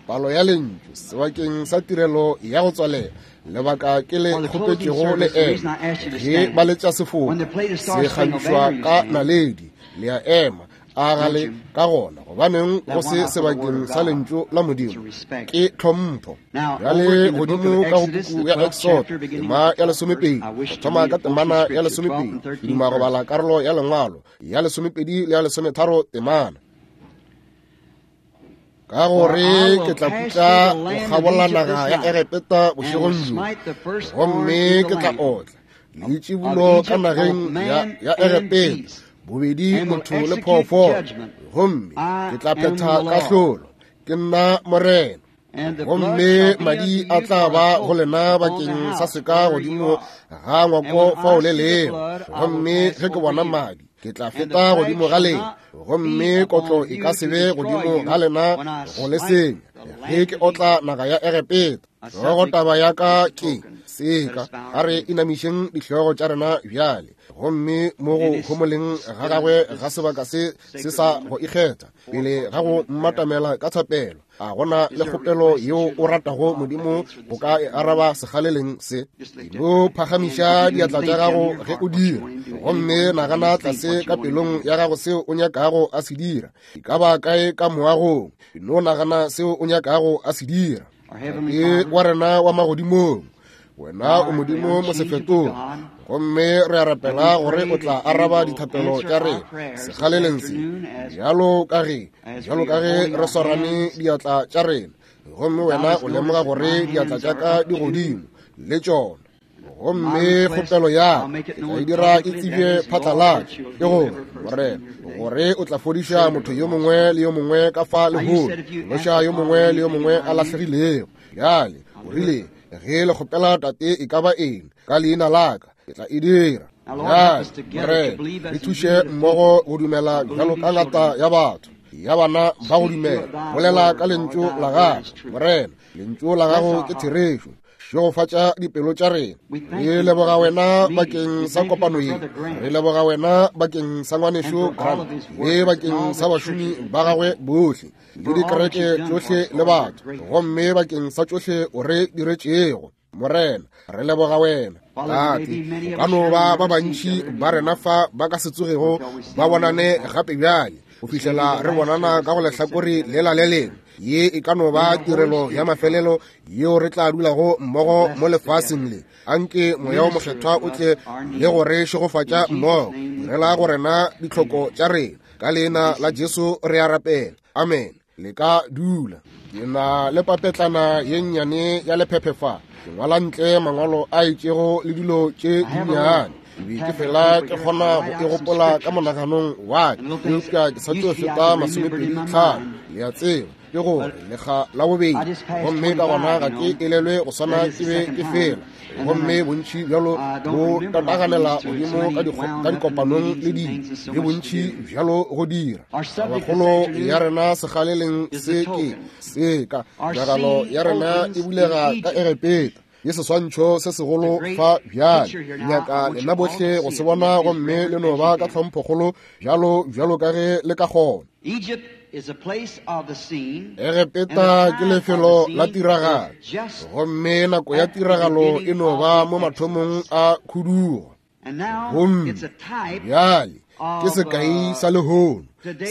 Palo ya lentšu sebakeng sa tirelo ya go tswalela lebaka ke le kgopetšego le ema ge ba letša sefoka se kgabišwa ka naledi le a ema a ga le ka gona gobaneng go se sebakeng sa lentšu la modimo ke tlhompho bjale godimo ka go puku ya exod tema ya lesomepedi go thoma ka temana ya lesomepedi ke duma go bala karolo ya lengwalo ya lesomepedi le ya lesometharo temana ka gore ke tla putla go kgabola naga ya egepeta bošegong bjo gomme ke tla otla leitšibulo ka nageng ya egepeta bobedi motho le phoofolo gomme ke tla phetha kahlolo ke nna morena gomme madi a tla ba go lena bakeng sa seka godimo ga ngwako fao le lego gomme ge ke bona madi ke tla feta godimo ga lena gomme kotlo e ka se be godimo ga lena go le senya ge ke otla naga ya egepeta hlogo taba ya ka ke seka a re inamišeng dihlogo tša rena bjale gomme mo go homoleng ga gagwe ga sebaka se se sa go ikgetha pele ga go mmatamela ka thapelo a gona le kgopelo yeo o ratago modimo o ka e araba segaleleng se no phagamiša diatla tša gago ge o dira gomme nagana tlase ka pelong ya gago seo o nyakago a se dira e ka ba kae ka moagong no nagana seo o nyakago a se dira ke wa rena wa magodimong wena o modimo mosefetogi gomme re a rapela gore o tla araba dithapelo tša rena segaleleng se bjalo ka ge bjalo ka ge re swarane diatla tša rena gomme wena o lemoga gore diatla tša ka di godimo le tšona gomme kgopelo ya ke tla e dira e tsebje phatlalatša ke gore morena gore o tla fodiša motho yo mongwe le yo mongwe ka fa lehono loša yo mongwe le yo mongwe a lahlegilego bjale o rile ge le kgopela tate e ka ba eng ka leina la ka ke tla e dira bjale morena re thuše mmogo go dumela bjalo ka ngata ya batho ya bana ba go dumela bolela ka lentšu la gago morena lentšu la gago ke therešo šegofatša dipelo tša rena re leboga wena bakeng sa kopano ye re leboga wena bakeng sa ngwanešo grant le bakeng sa bašomi ba gagwe bohle le dikereke tšohle le batho gomme bakeng sa tšohle o re diretšego morena re leboga wena tate o ka no ba ba bantši ba rena fa ba ka se tsogego ba bonane gape bjale go fihlela re bonana ka go lehlakore lela le lengwe ye e ka no ba tirelo ya mafelelo yeo re tla dulago mmogo mo lefaseng le anke moya o mokgethwa o tle le go re šegofatša mmogo direla go rena ditlhoko tša rena ka leina la jesu re a rapela amen le ka dula ke na le papetlana ye nnyane ya lephephe fa ke ngwala ntle mangwalo a itšego le dilo tše dinnyane be ke fela ke kgona go e gopola ka monaganong wa ka eupša ke sa tlo feta masomepedi tlhano le a tseba ke gore lekga la bobedi gomme ka gona ga ke elelwe go swana ke be ke fela gomme bontši bjalo bo tataganela godimo ka dikopanong le dilo le bontši bjalo go dira tabakgolo ya rena segaleleng se ke seka tiragalo ya rena e bulega ka egepeta ke seswantšho se segolo fa bjale nyaka lena bohle go se bona gomme le no ba ka tlhomphokgolo bjalo bjalo ka ge le ka kgona Egepeta ke lefelo la tiragalo gomme nako ya tiragalo e no ba mo mathomong a khudugo gomme bjale ke sekai sa lehono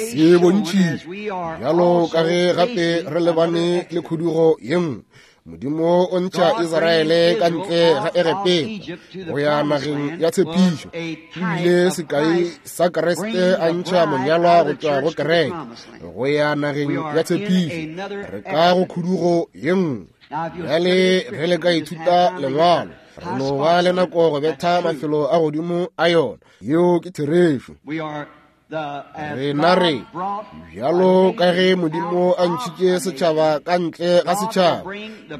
se bontšhitšwe bjalo ka ge gape re lebane le khudugo ye nngwe modimo o ntšha israele ka ntle ga egepeta go ya nageng ya tshepišo ebile sekai sa kreste a ntšha monyalwa go tšwa go kereke go ya nageng ya tshepišo re ka go khudugo ye nngwe bjale ge le ka ithuta lengwalo re no ba le nako go betha mafelo a godimo a yona yeo ke therešo rena re bjalo ka ge modimo a ntšhitše setšhaba ka ntle ga setšhaba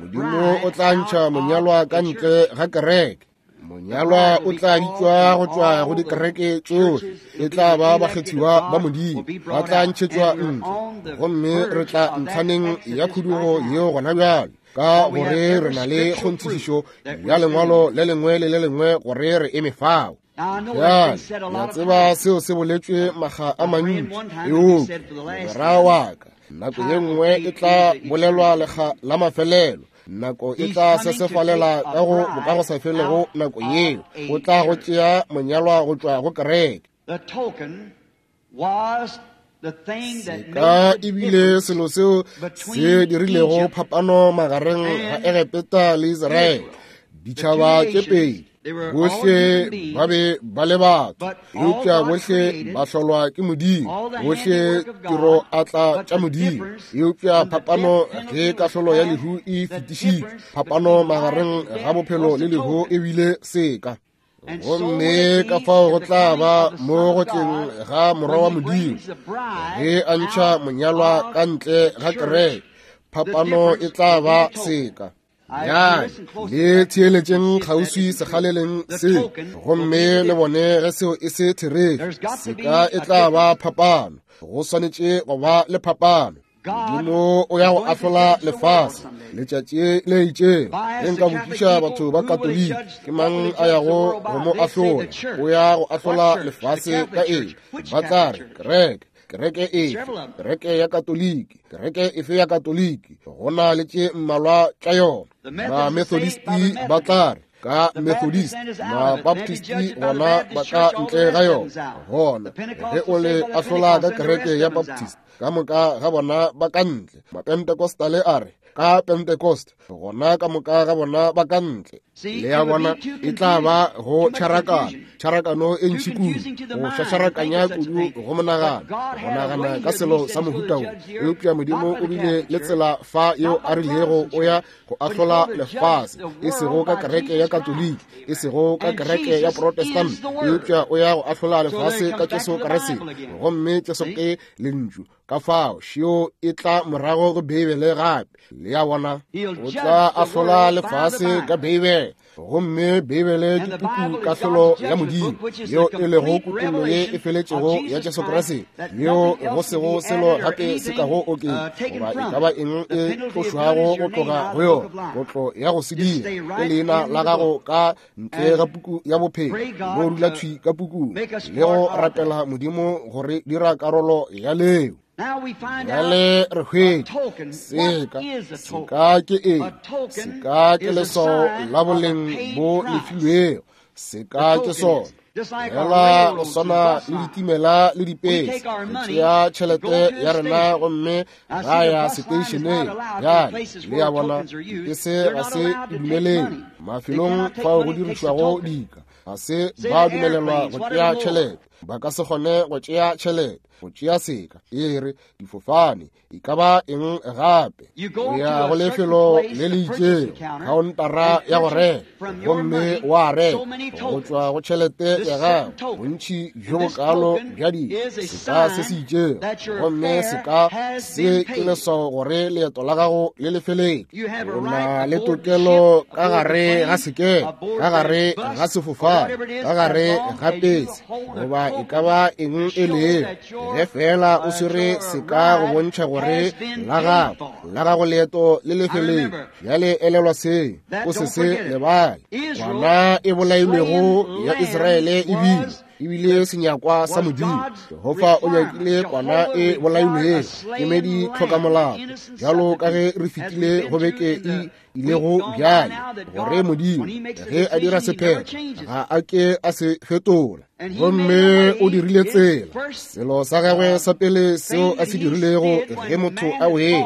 modimo o tla ntšha monyalwa ka ntle ga kereke monyalwa o tla bitšwa go tšwa go dikereke tšohle e tla ba bakgethiwa ba modimo ba tla ntšhetšwa ntle gomme re tla ntlhaneng ya khudugo yeo gona bjale ka gore re na le kgonthišišo ya lengwalo le lengwe le le lengwe gore re eme fao. Bjale, le a tseba seo se boletšwe makga a mantši, eupša mogwera wa ka, nako ye nngwe e tla bolelwa lekga la mafelelo. Nako e tla sesefalela ka go bokagosafelego nako yeo o tla go tšea monyalwa go tšwa go kereke. Seka e bile selo seo se dirilego phapano magareng ga Egepeta le Israele, ditšhaba tše pedi. Bohle ba be ba le batho, eupša bohle ba hlolwa ke Modimo, bohle tiro atla tša Modimo. Eupša phapano ge kahlolo ya lehu e fetišitšwe, phapano magareng ga bophelo le lehu e bile seka. Gomme ka fao go tla ba mo go tleng ga Morwa wa Modimo, ge a ntšha monyalwa ka ntle ga kereke, phapano e tla ba seka. Bjale le theeletšeng kgauswi sekgaleleng se, gomme le bone ge seo e se therešo. Seka e tla ba phapano. Go swanetše go ba le phapano. Modimo o ya go ahlola lefase letšatši le itšego. Ge nka botšiša batho ba Katoliki, ke mang a yago go mo ahlola? O ya go ahlola lefase ka eng? Ba tla re, kereke. Kereke efe? Kereke ya Katoliki. Kereke efe ya Katoliki? Go na le tše mmalwa tša yona. Ba-Methodisti ba tla re, ka Methodist. Ba-Baptisti gona ba ka ntle ga yona. Gona ge o le ahlola ka kereke ya Baptist, ka moka ga bona ba ka ntle. Mapentecostale a re, ka Pentecost, gona ka moka ga bona ba ka ntle. Le ya bona, e tla ba go tšharakano, tšharakano e ntši kudu, go šašarakanya kudu go monagano, go nagana ka selo sa mohuta wo. Eupša Modimo o bile le tsela fa yeo a rilego o ya go ahlola lefase, e sego ka kereke ya Katoliki, e sego ka kereke ya Protestant, eupša o ya go ahlola lefase ka Jesu Kriste. Gomme Jesu ke Lentšu. Ka fao šeo e tla morago go Beibele gape. Le a bona, o tla ahlola lefase ka Beibele. Gomme Beibele ke puku kahlolo ya Modimo, yeo e lego kutollo ye e feletšego ya Jesu Kriste, yeo go sego selo gape se kago oketša goba e ka ba eng e tlošwago go tloga go yona. Kotlo ya go se dira ke leina la gago ka ntle ga puku ya bophelo, go dula thwi ka pukung le go rapela Modimo gore dira karolo ya leo. Bjale re hwetša seka. Seka ke eng? Seka ke leswao la boleng bo lefilwego. Seka ke sona fela go swana le ditimela le dipese. Re tšea tšhelete ya rena gomme ra ya seteišeneng. Bjale le a bona, dipese ga se dumelele mafelong fao go dirišwago dika, ga se ba dumelelwa go tšea tšhelete. Ba ka se kgone go tšea tšhelete, go tšea seka, e re difofane, e ka ba eng gape. O ya go lefelo le le itšego, khaontara ya go reka, gomme wa reka go tšwa go tšhelete ya gago bontši bjo bokalo bja dika, seka se se itšego, gomme seka se ke leswao gore leeto la gago le lefeletše. O na le tokelo ka gare ga sekepe, ka gare ga sefofane, ka gare ga pese, goba e ka ba eng e lego, ge fela o swere seka go bontšha gore la gago la gago leeto le lefeletše. Bjale elelwa seo, o se se lebale. Kwana e bolailwego ya Israele e bile senyakwa sa Modimo. Jehofa o nyakile kwana e bolailwego kemedi tlhokamolao, bjalo ka ge re fetile go beke e ilego bjale, gore Modimo ge a dira sephetho ga a ke a se fetola. Gomme o dirile tsela. Selo sa gagwe sa pele seo a se dirilego ge motho a wele,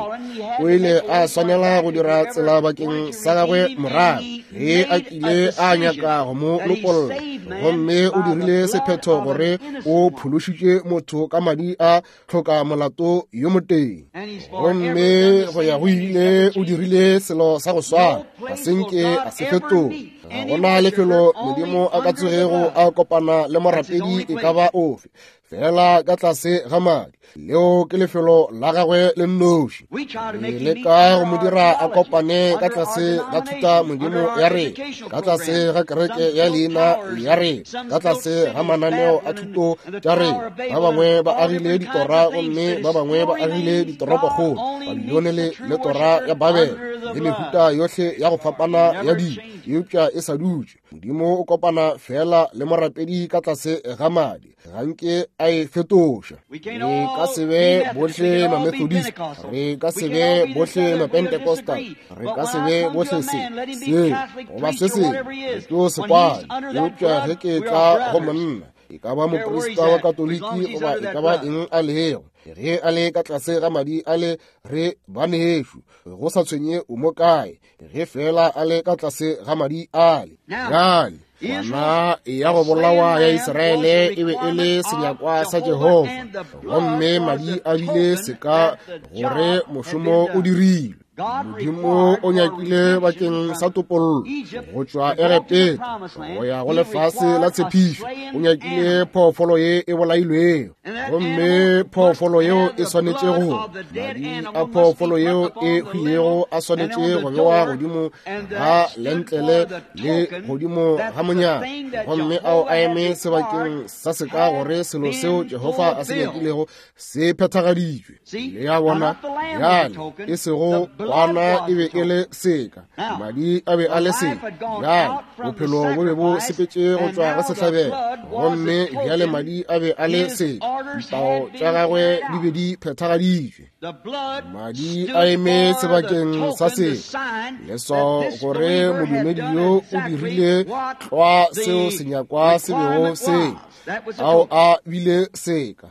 o ile a swanela go dira tsela bakeng sa gagwe morago ge a kile a nyaka go mo lopolla. Gomme o dirile sephetho gore o phološitše motho ka madi a tlhoka molato yo motee. Gomme go ya go ile o dirile selo sa go swana, ga se nke a se fetola. Ga gona lefelo Modimo a ka tsogego a kopana le morapedi e ka ba ofe, fela ka tlase ga madi. Leo ke lefelo la gagwe le nnoši. Re leka go mo dira a kopane ka tlase ga thuta Modimo ya rena, ka tlase ga kereke ya leina ya rena, ka tlase ga mananeo a thuto tša rena. Ba bangwe ba agile ditora, gomme ba bangwe ba agile ditoropokgolo, Babilone le tora ya Babele. le mehuta yohle ya go fapana ya dilo, eupša e sa dutše. Modimo o kopana feela le morapedi ka tlase ga madi, ga nke a e fetoša. Re ka se be bohle Mamethodist, re ka se be bohle Mapentecostal, re ka se be bohle se, se, goba se sengwe, re tlo se kwana. Eupša ge ke tla go monna, e ka ba moprista wa Katoliki goba e ka ba eng a lego, ge a le ka tlase ga madi a le, re banešu, go sa tshwenye o mo kae, ge fela a le ka tlase ga madi ale. Bjale kwana ya go bolawa ya Israele e be e le senyakwa sa Jehofa, gomme madi a bile seka gore mošomo o dirilwe. Modimo o nyakile bakeng sa topollo go tšwa Egepeta go ya go lefase la tshepišo. O nyakile phoofolo ye e bolailwego, gomme phoofolo yeo e swanetše go, madi a phoofolo yeo e hwilego a swanetše go bewa godimo ga lentlele le godimo ga monyako, gomme ao a eme sebakeng sa seka gore selo seo Jehofa a se nyakilego se phethagaditšwe. Le a bona? Bjale, e sego kwana e be e le seka, madi a be a le seka. Bjale, bophelo bo be bo sepetše go tšwa go sehlabelo, gomme bjale madi a be a le seka, ditao tša gagwe di be di phethagaditšwe. Madi a eme sebakeng sa seka, leswao gore modumedi yo o dirile tlwa seo senyakwa se bego se, ao a bile seka.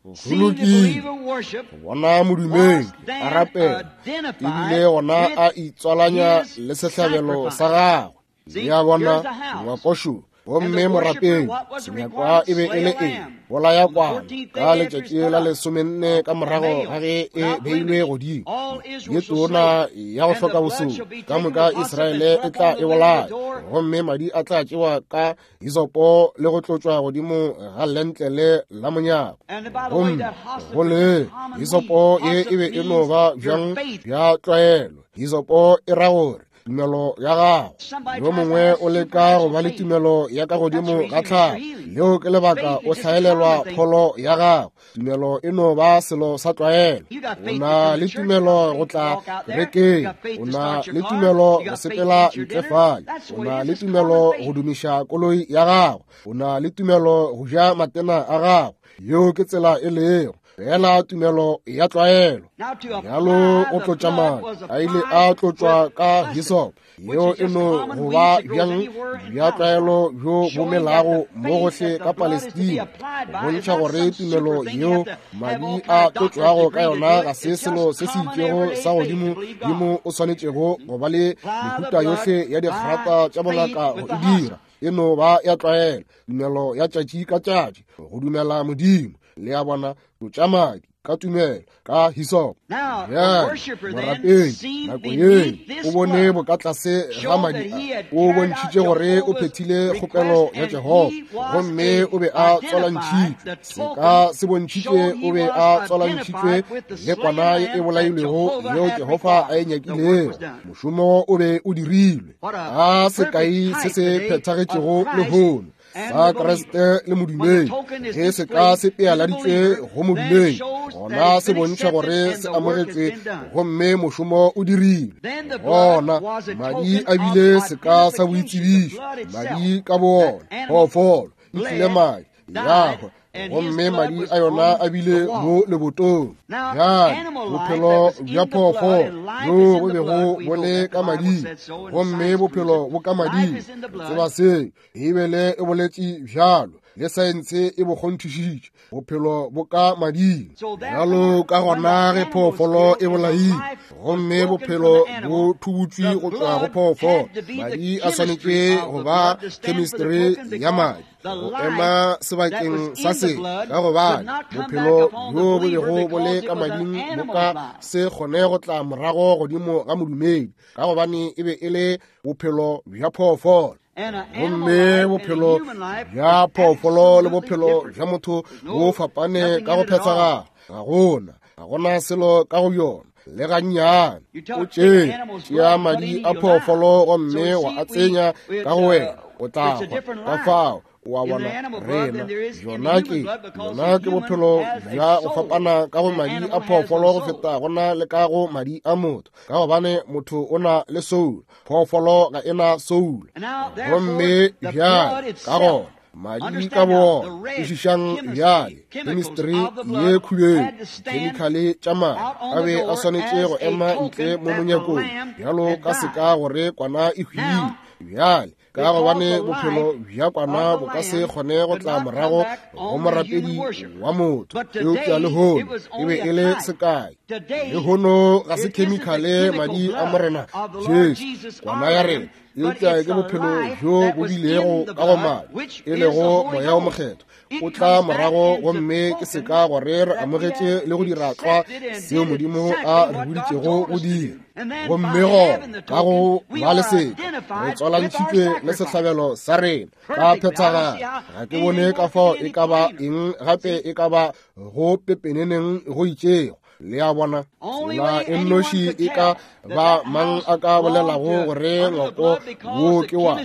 Go lokile go bona modumedi a rapela, ebile gona a itswalanya le sehlabelo sa gagwe. Le a bona, ngwakošo, gomme morapedi, senyakwa e be e le eng? Bolaya kwana ka letšatši la 14 ka morago ga ge e beilwe godimo, ye tona ya go hloka bosodi, ka moka Israele e tla e bolaya, gomme madi a tla tšewa ka hisopo le go tlotšwa godimo ga lentlele la monyako. Gomme go le hisopo ye e be e no ba bjang bja tlwaelo. Hisopo e ra gore tumelo ya gago. Yo mongwe o leka go ba le tumelo ya ka godimo ga tlhago, leo ke lebaka o hlaelelwa pholo ya gago. Tumelo e no ba selo sa tlwaelo. O na le tumelo go tla kerekeng, o na le tumelo go sepela ntle fale, o na le tumelo go dumiša koloi ya gago, o na le tumelo go ja matena a gago. Yeo ke tsela e lego fela tumelo ya tlwaelo. Bjalo go tlotša madi a ile a tlotšwa ka hisop, yeo e no go ba bjang bja tlwaelo bjo bo melago mo gohle ka Palestina, go bontšha gore tumelo yeo madi a tlotšwago ka yona ga se selo se se itšego sa godimo dimo o swanetšego go ba le mehuta yohle ya dikgrata tša bongaka go e dira. E no ba ya tlwaelo, tumelo ya tšatši ka tšatši, go dumela Modimo. Le a bona, tlotša madi ka tumelo ka hisop. Bjale morapedi nako ye o bone bokatlase ga madi a, o bontšhitše gore o phethile kgopelo ya Jehofa, gomme o be a tswalantšhitšwe. Seka se bontšhitše o be a tswalantšhitšwe le kwana ye e bolailwego yeo Jehofa a e nyakilego. Mošomo o be o dirilwe. A sekai se se phethagetšego lehono sa Kriste le modumedi. Ge se ka se pealaditšwe go modumedi, gona se bontšha gore se amogetšwe gomme mošomo o dirilwe. Gona madi a bile seka sa boitsebišo, madi ka boona, phoofolo e tlile madi ya hwa, gomme madi a yona a bile mo lebotong. Bjale bophelo bja phoofolo bjo bo bego bo le ka mading, gomme bophelo bo ka mading. Re tseba se, Beibele e boletše bjalo, le saense e bo kgonthišitše, bophelo bo ka mading. Bjalo ka gona ge phoofolo e bolaile, gomme bophelo bo thubutšwe go tšwa go phoofolo, madi a swanetše go ba chemistry ya madi go ema sebakeng sa se, ka gobane bophelo bjo bo bego bo le ka mading bo ka se kgone go tla morago godimo ga modumedi, ka gobane e be e le bophelo bja phoofolo. Gomme bophelo bja phoofolo le bophelo bja motho bo fapane ka go phethagala. Ga gona selo ka go bjona le gannyane. O tšea madi a phoofolo gomme wa a tsenya ka go wena, o tla hwa. Ka fao O a bona, rena, bjona ke, bjona ke bophelo bja go fapana ka go madi a phoofolo go feta go na le ka go madi a motho, ka gobane motho o na le soul, phoofolo ga e na soul. Gomme bjale, ka gona, madi ka boona, kwešišang bjale, chemistry ye khubedu, dikhemikhale tša madi a be a swanetše go ema ntle mo monyakong bjalo ka seka gore kwana e hwile. Bjale, ka gobane bophelo bja kwana bo ka se kgone go tla morago go morapedi wa motho, eupša lehono e be e le sekai. Lehono ga se khemikhale madi a Morena Jesu, kwana ya rena, eupša ke bophelo bjo bo bilego ka go madi, e lego Moya wo Mokgethwa, o tla morago gomme ke seka gore re amogetše le go dira tlwa seo Modimo a re boditšego go dira. Gomme gona ka go ba le seka re tswalantšhitšwe le sehlabelo sa rena ka phethagalo. Ga ke bone ka fao e ka ba eng gape e ka ba go pepeneneng go itšego. Le a bona, tsela e nnoši e ka ba mang a ka bolelago gore ngwako wo ke wa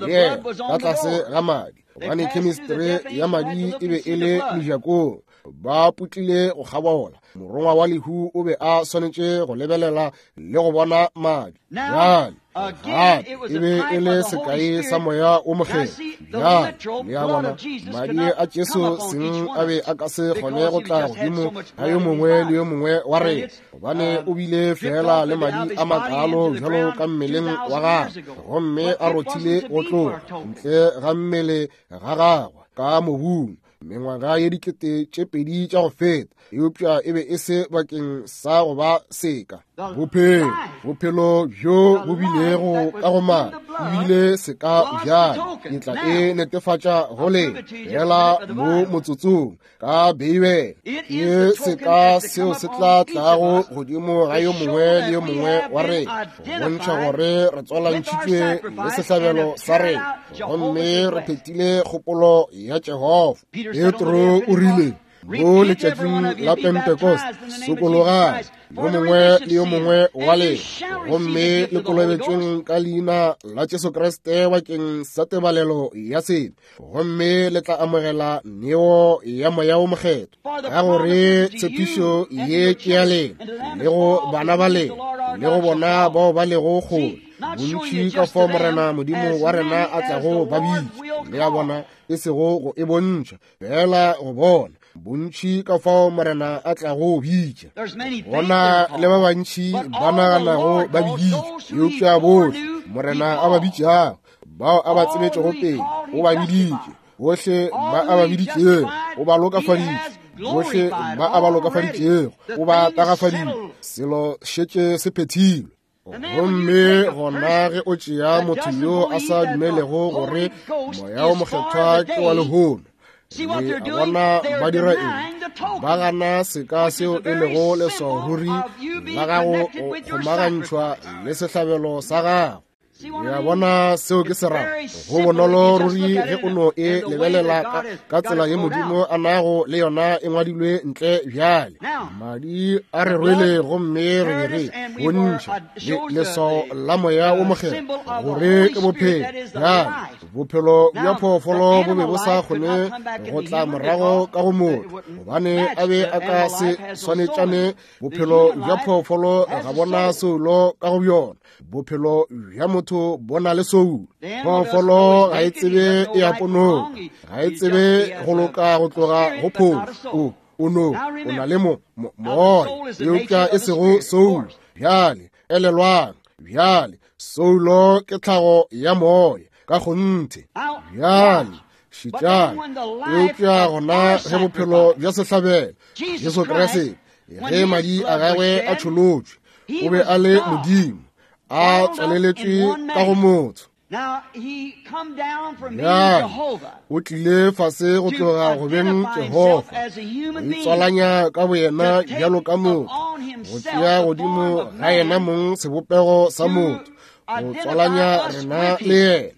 yena ka tlase ga madi, gobane chemistry ya madi e be e le mejakong, ba putlile go kgabola. Morongwa wa lehu o be a swanetše go lebelela le go bona madi. Bjale gape e be e le sekai sa Moya wo Mokgethwa. Bjale le a bona, madi a Jesu seng a be a ka se kgone go tla godimo ga yo mongwe le yo mongwe wa rena, gobane o bile fela le madi a makalo bjalo ka mmeleng wa gagwe, gomme a rothile go tloga ntle ga mmele ga gagwe ka mobung mengwaga ye 2000 tša go feta, eupša e be e se bakeng sa go ba seka. Bophelo, bophelo bjo bo bilego ka go madi e bile seka bjale. Ke tla e netefatša go lena fela mo motsotsong ka Beibele. Ke seka seo se tla tlago godimo ga yo mongwe le yo mongwe wa rena, go bontšha gore re tswalantšhitšwe le sehlabelo sa rena, gomme re phethile kgopolo ya Jehofa. Petro o rile mo letšatšing la Pentecost, sokologang yo mongwe le yo mongwe wa lena, gomme le kolobetšweng ka leina la Jesu Kriste bakeng sa tebalelo ya sebe, gomme le tla amogela neo ya Moya wo Mokgethwa, ka gore tshepišo ye ke ya lena le go bana ba lena le go bona bao ba lego kgole, bontši ka fao Morena Modimo wa rena a tlago ba bitša. Le a bona, e sego go e bontšha fela go bona, bontši ka fao Morena a tlago bitša. Bona le ba bantši ba naganago ba biditšwe, eupša bohle Morena a ba bitšago, bao a ba tsebetšego pele, o ba biditše. Bohle ba a ba biditšego, o ba lokafaditše. Bohle ba a ba lokafaditšego, o ba tagafaditše. Selo šetše se phethilwe. Gomme gona ge o tšea motho yo a sa dumelego gore Moya wo Mokgethwa ke wa lehono, le a bona ba dira eng? Ba gana seka seo e lego leswao ruri la gago go kgomagantšhwa le sehlabelo sa gago. Le a bona seo ke se rago? Go bonolo ruri ge o no e lebelela ka tsela ye Modimo a nago le yona e ngwadilwe ntle bjale. Madi a re rwele gomme re be re bontšha leswao la Moya wo Mokgethwa gore ke bophelo. Bjale bophelo bja phoofolo bo be bo sa kgone go tla morago ka go motho, gobane a be a ka se swanetšane. Bophelo bja phoofolo ga bona soulo ka go bjona, bophelo bja motho bo na le soulo. Phoofolo ga e tsebe e ya ponong, ga e tsebe go loka go tloga go phofu. O no o na le moya, eupša e sego soulo. Bjale elelwang, bjale soulo ke tlhago ya moya ka kgonthe. Bjale šetšang, eupša gona ge bophelo bja sehlabelo Jesu Kriste, ge madi a gagwe a tšholotšwe, o be a le Modimo a tswaleletšwe ka go motho. Bjale o tlile fase go tloga go beng Jehofa, go itswalanya ka boyena bjalo ka motho, go tšea godimo ga yena mong sebopego sa motho, go tswalanya rena le yena.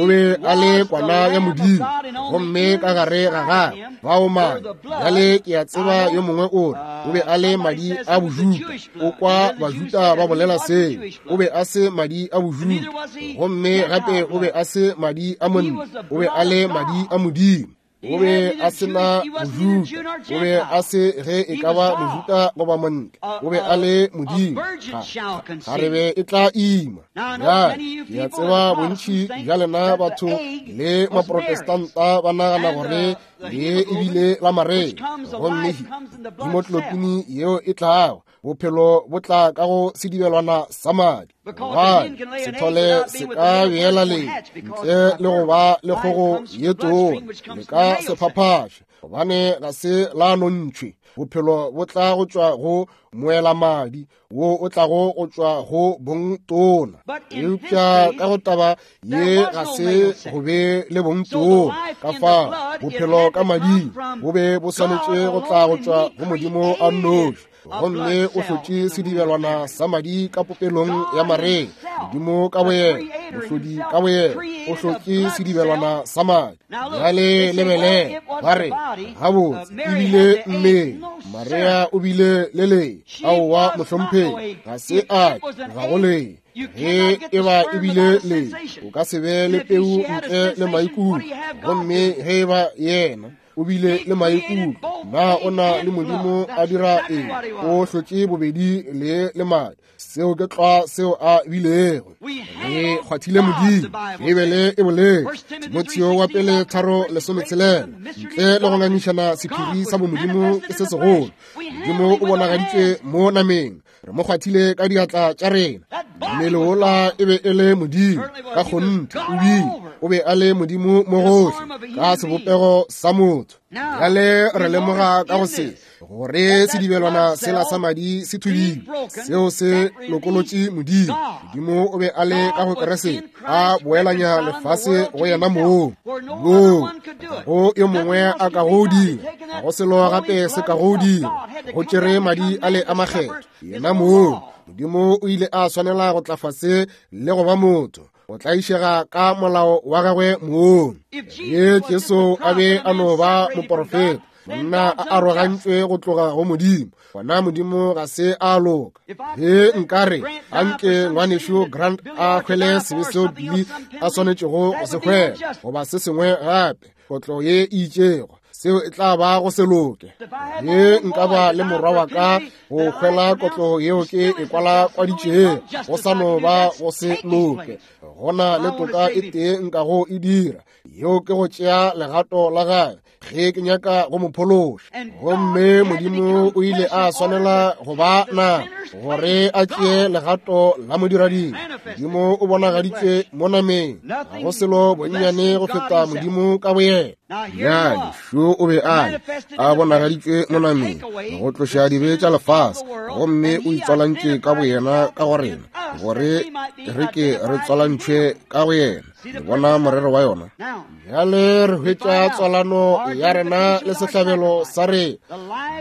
O be a le kwana ya Modimo, gomme ka gare ga gagwe bao madi. Bjale ke a tseba yo mongwe o re o be a le madi a Bojuta. O kwa Bajuta ba bolela seo. O be a se madi a Bojuta, gomme gape o be a se madi a monna. O be a le madi a Modimo. O be a se na Mojuta, o be a se ge e ka ba Mojuta goba montle, o be a le Modimo. Kgarebe e tla ima. Bjale ke a tseba bontši bja lena batho le Maprotestanta ba nagana gore le ebile la Maria, gomme hemoglobin yeo e tlago bophelo bo tla ka go sedibelwana sa madi. Gobane sethole se ka beela le ntle le go ba le kgogo ye tona, le ka se phaphaše, gobane ga se la nontšhwe. Bophelo bo tla go tšwa go moelamadi wo o tlago go tšwa go bong tona. Eupša ka go taba ye ga se go be le bong tona, ka fao bophelo ka mading bo be bo swanetše go tla go tšwa go Modimo a nnoši. Gomme o hlotše sedibelwana sa madi ka popelong ya Maria. Modimo ka boyena, mohlodi ka boyena, o hlotše sedibelwana sa madi. Bjale lebelela, ba re, gabotse, ebile mmele Maria o bile le lee. Aowa, mohlomphegi, ga se a ga go lee. Ge e ba ebile lee, o ka se be le peu ntle le maikutlo. Gomme ge e ba yena o bile le maikutlo, na o na le Modimo a dira eng? O hlotše bobedi le le madi. Seo ke tlwa seo a bilego. Re kgwathile Modimo. Beibele e boletše, Timotheo wa pele 3:16, ntle le go ngangišana sephiri sa bomodimo ke se segolo. Modimo o bonagaditšwe mo nameng. Re mo kgwathile ka diatla tša rena. Mmele wola e be e le Modimo ka kgonthe, o bile o be a le Modimo mo gohle ka sebopego sa motho. Bjale re lemoga ka go se gore sedibelwana sela sa madi se thubile, seo se lokolotše Modimo. Modimo o be a le ka go Keresete, a boelanya lefase go yena mong. Moo ga go yo mongwe a ka go dira, ga go selo gape se ka go dira. Go tšere madi a le a makgethwa, yena mong. Modimo o ile a swanela go tla fase le go ba motho, go tlaišega ka molao wa gagwe mong. Ge Jesu a be a no ba moporofeta, monna a arogantšwe go tloga go Modimo, gona Modimo ga se a loka. Ge nkare a nke ngwanešu Grant a hwele sebe seo Billy a swanetšego go se hwela, goba se sengwe gape, kotlo ye e itšego, seo e tla ba go se loke. Ge nka ba le morwa wa ka go hwela kotlo yeo ke e kwalakwaditšego, go sa no ba go se loke. Go na le toka e tee nka go e dira, yeo ke go tšea legato la gagwe ge ke nyaka go mo phološa. Gomme Modimo o ile a swanela go ba na gore a tšee legato la modirading. Modimo o bonagaditšwe mo nameng, ga go selo bonnyane go feta Modimo ka boyena. Bjale šo o be a le a bonagaditšwe mo nameng go tloša dibe tša lefase, gomme o itswalantše ka boyena ka go rena, gore re ke re tswalantšhwe ka go yena. Le bona morero wa yona? Bjale re hwetša tswalano ya rena le sehlabelo sa rena,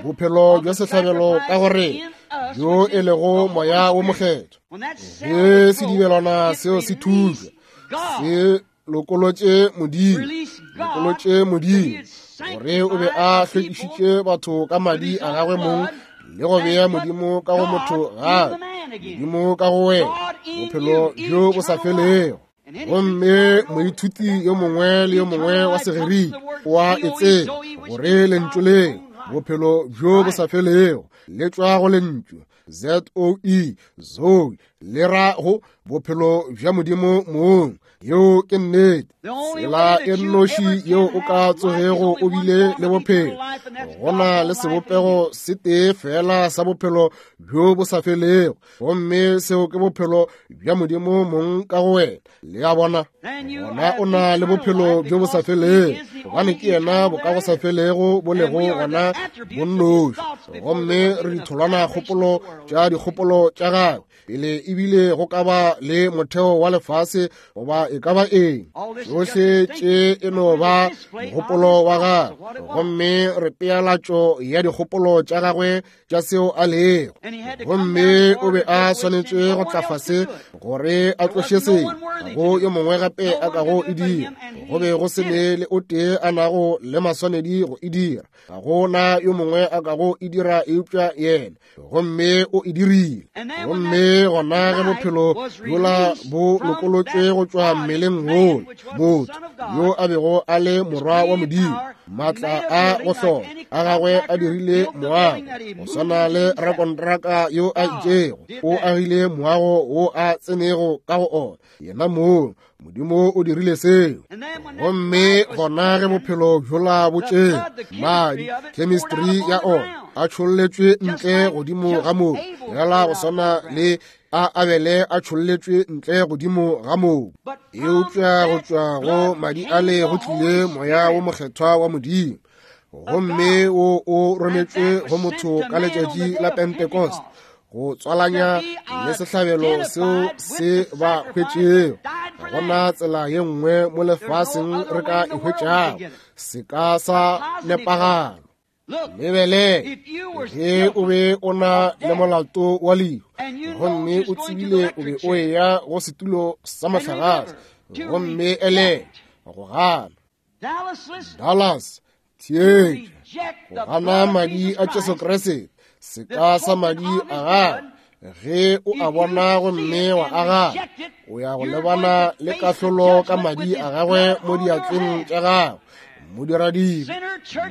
bophelo bja sehlabelo ka go rena, bjo e lego Moya wo Mokgethwa. Ge sedibelwana seo se thujwa, se lokolotše Modimo, lokolotše Modimo, gore o be a hlwekišitše batho ka madi a gagwe mong le go bea Modimo ka go motho gape, Modimo ka go wena, bophelo bjo bo sa felego. Gomme moithuti yo mongwe le yo mongwe wa Segerike wa e tseba gore lentšu leo bophelo bjo bo sa felego le tšwa go lentšu Z-O-E, Zoe, le ra go bophelo bja Modimo mong. Yeo ke nnete. Tsela e nnoši yeo o ka tsogego o bile le bophelo, go na le sebopego se tee fela sa bophelo bjo bo sa felego, gomme seo ke bophelo bja Modimo mong ka go wena. Le a bona? Gona o na le bophelo bjo bo sa felego, gobane ke yena bo ka go sa felego bo lego gona bonnoši, gomme re ditholwana kgopolo tša dikgopolo tša gagwe pele ebile go ka ba le motheo wa lefase goba e ka ba eng. Tšohle tše e no ba mogopolo wa gagwe, gomme re pealatšo ya dikgopolo tša gagwe tša seo a lego. Gomme o be a swanetše go tla fase gore a tloše se, ga go yo mongwe gape a kago e dira. Go be go se ne le o tee a nago le maswanedi go e dira, ga go na yo mongwe a kago e dira eupša yena, gomme o e dirile. Gomme gona ge bophelo bjola bo lokolotšwe go tšwa mmeleng wola, motho yo a bego a le morwa wa Modimo, maatla a go hlola a gagwe a dirile moago, go swana le rakontraka yo a itšego o agile moago wo a tsenego ka go ona yena mong. Modimo o dirile seo. Gomme gona ge bophelo bjola bo tšere madi, chemistry ya ona a tšholletšwe ntle godimo ga mobu, fela go swana le a Abele a tšholletšwe ntle godimo ga mobu. Eupša go tšwa go madi ale go tlile Moya wo Mokgethwa wa Modimo, gomme wo o rometšwe go motho ka letšatši la Pentecost go tswalanya le sehlabelo seo se ba hwetšego. Ga gona tsela ye nngwe mo lefaseng re ka e hwetšago se ka sa nepagalo. Lebele, ge o be o na le molato wa lehu, gomme o tsebile o be o eya go setulo sa mohlagase, gomme ele go gana. Dallas, theetša, go gana madi a Jesu Kriste, seka sa madi a gagwe, ge o a bona gomme wa a gana, o ya go lebana le kahlolo ka madi a gagwe mo diatleng tša gagwe. Modiradibe,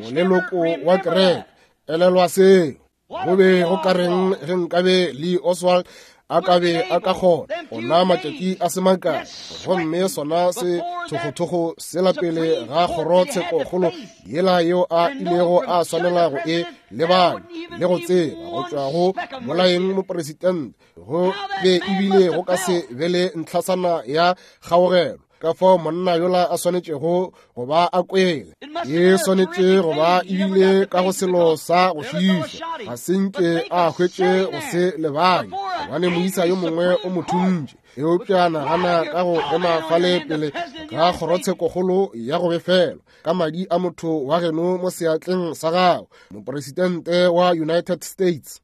moleloko wa kereke, elelwa seo. Go be go ka reng ge nkabe Lee Oswald a ka be a ka kgona ona matšatši a se makae, gomme sona se thokgothogo sela pele ga kgorotshekokgolo yela yeo a ilego a swanela go e lebanya le go tseba go tšwa go bolaeng moporesitente, go be ebile go ka se be le ntlhasana ya kgaogelo. Ka fao monna yola a swanetšego go ba a kwele, e swanetše go ba ebile ka go selo sa go šiiša, ga se nke a hwetše go se lebanye, gobane moisa yo mongwe o mo thuntše. Eupša nagana ka go ema fale pele ga kgorotshekokgolo ya go befelwa ka madi a motho wa geno mo seatleng sa gago, moporesitente wa United States.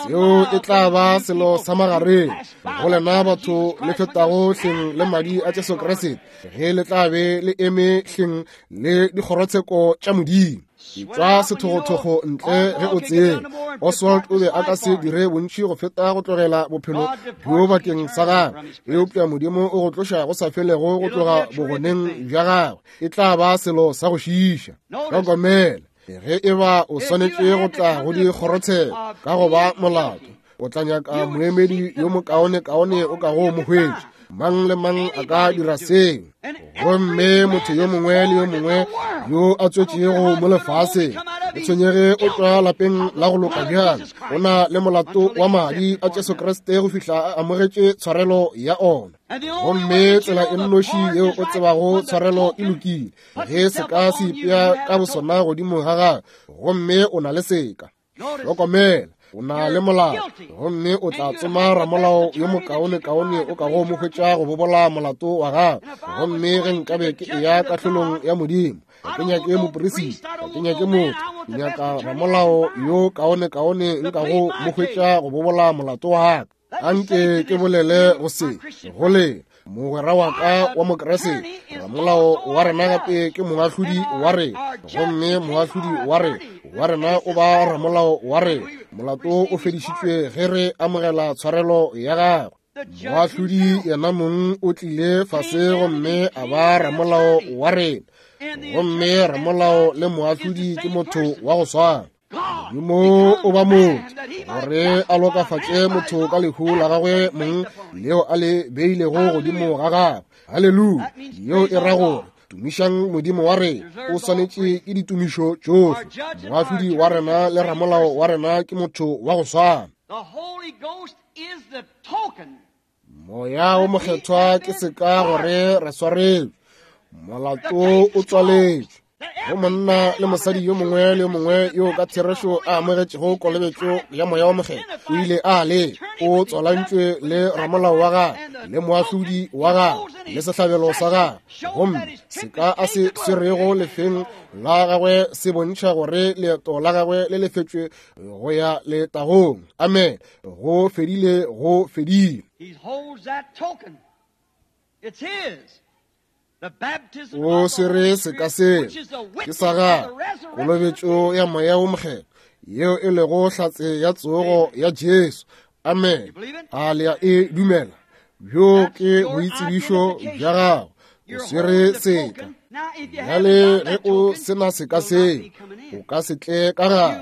Seo e tla ba selo sa magareng go lena batho le fetago hleng le madi a Jesu Kriste, ge le tla be le eme hleng le dikgorotsheko tša Modimo. Tšwa sethogothogo ntle ge o tseba. Oswald o be a ka se dire bontši go feta go tlogela bophelo bjo bakeng sa gagwe, eupša Modimo o go tloša go sa felego go tloga bogoneng bja gagwe. E tla ba selo sa go šiiša. Hlokomela, ge e ba o swanetše go tla go dikgorotsheko ka go ba molato, o tla nyaka moemedi yo mokaonekaone o kago mo hwetša. Mang le mang a ka dira seo, gomme motho yo mongwe le yo mongwe yo a tswetšego mo lefaseng, o tshwenyege o tšwa lapeng la go loka bjang, o na le molato wa madi a Jesu Kriste go fihla a amogetše tshwarelo ya ona. Gomme tsela e nnoši yeo o tsebago tshwarelo e lokile, ge seka se ipea ka bosona godimo ga gagwe, gomme o na le seka. Hlokomela, o na le molao, gomme o tla tsoma ramolao yo mokaonekaone o kago mo hwetša go bobola molato wa gago. Gomme ge nkabe ke eya kahlolong ya Modimo, ga ke nyake moperisita, ga ke nyake motho, ke nyaka ramolao yo kaonekaone nkago mo hwetša go bobola molato wa ka. Anke ke bolele go se go le mogwera wa ka wa Mokriste, ramolao wa rena gape ke moahlodi wa rena, gomme moahlodi wa rena wa rena o ba ramolao wa rena. Molato o fedišitšwe ge re amogela tshwarelo ya gagwe. Moahlodi yena mong o tlile fase gomme a ba ramolao wa rena, gomme ramolao le moahlodi ke motho wa go swana. Modimo o ba motho gore a lokafatše motho ka lehu la gagwe mong leo a le beilego godimo ga gagwe. Haleluya! Yeo e ra gore tumišang Modimo wa rena, o swanetše ke ditumišo tšohle. Moahlodi wa rena le ramolao wa rena ke motho wa go swana. Moya wo Mokgethwa ke seka gore re swarelwe, molato o tswaletšwe. Go monna le mosadi yo mongwe le yo mongwe yo ka therešo a amogetšego kolobetšo ya Moya wo Mokgethwa, o ile a le o tswalantšwe le ramolao wa gagwe le moahlodi wa gagwe le sehlabelo sa gagwe, gomme seka a se swerego lefeng la gagwe se bontšha gore leeto la gagwe le lefetšwe go ya letagong. Amen. Go fedile, go fedile. O swere seka seo ke sa gagwe, kolobetšo ya Moya wo Mokgethwa, yeo e lego hlatse ya tsogo ya Jesu. Amen. A le a e dumela? Bjo ke boitsebišo bja gago. O swere seka. Bjale ge o se na seka seo, o ka se tle ka gare.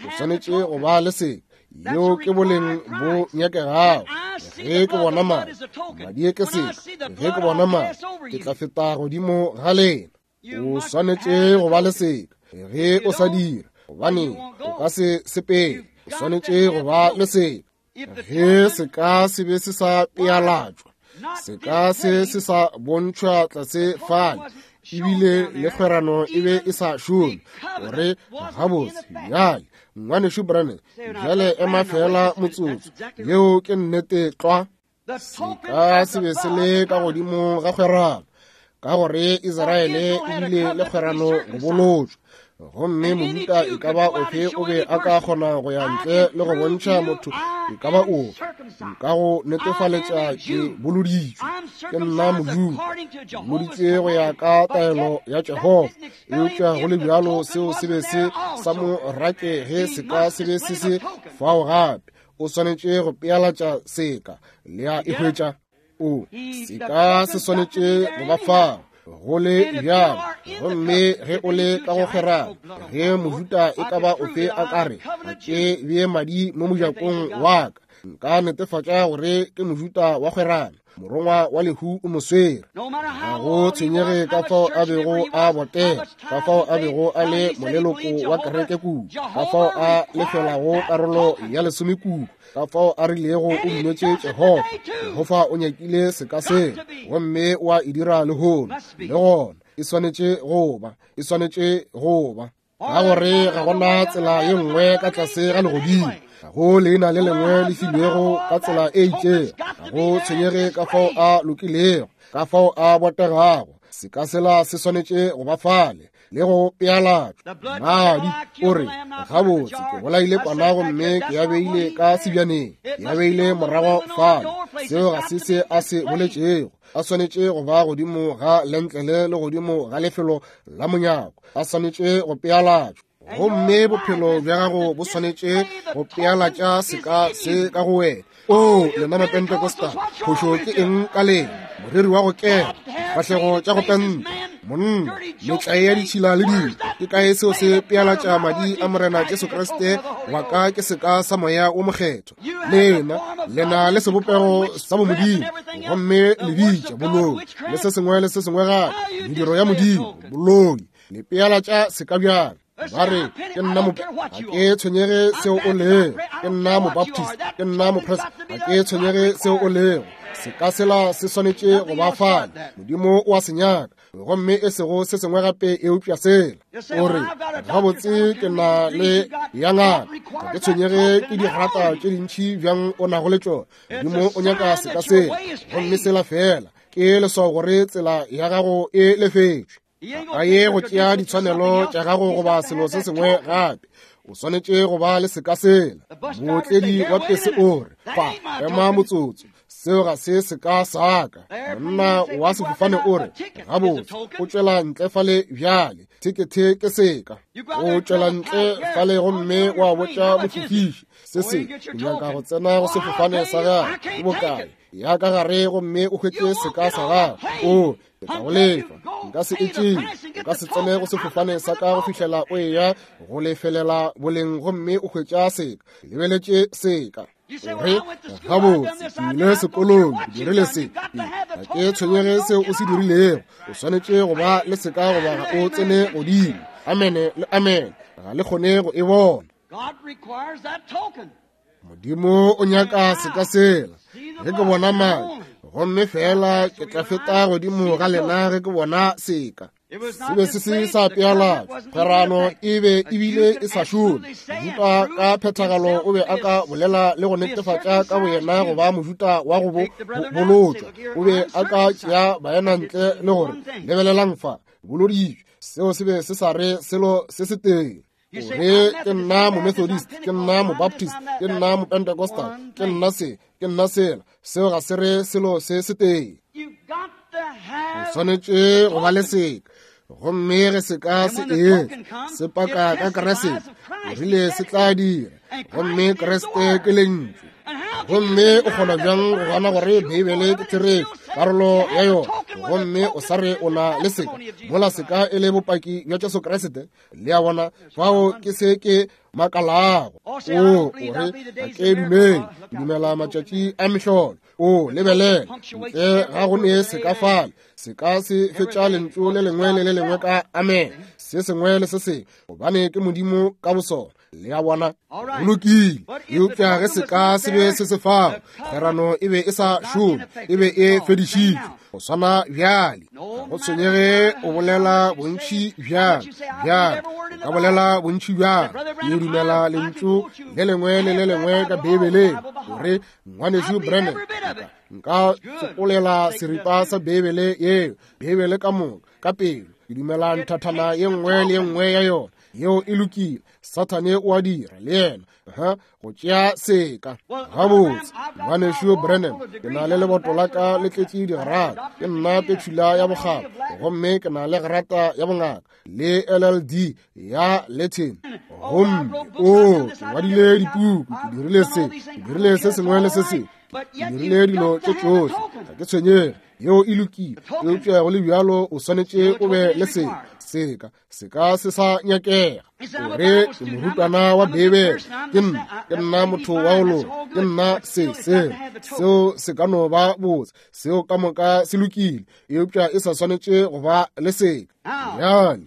O swanetše go ba le seka. Yeo ke boleng bo nyakegago. Ge ke bona madi, madi ke seka. Ge ke bona madi, ke tla feta godimo ga lena. O swanetše go ba le seka. Ge o sa dira, gobane o ka se sepele. O swanetše go ba le seka. Ge seka se be se sa pealatšwa, seka se se sa bontšhwa tlase fale, ebile le kgwerano e be e sa šome, gore gabotse bjale ngwanešu Branham, bjale ema feela motsotso, yeo ke nnete tlwa. Seka se be se le ka godimo ga kgwerano, ka gore Israele e bile le kgwerano go bolotšwa, gomme mojuda e ka ba ofe o be a ka kgona go ya ntle le go bontšha motho e ka ba ofe, nka go netefaletša ke boloditšwe, ke nna mojuda, ke boloditšwe go ya ka taelo ya Jehofa. Eupša go le bjalo seo se be se sa mo rake ge seka se be se se fao gape. O swanetše go pealatša seka, le a e hwetša. O seka se swanetše go ba fao go le bjalo. Gomme ge o le ka go kgwerano, ge mojuda e ka ba ofe a ka re, ga ke bee madi mo mojakong wa ka, nka netefatša gore ke mojuda wa kgwerano, morongwa wa lehu o mo swere. Ga go tshwenyege ka fao a bego a botega, ka fao a bego a le moleloko wa kereke kudu, ka fao a lefelago karolo ya lesome kudu, ka fao a rilego o dumetše Jehofa. Jehofa o nyakile seka seo, gomme o a e dira lehono. Le gona e swanetše go ba, e swanetše go ba, ka gore ga gona tsela ye nngwe ka tlase ga legodimo, ga go leina le lengwe le filwego ka tsela e itšego. Ga go tshwenyege ka fao a lokilego, ka fao a botegago, seka sela se swanetše go ba fale le go pealatšwa. Madi, o re, gabotse ke bolaile kwana gomme ke ya beile ka sebjaneng, ke ya beile morago fale. Seo ga se se a se boletšego. A swanetše go ba godimo ga lentlele le godimo ga lefelo la monyako. A swanetše go pealatšwa. Gomme bophelo bja gago bo swanetše go pealatša seka se ka go wena. O, lena Mapentecostal, phošo ke eng ka lena? Moreri wa go kena, difahlego tša go penta, monna, metlae ya ditšhila le dilo. Ke kae seo se pealatša madi a Morena Jesu Kriste wa ka ke seka sa Moya wo Mokgethwa? Lena, lena le sebopego sa bomodimo, gomme le bitša boloi le se sengwe le se sengwe gape, mediro ya Modimo, boloi. Le pealatša seka bjang? Ba re, ke nna mo, ga ke tshwenyege seo o lego, ke nna mobaptist, ke nna mopres, ga ke tshwenyege seo o lego. Seka sela se swanetše go ba fale. Modimo o a se nyaka, gomme e sego se sengwe gape eupša sela. O re, gabotse ke na le ya ngaka, ga ke tshwenyege ke digrata tše dintši bjang o nago le tšona. Modimo o nyaka seka sela, gomme sela fela ke leswao gore tsela ya gago e lefetšwe. Ga ye go tšea ditshwanelo tša gago goba selo se sengwe gape. O swanetše go ba le seka sela. Mootledi wa pese o re, fa, ema motsotso, seo ga se seka sa ka. Monna wa sefofane o re, gabotse, o tšwela ntle fale bjale, thekethe ke seka. O tšwela ntle fale gomme wa botša mofofiši se se, o nyaka go tsena go sefofane sa gagwe, ke bokae? Ya ka gare gomme o hwetše seka sa gagwe. O ke tla go lefa, nka se e tšee. O ka se tsene go sefofane sa ka go fihlela o eya go lefelela boleng gomme o hwetša seka. Lebeletše seka. O re, gabotse, ke ile sekolong, ke dirile se. Ga ke tshwenyege seo o se dirilego. O swanetše go ba le seka goba ga o tsene godimo. Amene le amene. Ga le kgone go e bona. Modimo o nyaka seka sela. Ge ke bona madi, gomme fela ke tla feta godimo ga lena ge ke bona seka. Se be se se sa pealatšwa, kgwerano e be ebile e sa šome. Mojuta ka phethagalo o be a ka bolela le go netefatša ka boyena go ba mojuta wa go bolotšwa. O be a ka tšea baena ntle le gore, lebelelang fa, boloditšwe. Seo se be se sa re selo se se tee. Gore ke nna Momethodist, ke nna Mobaptist, ke nna Mopentecostal, ke nna se, ke nna sela. Seo ga se re selo se se tee. O swanetše go ba le seka. Gomme ge seka se etla, se paka ka Kriste, o rile se tla dira. Gomme Kriste ke Lentšu. Gomme o kgona bjang go gana gore Beibele ke therešo, karolo ya yona, gomme o sa re o na le seka, mola seka e le bopaki bja Jesu Kriste? Le a bona, fao ke se ke makalago. O, o re, ga ke dumele, ke dumela matšatši a mehlolo. O, lebelela, ntle ga go ne seka fale, seka se fetša lentšu le lengwe le le lengwe ka amen, se sengwe le se sengwe, gobane ke Modimo ka bosona. Le a bona? Go lokile. Eupša ge seka se be se se fao, kgwerano e be e sa šome, e be e fedišitšwe. Go swana bjale, ga go tshwenyege o bolela bontši bjang, bjang, o ka bolela bontši bjang, ke dumela lentšu le lengwe le le lengwe ka Beibeleng, gore Ngwanešu Branham, nka tsopolela seripa sa Beibele yeo, Beibele ka moka, ka pelo, ke dumela nthathana ye nngwe le ye nngwe ya yona. Yeo e lokile. Sathane o a dira le yena, ha, go tšea seka. Gabotse, Ngwanešu Branham, ke na le leboto la ka le tletše digrata. Ke nna petšhula ya bokgabo, gomme ke na le grata ya bongaka le LLD ya Latin. Gomme o, ke ngwadile dipuku, ke dirile se, ke dirile se sengwe le se sengwe, ke dirile dilo tše tšohle, ga ke tshwenyege. Yeo e lokile, eupša go le bjalo o swanetše o be le seka. Seka se ka se sa nyakega. O re ke morutwana wa Beibele, ke nna, ke nna motho wa go loka, ke nna se, se, seo se ka no ba botse, seo ka moka se lokile, eupša e sa swanetše go ba le seka. Bjale,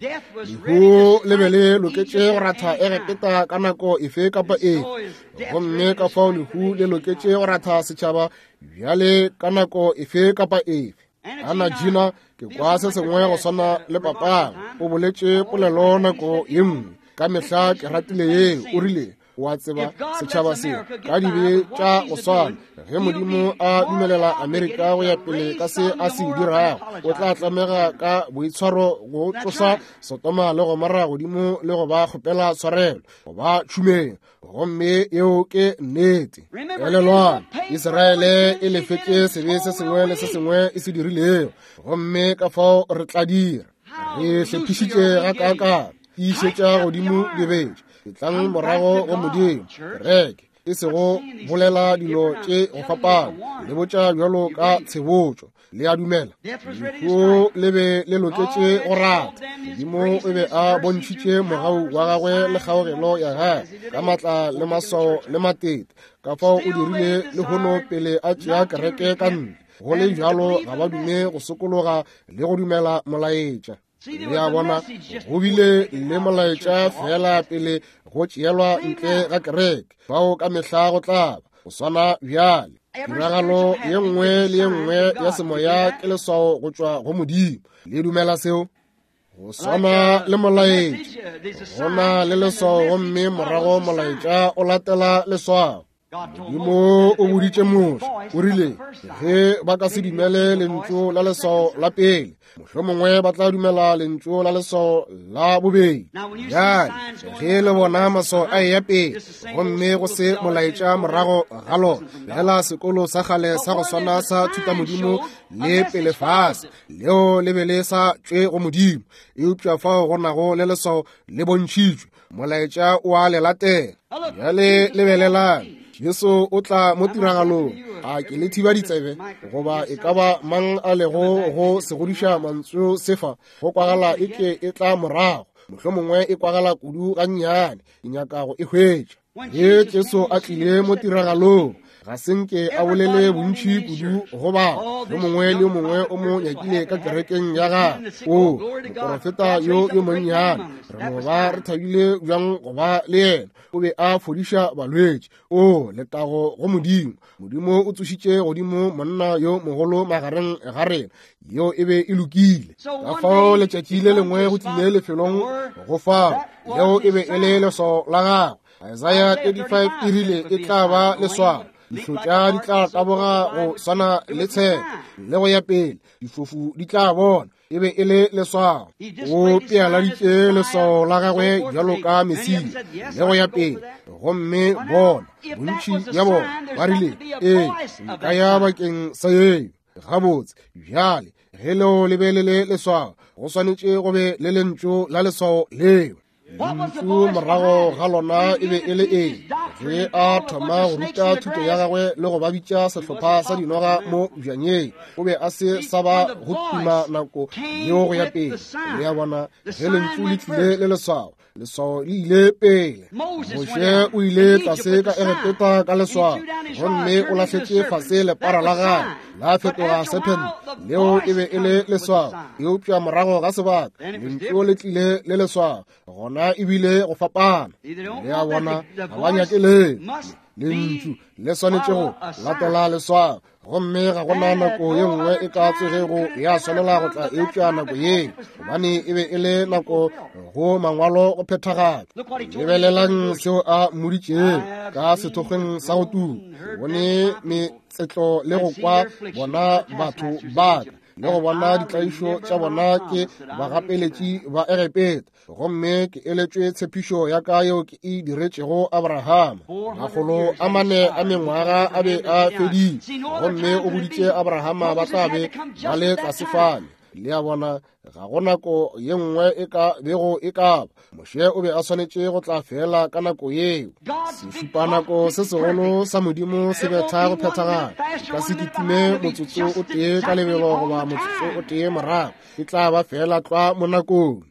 lehu le be le loketše go ratha Egepeta ka nako efe kapa efe, gomme ka fao lehu le loketše go ratha setšhaba bjale ka nako efe kapa efe. Ana Gina, ke kwa se sengwe go swana le papago. O boletše polelo nako ye nngwe. Ka mehla ke ratile yeo. O rile, o a tseba, setšhaba se ka dibe tša go swana. Ge Modimo a dumelela Amerika go ya pele ka se a se dirago, o tla tlamega ka boitshwaro go tlosa Sodoma le Gomora godimo le go ba kgopela tshwarelo, go ba tšhumeng. Gomme yeo ke nnete. Elelwang, Israele e lefetše sebe se sengwe le se sengwe e se dirilego, gomme ka fao re tla dira. Re hlephišitše gakaakang, tiišetša godimo dibetša, etlang morago go Modimo, kereke, e sego bolela dilo tše go fapana, le botša bjalo ka tshebotšo. Le a dumela? Lehu le be le loketše go rata. Modimo o be a bontšhitše mogau wa gagwe le kgaogelo ya gagwe ka matla le maswao le matete. Ka fao o dirile lehono pele a tšea kereke ka ntle. Go le bjalo ga ba dume go sokologa le go dumela molaetša. Le a bona, go bile le molaetša fela pele go tšeelwa ntle ga kereke. Fao ka mehla go tla ba go swana bjale. Tiragalo ye nngwe le ye nngwe ya semoya ke leswao go tšwa go Modimo. Le dumela seo? Go swana le molaetša, go na le leswao, gomme morago molaetša o latela leswao. Modimo o boditše Moshe, o rile, ge ba ka se dumele lentšu la leswao la pele, mohlomongwe ba tla dumela lentšu la leswao la bobedi. Bjale, ge le bona maswao a eya pele, gomme go se molaetša morago ga lona, fela sekolo sa kgale sa go swana sa thutamodimo le pele fase, leo le be le sa tšwe go Modimo, eupša fao go nago le leswao le bontšhitšwe, molaetša o a le latela. Bjale lebelelang, Jesu o tla mo tiragalong. A ke le thiba ditsebe, goba e ka ba mang a lego go segodiša mantšu sefa, go kwagala e ke e tla morago, mohlomongwe e kwagala kudu gannyane, ke nyaka go e hwetša. Ge Jesu a tlile mo tiragalong, Ga se nke a bolele bontši kudu go ba yo mongwe le yo mongwe o mo nyakile ka kerekeng ya gagwe. O moporofeta yo yo monnyane, re no ba re thabile bjang go ba le yena. O be a fodiša balwetši. O letago go Modimo. Modimo o tsošitše godimo monna yo mogolo magareng ga rena. Yeo e be e lokile. Ka fao letšatši le lengwe go tlile lefelong go fao, leo e be e le leswao la gagwe. Isaiah 35 e rile e tla ba leswao. Dihlotša di tla taboga go swana le tshepe, le go ya pele. Difofu di tla bona. E be e le leswao. O pealaditše leswao la gagwe bjalo ka Mesia, le go ya pele. Gomme bona, bontši bja bona ba rile, ee, nka ya bakeng sa yeo. Gabotse, bjale, ge leo le be le le leswao, go swanetše go be le lentšu la leswao leo. Lentšu morago ga lona e be e le eng? Ge a thoma go ruta thuto ya gagwe le go ba bitša sehlopha sa dinoga mo bjanyeng, o be a se sa ba go tuma nako yeo go ya pele. Le a bona, ge lentšu le tlile le leswao, leswao le ile pele. Moshe o ile tlase ka Egepeta ka leswao, gomme o lahletše fase lepara la gagwe, la fetoga serpent. Leo e be e le leswao. Eupša morago ga sebaka lentšu le tlile le leswao, gona ebile go fapana. Le a bona, ga ba nyake leo. Lentšu le swanetše go latela leswao, gomme ga gona nako ye nngwe e ka tsogego ya swanela go tla eupša nako yeo, gobane e be e le nako go mangwalo go phethagala. Lebelelang seo a mmoditšego ka sethokgweng sa go tuka. Bone metsetlo le go kwa bona batho ba ka, le go bona ditlaišo tša bona ke bagapeletši ba Egepeta, gomme ke eletšwe tshepišo ya ka yeo ke e diretšego Abrahama. Makgolo a mane a mengwaga a be a fedile, gomme o boditše Abrahama ba tla be ba le tlase fale. Le a bona, ga go nako ye nngwe e ka bego e ka ba. Moshe o be a swanetše go tla fela ka nako yeo. Sešupanako se segolo sa Modimo se betha go phethagala. Ka se kitime motsotso o tee ka lebelo goba motsotso o tee morago. E tla ba fela tlwa mo nakong.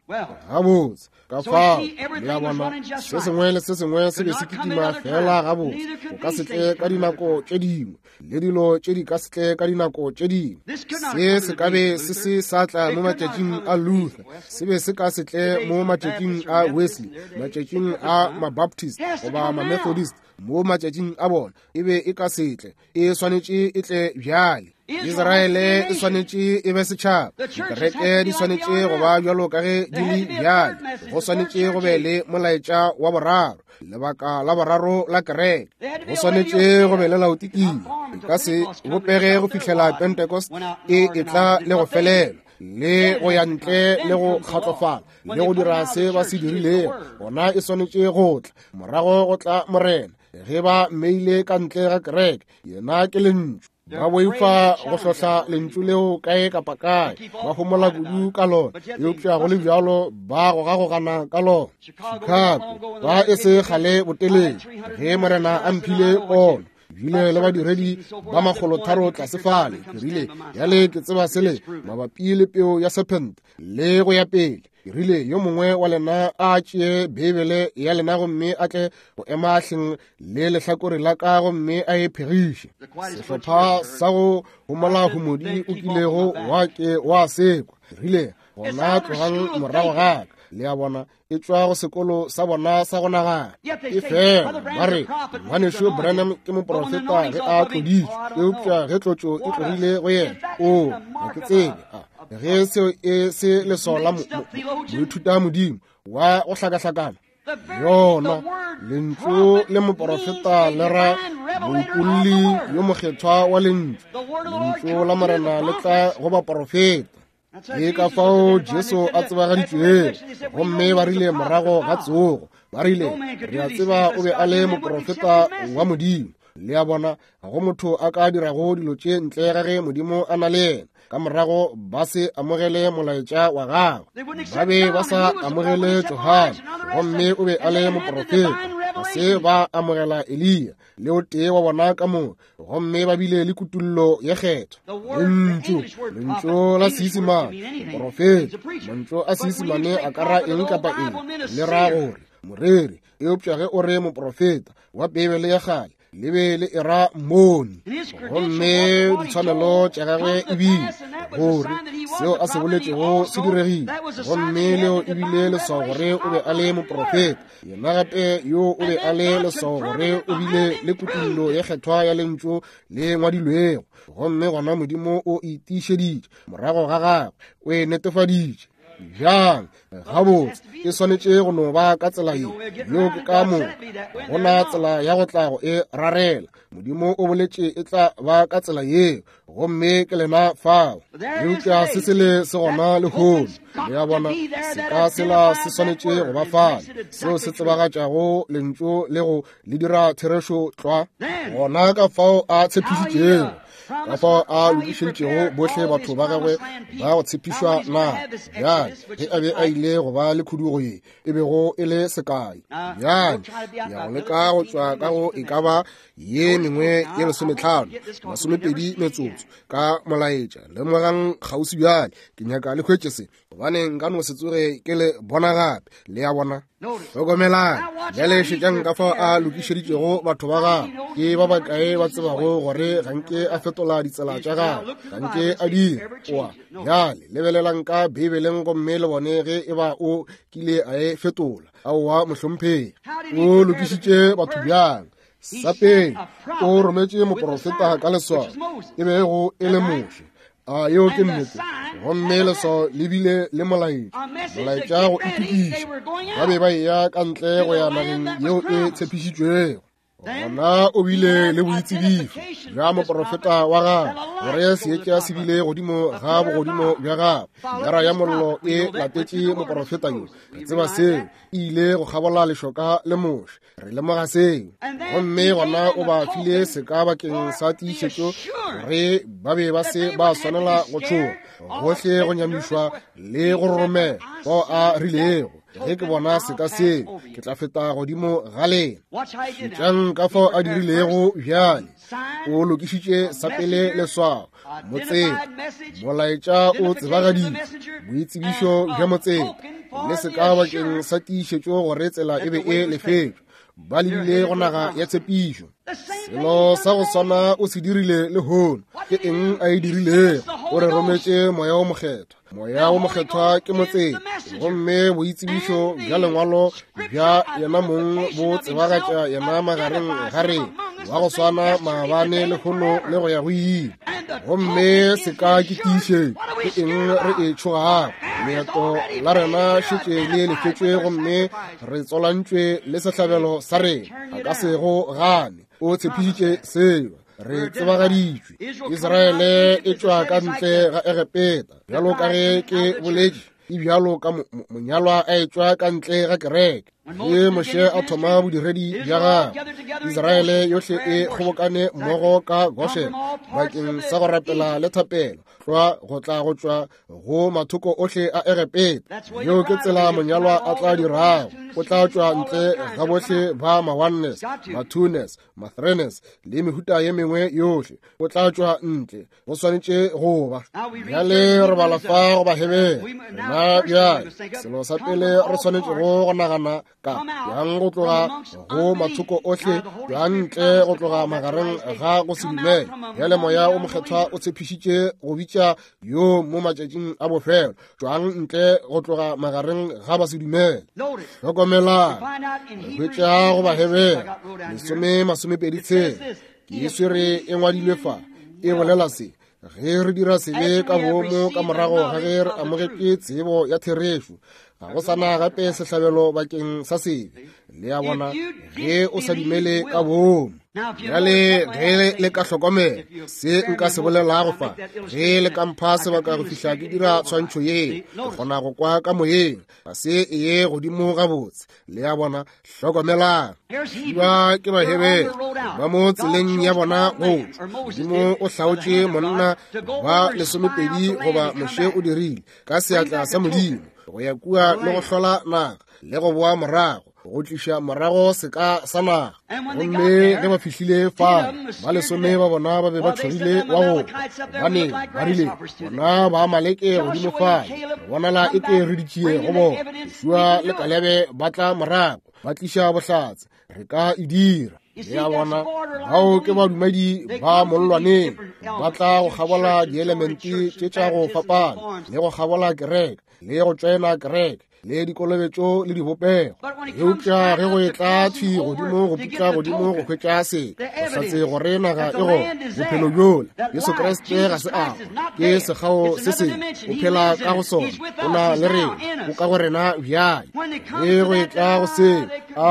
Gabotse, ka fao, le a bona, se sengwe le se sengwe se be se kitima fela gabotse. O ka se tle ka dinako tše dingwe, le dilo tše di ka se tle ka dinako tše dingwe. Se se ka be se se sa tla mo matšatšing a Luther, se be se ka se tle mo matšatšing a Wesley, matšatšing a Mabaptist goba Mamethodist. Mo matšatšing a bona e be e ka se tle. E swanetše e tle bjale. Israele e swanetše e be setšhaba. Dikereke di swanetše go ba bjalo ka ge di le bjale. Go swanetše go be le molaetša wa boraro, lebaka la boraro la kereke. Go swanetše go be le Laodikia. E ka se bopege go fihlela Pentecost e etla le go felela, le go ya ntle le go kgatlofala le go dira se ba se dirilego. Gona e swanetše go tla morago go tla Morena. Ge ba mmeile ka ntle ga kereke, yena ke lentšu. Ba boifa go hlohla lentšu leo kae kapa kae, ba homola kudu ka lona, eupša go le bjalo ba gogagogana ka lona. Chicago ba e se kgale botelele, ge Morena a mphile pono, bile le badiredi ba 300 tlase fale, ke rile, bjale ke tseba sele mabapi le peo ya serpent le go ya pele. Ke rile, yo mongwe wa lena a tšee Beibele ya lena gomme a tle go ema hleng le lehlakore la ka gomme a e phegiše. Sehlopha sa go homola homodi o kilego wa ke wa sekwa. Ke rile, gona tlogang morago ga ka. Le a bona, e tšwa go sekolo sa bona sa go nagana. E fela ba re, Ngwanešu Branham ke moprofeta ge a tloditšwe, eupša ge tlotšo e tlogile go yena, o, ga ke tsebe. Ge seo e se leswao la moithuta modimo wa go hlakahlakana, yona lentšu le moprofeta le ra moupolli yo mokgethwa wa lentšu. Lentšu la Morena le tla go baprofeta. Ke ka fao Jesu a tsebagaditšwego. Gomme ba rile morago ga tsogo, ba rile, re a tseba o be a le moprofeta wa Modimo. Le a bona, ga go motho a ka dirago dilo tše ntle ga ge Modimo a na le yena. Ka morago ba se amogele molaetša wa gagwe. Ba be ba sa amogele Johane, gomme o be a le moprofeta. Ga se ba amogela Eliya, le o tee wa bona ka moka, gomme ba bile le kutullo ye kgethwa. Lentšu, lentšu la Seisemane, moprofeta, mantšu a Seisemane a ka ra eng kapa eng, le ra gore moreri. Eupša ge o re moprofeta wa Beibele ya kgale, Le be le era mmoni. Gomme ditshwanelo tša gagwe e bile gore seo a se boletšego se diregile, gomme leo e bile leswao gore o be a le moprofeta. Yena gape yo o be a le leswao gore o bile le kutullo ye kgethwa ya lentšu le ngwadilwego, gomme gona Modimo o e tiišeditše morago ga gagwe, o e netefaditše. Bjang? Gabotse, e swanetše go no ba ka tsela ye. Yeo ke ka moka. Ga go na tsela ya go tla go e rarela. Modimo o boletše e tla ba ka tsela yeo, gomme ke lena fao. Eupša se sele se gona lehono. Le a bona, seka sela se swanetše go ba fale, seo se tsebagatšago lentšu le go le dira therešo tlwa. Gona ka fao a tshepišitšego, ka fao a lokišeditšego bohle batho ba gagwe ba go tshepišwa na. Bjale, ge a be a ile go ba le khudugo ye e bego e le sekai, bjale ya go leka go tšwa ka go e ka ba ye mengwe ye 15, 20 metsotso ka molaetša. Lemogang kgauswi bjale, ke nyaka le hwetše se, gobane nka no se tsoge ke le bona gape. Le a bona? Hlokomelang bjale, šetšang ka fao a lokišeditšego batho ba gagwe. Ke ba bakae ba tsebago gore ga nke a fetola ditsela tša gagwe? Ga nke a dira. Oa bjale lebelelang ka Beibeleng gomme le bone ge e ba o kile a e fetola. Aowa, mohlomphegi. O lokišitše batho bjang? Sa pele, o rometše moprofeta ka leswao, e bego e le Moshe. A yeo ke nnete? Gomme leswao le bile le molaetša, molaetša go itokiša. Ba be ba eya ka ntle go ya nageng yeo e tshepišitšwego. Gona o bile le boitsebišo bja moprofeta wa gagwe, gore seetša se bile godimo ga bogodimo bja gagwe. Pilara ya mollo e latetše moprofeta yo. Re tseba seo. E ile go kgabola lešoka le Moshe. Re lemoga seo. Gomme gona o ba file seka bakeng sa tiišetšo gore ba be ba se ba swanela go tšhoga, gohle go nyamišwa le go roromela fao a rilego, ge ke bona seka seo, ke tla feta godimo ga lena. Šetšang ka fao a dirilego bjale. O lokišitše sa pele leswao, motseta, molaetša o tsebagaditše, boitsebišo bja motseta, le seka bakeng sa tiišetšo gore tsela e be e lefetšwe. Ba lebile go naga ya tshepišo. Selo sa go swana o se dirile lehono. Ke eng a e dirilego? O re rometše Moya wo Mokgethwa. Moya wo Mokgethwa ke motseta, gomme boitsebišo bja lengwalo bja yena mong bo tsebagatša yena magareng ga rena, wa go swana maabane, lehono le go ya go ile. Gomme se ka ke tiišetšo. Ke eng re e tšhogago? Leeto la rena šetše le lefetšwe, gomme re tswalantšwe le sehlabelo sa rena. A ka se go gane. O tshepišitše seo. Re tsebagaditšwe. Israele e tšwa ka ntle ga Egepeta, bjalo ka ge ke boletše, e bjalo ka monyalwa a etšwa ka ntle ga kereke. Ge Moshe a thoma bodiredi bja gagwe, Israele yohle e kgobokane mmogo ka Goshen bakeng sa go rapela le thapelo, tlwa go tla go tšwa go mathoko ohle a Egepeta. Yeo ke tsela monyalwa a tla dirago. O tla tšwa ntle ga bohle ba ma-oneness, ma-twoness, ma-threeness le mehuta ye mengwe yohle. O tla tšwa ntle. Go swanetše go ba. Bjale re bala fa go Bahebere. Rena bjale, selo sa pele re swanetšego go nagana ka bjang go tloga go mathoko ohle, bjang ntle go tloga magareng ga go se dumele. Bjale Moya o Mokgethwa o tshepišitše go bitša yo mo matšatšing a bofelo, tšwang ntle go tloga magareng ga ba se dumele. Hlokomelang, re hwetša go Bahebere 10:26, ke e swere e ngwadilwe fa, e bolela se: ge re dira sebe ka boomo ka morago ga ge re amogetše tsebo ya therešo, ga go sa na gape sehlabelo bakeng sa sebe. Le a bona, ge o sa dumele ka boomo. Bjale ge le ka hlokomela se nka se bolelago fa, ge le ka mpha sebaka go fihla ke dira tshwantšho ye, ke kgona go kwa ka moyeng, ga se e ye godimo gabotse. Le a bona, hlokomelang. Ba ke Bahebere ba mo tseleng ya bona go tšwa. Modimo o hlaotše monna ba 12, goba Moshe o dirile, ka seatla sa Modimo, go ya kua le go hlola naga le go boa morago, go tliša morago seka sa naga. Gomme ge ba fihlile fale, ba 10 ba bona ba be ba tšhogile wa go kwa, gobane ba rile, bona ba Amaleke godimo fale, re bonala eke re ditšie go bona. Joshua le Kalebe ba tla morago, ba tliša bohlatse, re ka e dira. Le a bona, bao ke badumedi ba mollwaneng, ba tla go kgabola dielemente tše tša go fapana, le go kgabola kereke, le go tšoena kereke, le dikolobetšo le dibopego. Eupša ge go etla thwi godimo go putla godimo go hwetša se, go hlatse gore naga e gona, bophelo bjola, Jesu Kriste ga se a ke sekgao se sengwe, o phela ka go sona, o na le rena, o ka go rena bjale. Ge go etla go se, a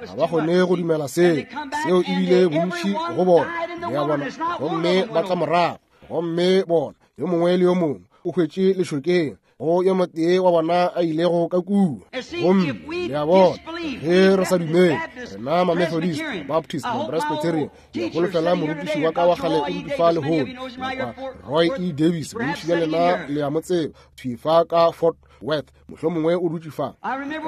ga ba kgone go dumela seo, seo ebile bontši go bona, le a bona, gomme ba tla morago, gomme bona, yo mongwe le yo mongwe o hwetše lešokeng, go yo motee wa bona a ilego ka kua. Gomme le a bona, ge re sa dumele, rena ma-Methodist, Baptist, ma-Presbyterian, ke holofela morutiši wa ka wa kgale o dutše fa lehono, Roy E. Davis, bontši bja lena le a mo tseba, thwi fa ka Fort Worth, mohlomongwe o dutše fa.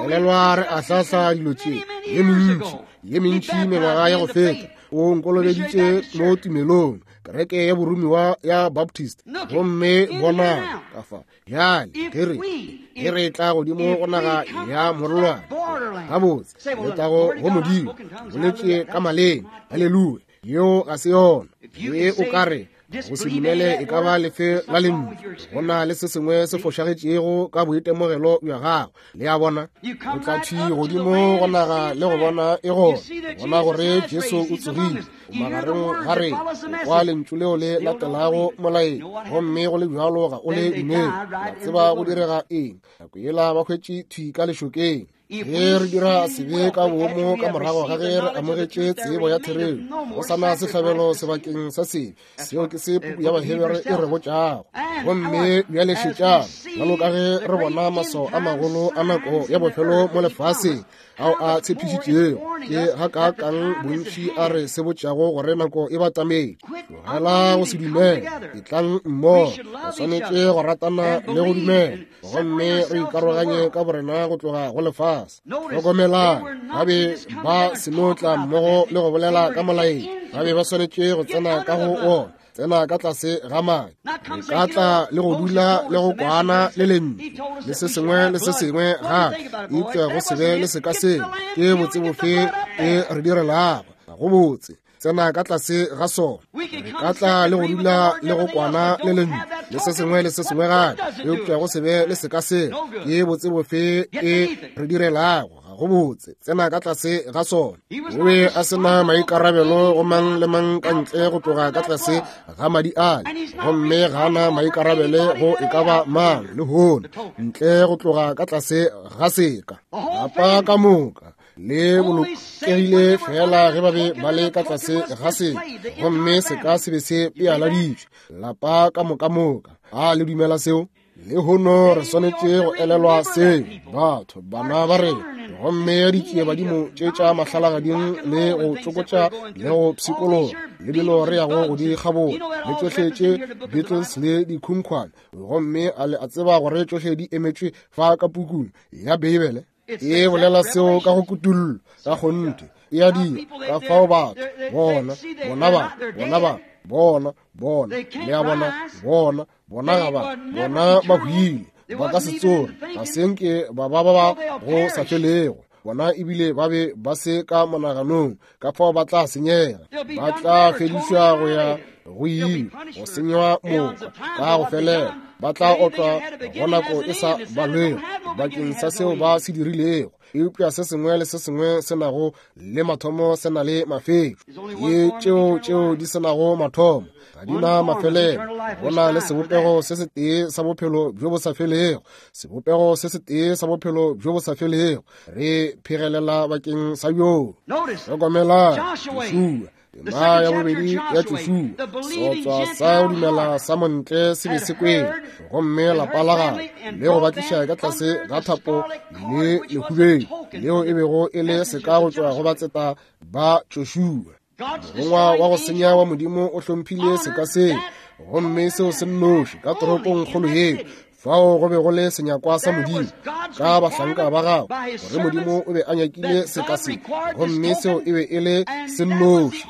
Elelwa re ahlahla dilo tše ye mentši, ye mentši mengwaga ya go feta. O nkolobeditše mo tumelong, kereke ya boromiwa ya Baptist. Gomme bona ka fa bjale, ge re tla godimo go naga ya morolwana, gabotse letago go Modimo, boletše ka maleme, haleluya, yeo ga se yona. Ge o ka re go se dumele e ka ba lefe la lentšu, go na le se sengwe se fošagetšego ka boitemogelo bja gago. Le a bona, o tla thwi godimo go naga le go bona e gona, bona gore Jesu o tsogile, o magareng ga rena, o kwa lentšu leo le latelago molaetša, gomme go le bjalo ga o le dumele. Wa tseba go direga eng? Nako yela ba hwetše thwi ka lešokeng. Ge re dira sebe ka boomo ka morago ga ge re amogetše tsebo ya therešo, go sa na sehlabelo sebakeng sa sebe. Seo ke se puku ya Bahebere e re botšago. Gomme bjale šetšang, bjalo ka ge re bona maswao a magolo a nako ya bofelo mo lefaseng ao a tshepišitšego, ke gakaakang bontši a re se botšago gore nako e batametše. Tlogela go se dumele, etlang mmogo. Re swanetše go ratana le go dumela, gomme re ikaroganye ka borena go tloga go lefase. Hlokomelang, ba be ba se no tla mmogo le go bolela ka molaetša, ba be ba swanetše go tsena ka go ona, tsena ka tlase ga madi. Re ka tla le go dula le go kwana le lentšu le se sengwe le se sengwe gape, eupša go se be le seka seo, ke botse bofe e re direlago? Ga go botse. Tsena ka tlase ga sona. Re ka tla le go dula le go kwana le lentšu le se sengwe le se sengwe gape, eupša go se be le seka seo, ke botse bofe e re direlago? Ga go botse. Tsena ka tlase ga sona. O be a se na maikarabelo go mang le mang ka ntle go tloga ka tlase ga madi ale, gomme ga na maikarabele go e ka ba mang lehono ntle go tloga ka tlase ga seka. Lapa ka moka le bolokegile fela ge ba be ba le ka tlase ga seka, gomme seka se be se pealaditšwe. Lapa ka moka moka. A le dumela seo? Lehono re swanetše go elelwa seo, batho bana ba rena, gomme ya ditšie badimo tše tša mahlalagading le go tsokotša le go pshikologa le dilo re yago go di kgabola le tšohle tše Beatles le dikhunkhwane, gomme a le a tseba gore tšohle di emetšwe fa ka pukung ya Beibele e bolela seo ka go kutullo ka kgonthe e a dira. Ka fao batho bona bona ba bona ba bona bona le a bona bona bona ga ba bona ba hwile, ba ka se tsoge, ga se nke ba ba ba ba go sa felego. Bona ebile ba be ba se ka monaganong, ka fao ba tla senyega, ba tla fedišwa go ya go ile, go senywa moka ka go felela. Ba tla otlwa go nako e sa balwego bakeng sa seo ba se dirilego. Eupša se sengwe le se sengwe se nago le mathomo se na le mafetšo. Ke tšeo tšeo di se nago mathomo ga di na mafelelo. Go na le sebopego se setee sa bophelo bjo bo sa felego, sebopego se setee sa bophelo bjo bo sa felego. Re phegelela bakeng sa bjoo. Hlokomelang, Joshua, tema ya bobedi ya Joshua, seotswa sa go dumela sa montle se be se kwele, gomme lapa la gagwe le go ba tliša ka tlase ga thapo le lehubeng leo e bego e le seka go tšwa go batseta ba Joshua. Morongwa wa go senya wa Modimo o hlomphile seka seo, gomme seo se nnoši ka toropong kgolo yeo fao go be go le senyakwa sa Modimo ka bahlanka ba gagwe, gore Modimo o be a nyakile seka se, gomme seo e be e le se nnoši.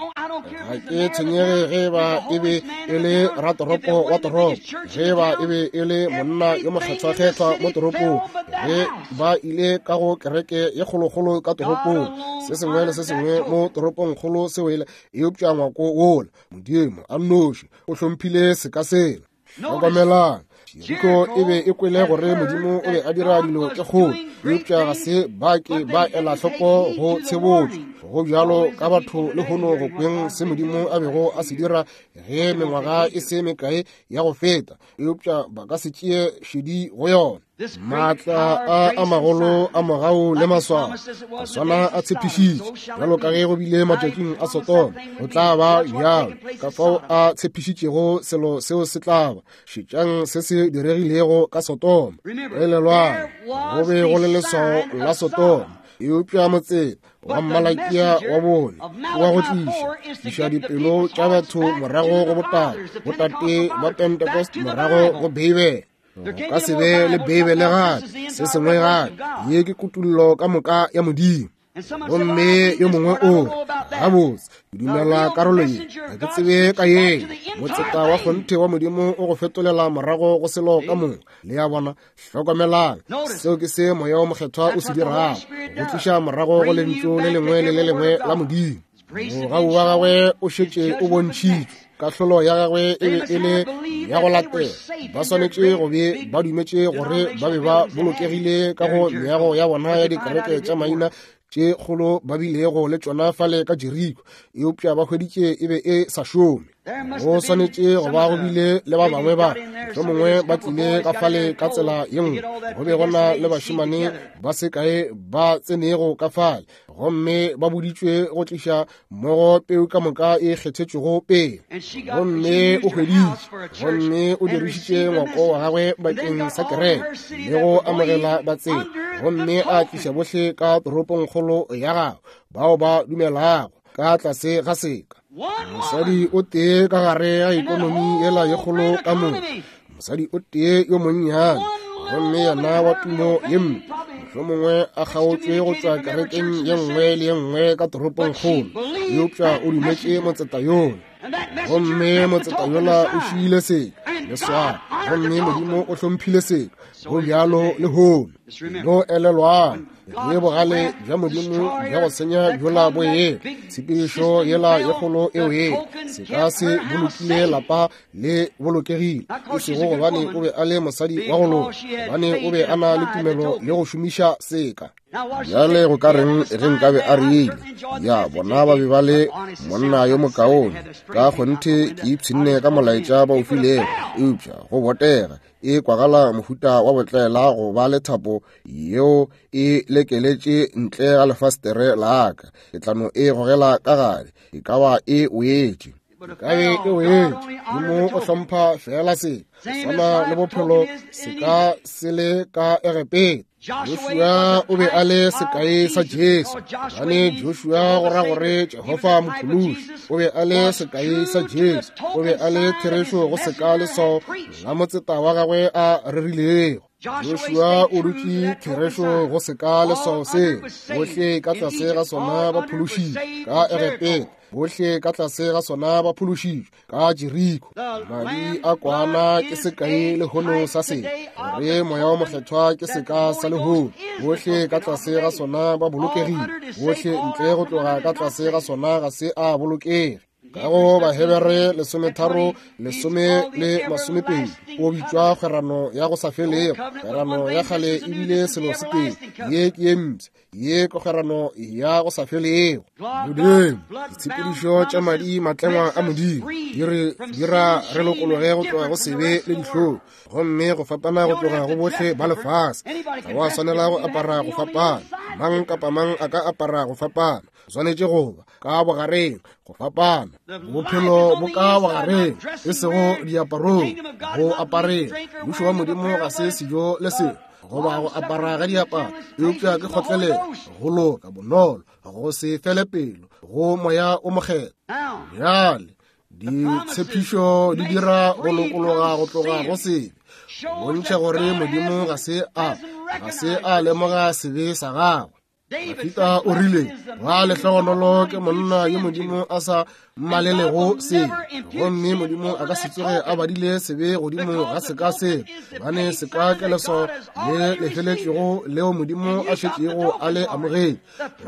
Ga ke tshwenyege ge ba e be e le ratoropo wa toropo, ge ba e be e le monna yo mokgethwakgethwa mo toropong, ge ba ile ka go kereke ye kgolokgolo ka toropong, se sengwe le se sengwe mo toropongkgolo se wele, eupša ngwako wola, Modimo a nnoši o hlomphile seka sela. Hlokomelang, Jeriko e be e kwele gore Modimo o be a dira dilo tše kgolo, eupša ga se ba ke ba ela hloko go tshebotšo. Go bjalo ka batho lehono go kweng se Modimo a bego a se dira ge mengwaga e se mekae ya go feta, eupša ba ka se tšee šedi go yona. Maatla a a magolo a mogau le maswao a swana a tshepišitše, bjalo ka ge go bile matšatšing a Sodoma, go tla ba bjalo. Ka fao a tshepišitšego selo seo se tla ba. Šetšang se se diregilego ka Sodoma. Elelwang, go be go le leswao la Sodoma, eupša motseta wa Malakia wa bone wa go tliša tliša dipelo tša batho morago go botate, botate ba Pentecost morago go Beibele. Go ka se be le Beibele gape, se sengwe gape. Ye ke kutullo ka moka ya Modimo. Gomme yo mongwe o re, Gabotse, ke dumela karolo ye, ga ke tsebe ka ye. Motseta wa kgonthe wa Modimo o go fetolela morago go selo ka moka. Le a bona? Hlokomelang, seo ke se Moya wo Mokgethwa o se dirago, go tliša morago go Lentšu le lengwe le le lengwe la Modimo. Mogau wa gagwe o šetše o bontšhitšwe. Kahlolo ya gagwe e be e le ya go latela. Ba swanetše go be ba dumetše gore ba be ba bolokegile ka go meago ya bona ya dikereke tša maina tše kgolo ba bilego le tšona fale ka Jeriko, eupša ba hweditše e be e sa šome. Go swanetše go ba go bile le ba bangwe ba mohlomongwe ba tlile ka fale ka tsela ye nngwe. Go be go na le bašemane ba se kae ba tsenego ka fale, gomme ba boditšwe go tliša mmogo peu ka moka e kgethetšwego pele. Gomme o hweditše, gomme o dirišitše ngwako wa gagwe bakeng sa kereke le go amogela batseta, gomme a tliša bohle ka toropongkgolo ya gagwe bao ba dumelago ka tlase ga seka. Mosadi o tee ka gare ga ikonomi yela ye kgolo ka moka, mosadi o tee yo monnyane, gomme yena wa tumo ye mpe, mohlomongwe a kgaotšwe go tšwa kerekeng ye nngwe le ye nngwe ka toropongkgolo, eupša o dumetše motseta yola, gomme motseta yola o šiile seka leswao, gomme Modimo o hlomphile seka. Go bjalo lehono. No elelwang, ge bogale bja Modimo bja go senya bjola bo ela, tshepedišo yela ye kgolo e wele, seka se bolokile lapa le bolokegile, e sego gobane o be a le mosadi wa go loka, gobane o be a na le tumelo le go šomiša seka. Bjale go ka reng ge nkabe a rile, Ya, bona ba be ba le monna yo mokaone, ka kgonthe ke ipshinne ka molaetša ba o filego, eupša go botega e kwagala mohuta wa botlaela go ba le thapo yeo e lekeletše ntle ga lefastere la ka, ke tla no e gogela ka gare, e ka ba e wetše. Ka be e wetše. Modimo o hlompha feela se swana le bophelo se ka se le ka Egepeta. Joshua o be a le sekai sa Jesu, gobane Joshua go ra gore Jehofa Mophološi. O be a le sekai sa Jesu, o be a le therešo go seka leswao la motseta wa gagwe a rerilego. Joshua o dutše therešo go seka leswao seo, bohle ka tlase ga sona ba phološitšwe ka Egepeta, bohle ka tlase ga sona ba phološitšwe ka Jeriko. Madi a kwana ke sekai lehono sa se, gore Moya wo Mokgethwa ke seka sa lehono. Bohle ka tlase ga sona ba bolokegile, bohle ntle go tloga ka tlase ga sona ga se a bolokege. Ka go Bahebere 13, 10 le 20, o bitšwa kgwerano ya go sa felego. Kgwerano ya kgale e bile selo se tee, ye ke ye mpsha, ye ke kgwerano ya go sa felego. Modimo, ditshepedišo tša madi matlengwa a Modimo di re dira re lokologe go tloga go sebe le dihlong, gomme go fapana go tloga go bohle ba lefase. Ga wa swanela go apara go fapana, mang kapa mang a ka apara go fapana, o swanetše go ba ka bogareng go fapana. Bophelo bo ka bogareng, e sego diaparong, go apareng. Mmušo wa Modimo ga se sejo le selo goba go apara ga diaparo, eupša ke kgotlelelo, go loka, bonolo, go se fele pelo, go Moya o Mokgethwa. Bjale ditshepišo di dira go lokologa go tloga go sebe, bontšha gore Modimo ga se a lemoga sebe sa gagwe. Dafida o rile, Wa lehlogonolo ke monna yo Modimo a sa mmalelego sebe, gomme Modimo a ka se tsoge a badile sebe godimo ga seka se, gobane seka ke leswao le lefeletšego leo Modimo a šetšego a le amogetše,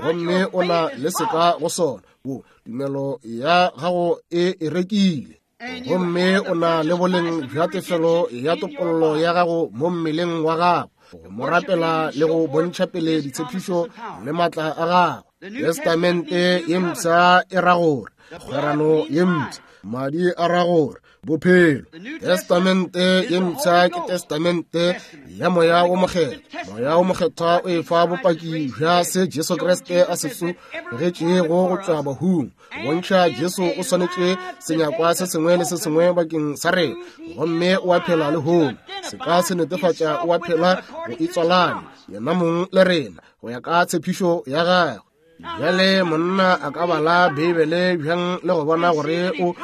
gomme o na le seka go sona. Wo, tumelo ya gago e e rekile. Gomme o na le boleng bja tefelo ya topollo ya gago mo mmeleng wa gago, go mo rapela le go bontšha pele ditshepišo le maatla a gago. Testamente ye mpsha e ra gore kgwerano ye mpsha, madi a ra gore bophelo. Testamente ye mpsha ke testamente ya Moya wo Mokgethwa. Moya wo Mokgethwa o e fa bopaki bja se Jesu Kriste a se tsogetšego go tšwa bahung. Bontšha Jesu o swanetše senyakwa se sengwe le se sengwe bakeng sa rena, gomme o a phela lehono. Se ka se netefatša o a phela go itswalanya yena mong le rena go ya ka tshepišo ya gagwe. Bjale monna a ka bala Beibele bjang le go bona gore o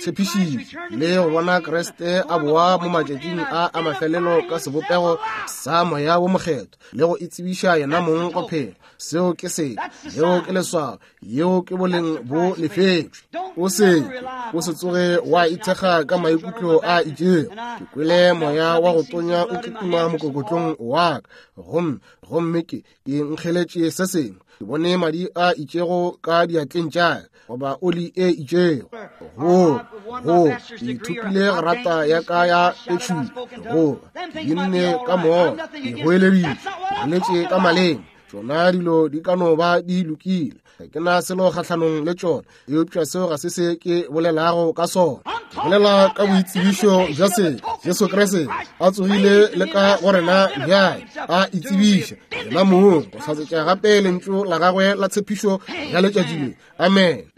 tshepišitše le go bona Kriste a boa mo matšatšing a a mafelelo ka sebopego sa Moya wo Mokgethwa le go itsebiša yena mong go phela. Seo ke se, yeo ke leswao, yeo ke boleng bo lefetšwe. O se o se tsoge wa ithekga ka maikutlo a itšego. Ke kwele moya wa go tonya o kitima mokokotlong wa ka, gomme gomme ke ke nkgeletše se sengwe. Ke bone madi a itšego ka diatleng tša ka, goba oli e itšego. Go go ke ithutile grata ya ka ya petšhupa, goba ke binne ka moya, ke goeleditše, ke boletše ka maleme. Tšona dilo di ka no ba di lokile, ga ke na selo kgahlanong le tšona, eupša seo ga se se ke bolelago ka sona. Ke bolela ka boitsebišo bja se Jesu Kriste a tsogile le ka go rena bjale, a itsebiša yena mong go hlatsetša gape lentšu la gagwe la tshepišo ya letšatši le. Amen.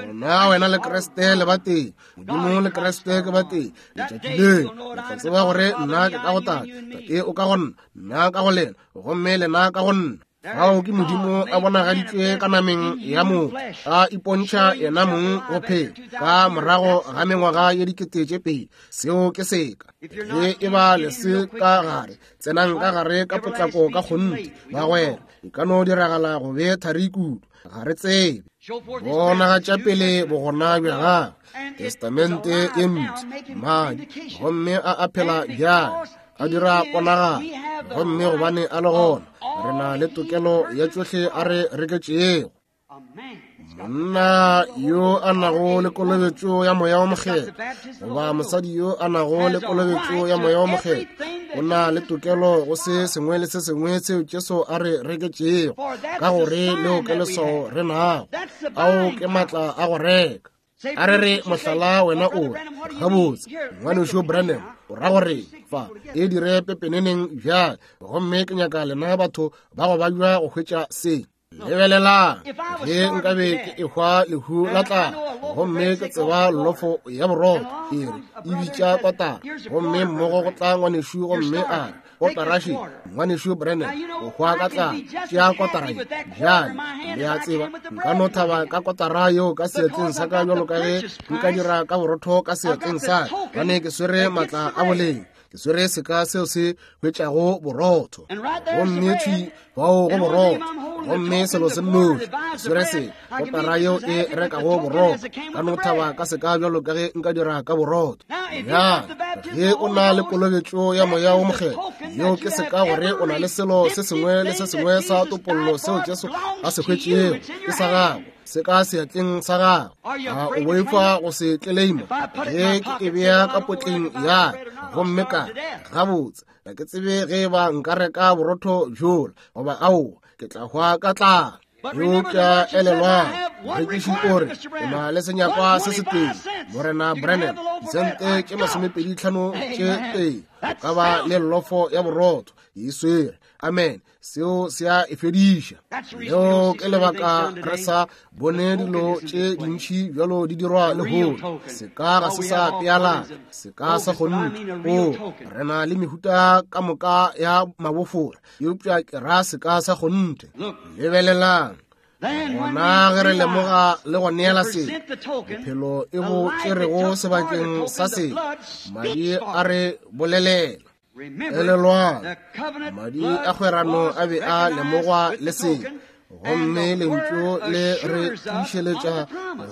Gona wena le Kriste le batee, Modimo le Kriste ke batee. Letšatši le le tla tseba gore nna ke ka go Tate, Tate o ka go nna, nna ka go lena, gomme lena ka go nna. Fao ke Modimo a bonagaditšwe ka nameng ya motho, a ipontšha yena mong go phela ka morago ga mengwaga ye 2000. Seo ke seka. Ge e ba le se ka gare, tsenang ka gare ka potlako ka kgonthe, bagwera. E ka no diragala go be thari kudu, ga re tsebe. Bonagatša pele bogona bja gagwe, Testamente ye Mpsha, madi, gomme a a phela bjale, a dira ponagalo, gomme gobane a le gona, re na le tokelo ya tšohle a re reketšego. Monna yo a nago le kolobetšo ya Moya wo Mokgethwa, goba mosadi yo a nago le kolobetšo ya Moya wo Mokgethwa, o na le tokelo go se sengwe le se sengwe seo Jesu a re reketšego, ka gore leo ke leswao re nago. Ao ke maatla a go reka. A re re mohlala wena o re, gabotse, Ngwanešu Branham, o ra gore fa e dire pepeneneng bjale, gomme ke nyaka lena batho ba go babja go hwetša se. Lebelelang, ge nkabe ke ehwa lehu la tlala, gomme ke tseba lofo ya borotho, e re e bitša kotara, gomme mmogo go tla ngwanešu gomme a re, kotara še, ngwanešu Branham, o hwa ka tlala, tšea kotara ye. Bjale, le a tseba, nka no thaba ka kotara yeo ka seatleng sa ka bjalo ka ge nka dira ka borotho ka seatleng sa ka, gobane ke swere maatla a boleng. Ke swere seka seo se hwetšago borotho, gomme thwi fao go borotho, gomme selo se nnoši, ke swere se kotara yeo e rekago borotho, ka no thaba ka seka bjalo ka ge nka dira ka borotho. Bjale, ge o na le kolobetšo ya Moya wo Mokgethwa, yeo ke seka gore o na le selo se sengwe le se sengwe sa topollo seo Jesu a se hwetšego, ke sa gago, se ka seatleng sa gago. A o boifa go se tleleima? Ge ke e bea ka potleng ya ka, gomme ka gabotse, ga ke tsebe ge e ba nka reka borotho bjola goba aowa, ke tla hwa ka tlala. Eupša elelwang, morekiši o re, ke na le senyakwa se setee, Morena Branham, disente tše 25 tše tee, o ka ba le llofo ya borotho, e swere. Amen. Seo se a e fediša. Leo ke lebaka re sa bone dilo tše dintši bjalo di dirwa lehono. Seka ga se sa pealana, seka sa kgonthe. O, re na le mehuta ka moka ya mabofora, eupša ke ra seka sa kgonthe. Lebelelang, gona ge re lemoga le go neela se, bophelo e bo tšerego sebakeng sa se, madi a re bolelela. Elelwang, madi a kgwerano a be a lemogwa le seka, gomme lentšu le re tiišeletša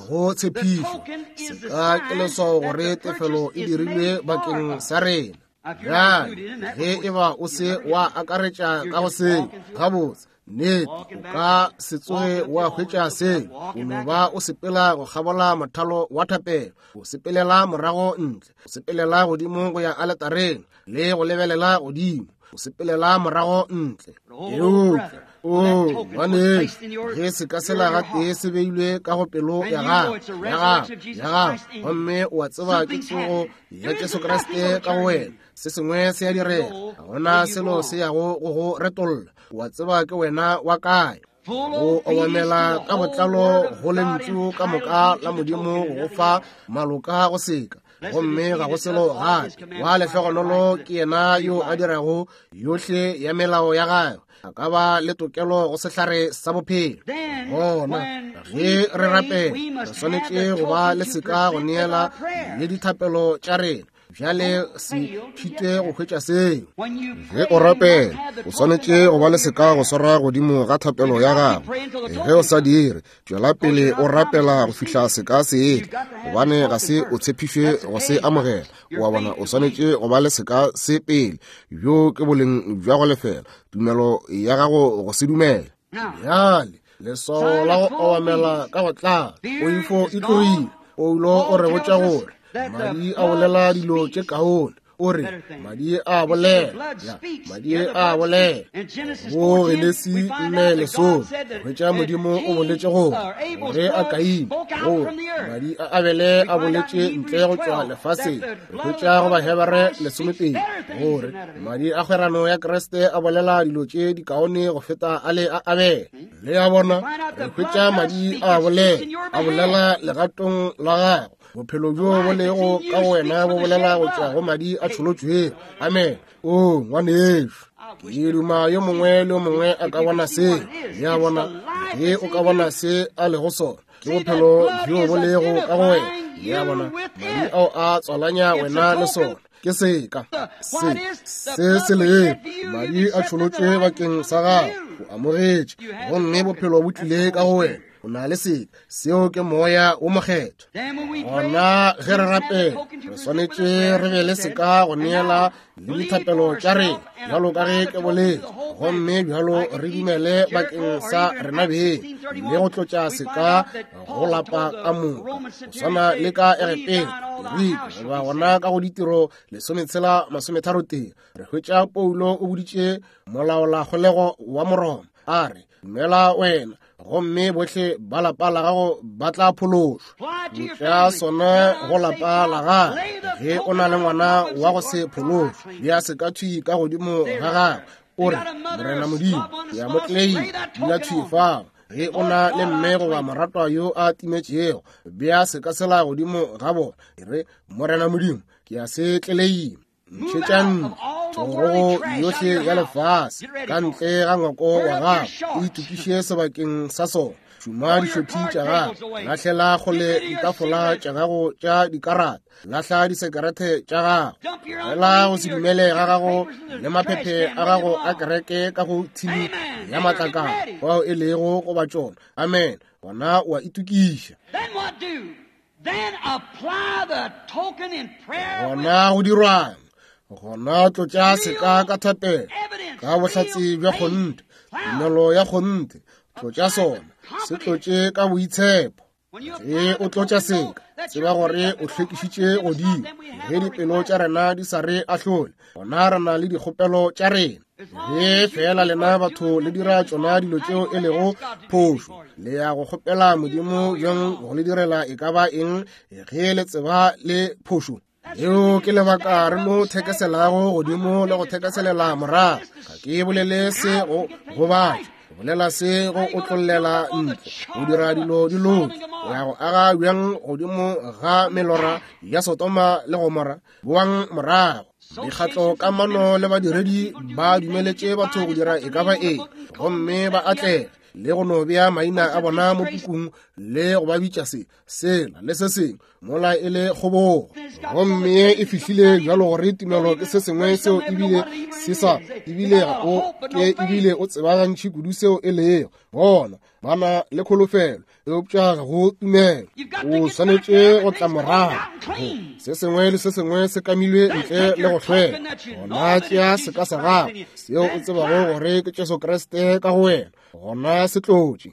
go tshepišo. Seka ke leswao gore tefelo e dirilwe bakeng sa rena. Bjale, ge e ba o se wa akaretša ka go seo, gabotse, nnete, o ka se tsoge wa hwetša seo. O no ba o sepela go kgabola mothalo wa thapelo, o sepelela morago ntle, o sepelela godimo go ya aletareng, le go lebelela godimo, o sepelela morago ntle. Eupša, o ngwanešu, ge seka sela gatee se beilwe ka go pelo ya gago, ya gago, ya gago, gomme o a tseba ke tsogo ya Jesu Kriste ka go wena, se sengwe se a direga, ga gona selo se yago go go retolla. O a tseba ke wena wa kae. Go obamela ka botlalo go lentšu ka moka la Modimo go go fa maloka go seka, gomme ga go selo gape. Wa lehlogonolo ke yena yo a dirago yohle ya melao ya gagwe, a ka ba le tokelo go sehlare sa bophelo. Gona ge re rapela, re swanetše go ba le seka go neela le dithapelo tša rena. Bjale se thite go hwetša seo. Ge o rapela, o swanetše go ba le seka go swara godimo ga thapelo ya gago. Ge o sa dire, tšwela pele o rapela go fihla seka se etla, gobane ga se o tshepišwe go se amogela. O a bona, o swanetše go ba le seka se pele. Bjo ke boleng bja go lefela tumelo ya gago go se dumela. Bjale leswao la go obamela ka go tlala, poifo e tlogile. Paulo o re botša gore madi a bolela dilo tše kaone. O re madi a bolela, ya, madi a bolela. Go Genesi 4:10, hwetša Modimo o boletše gore ge a Kaine, gore madi a Abele a boletše ntle go tšwa lefaseng. Re hwetša go Bahebere 12 gore madi a kgwerano ya Kriste a bolela dilo tše dikaone go feta a le a Abele. Le a bona, re hwetša madi a bolela, a bolela legatong la gago. Bophelo bjo bo lego ka go wena bo bolela go tšwa go madi a tšholotšwego. Amen. O ngwanešu, ke duma yo mongwe le yo mongwe a ka bona se. Le a bona, ge o ka bona se a lego sona, ke bophelo bjo bo lego ka go wena. Le a bona, madi ao a tswalanya wena le sona. Ke seka se se se lego madi a tšholotšwe bakeng sa gago, o amogetše, gomme bophelo bo tlile ka go wena. O na le seka, seo ke Moya wo Mokgethwa. Gona ge re rapela, re swanetše re be le seka go neela le dithapelo tša rena, bjalo ka ge ke boletše, gomme bjalo re dumele bakeng sa rena beng le go tlotša seka go lapa ka moka, go swana le ka Egepeta, Jeriko, goba gona ka go Ditiro 16:31. Re hwetša Paulo o boditše molaolakgolego wa Moroma, a re, Dumela wena, gomme bohle ba lapa la gago ba tla phološwa. Tlotša sona go lapa la gago. Ge o na le ngwana wa go se phološwe, bea seka thwi ka godimo ga gagwe, o re, Morena Modimo, ke a mo tleleima, dula thwi fao. Ge o na le mme goba moratwa yo a timetšego, bea seka sela godimo ga bona, e re, Morena Modimo, ke a se tleleima. Ntšhetšang thorogo yohle ya lefase ka ntle ga ngwako wa gago, o itokiše sebakeng sa sona. Šoma dišothi tša gago, lahlela kgole ditafola tša gago tša dikarata, lahla disekerete tša gago, tlogela go se dumele ga gago le maphephe a gago a kereke ka go thini ya matlakala fao e lego goba tšona. Amen. Gona o a itokiša. Gona go dirwang? Gona tlotša seka ka thapelo, ka bohlatse bja kgonthe, tumelo ya kgonthe. Tlotša sona, se tlotše ka boitshepo. Ge o tlotša seka, tseba gore o hlwekišitše godimo. Ge dipelo tša rena di sa re ahlole, gona re na le dikgopelo tša rena. Ge fela lena batho le dira tšona dilo tšeo e lego phošo, le ya go kgopela Modimo bjang go le direla e ka ba eng ge le tseba le phošo? Leo ke lebaka re no thekeselago godimo le go thekeselela morago. Ga ke bolele se go gobatša, ke bolela se go otlollela ntle, go dira dilo di loke. O ya go aga bjang godimo ga melora ya Sodoma le Gomora? Boang morago. Mekgatlo kamano le badiredi ba dumeletše batho go dira e ka ba eng, gomme ba atlega. le go no bea maina a bona mo pukung le go ba bitša se, sela le se sengwe, mola e le kgobogo. Gomme e fihlile bjalo gore tumelo ke se sengwe seo ebile se sa, ebile ga o ke ebile o tseba gantši kudu seo e lego. Bona, ba na le kholofelo, eupša ga go tumelo. O swanetše go tla morago. Se sengwe le se sengwe se kamilwe ntle le go hlweka. Gona tšea seka sa gago, seo o tsebago gore ke Jesu Kriste ka go wena, gona se tlotše.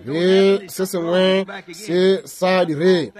Ge se sengwe se sa direge,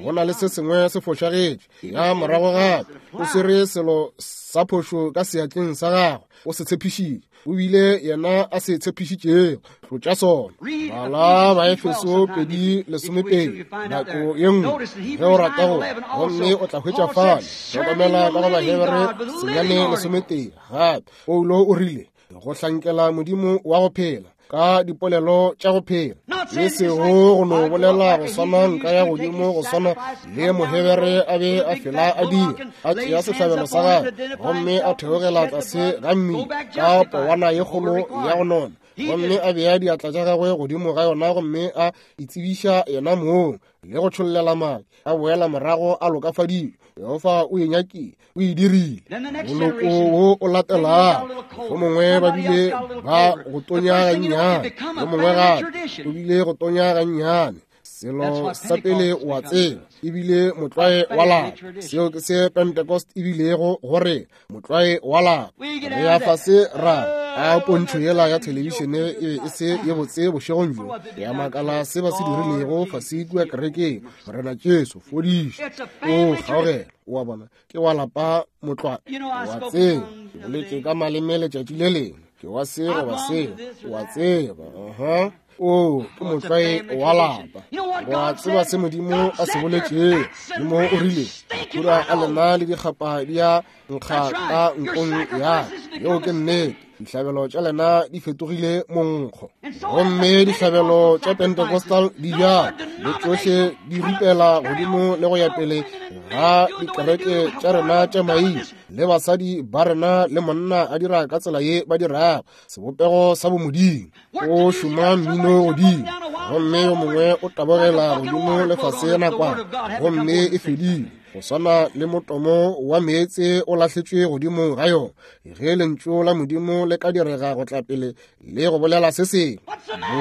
go na le se sengwe se fošagetše. Ya morago gape, o swere selo sa phošo ka seatleng sa gagwe, o se tshepišitše. O bile yena a se tshepišitšego, tlotša sona. Bala Baefeso 2:12 nako ye nngwe ge o rata go, gomme o tla hwetša fale. Hlokomela ka go Bahebere 9:11 gape. Paulo o rile, go hlankela Modimo wa go phela ka dipolelo tša go phela, e sego go no bolela go swana nka ya godimo go swana le Mohebere a be a fela a dira, a tšea sehlabelo sa gagwe gomme a theogela tlase ga mmila ka powana ye kgolo ya go nona, gomme a bea diatla tša gagwe godimo ga yona gomme a itsebiša yena mong le go tšhollela madi, a boela morago a lokafadilwe. Jehofa o e nyakile, o e dirile. Moloko wo o latelago, go mongwe ba bile ba go tonya gannyane, yo mongwe gape o bile go tonya gannyane. Selo sa pele o a tseba, ebile motlwae wa lapa. Seo ke se Pentecost ebilego go rena, motlwae wa lapa. Re ya fase ra a pontšho yela ya thelebišene e be e se ye botse bošegong bjo. Ke a makala se ba se dirilego fase kua kerekeng. Morena Jesu, fodiša. O kgaogela, o a bona, ke wa lapa motlwae. O a tseba, ke boletše ka maleme letšatši le lengwe, ke wa se goba seo, o a tseba. Aha. O ke motlwae wa lapa. Wa tseba se Modimo a se boletšego. Modimo o rile, makhura a lena le dikgapa di a nkga ka nkong ya. Yeo ke nnete. Dihlabelo tša lena di fetogile monkgo. Gomme dihlabelo tša Pentecostal di bjalo, le tšohle di ripela godimo le go ya pele ga dikereke tša rena tša maina, le basadi ba rena le monna a dira ka tsela ye ba dirago, sebopego sa bomodimo. O šoma mmino godimo, gomme yo mongwe o tabogela godimo lefase nakwana, gomme e fedile, go swana le motomo wa meetse o lahletšwe godimo ga yona. Ge lentšu la Modimo le ka direga go tla pele le go bolela se sengwe,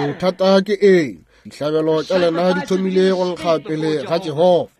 bothata ke eng? Dihlabelo tša lena di thomile go nkga pele ga Jehofa,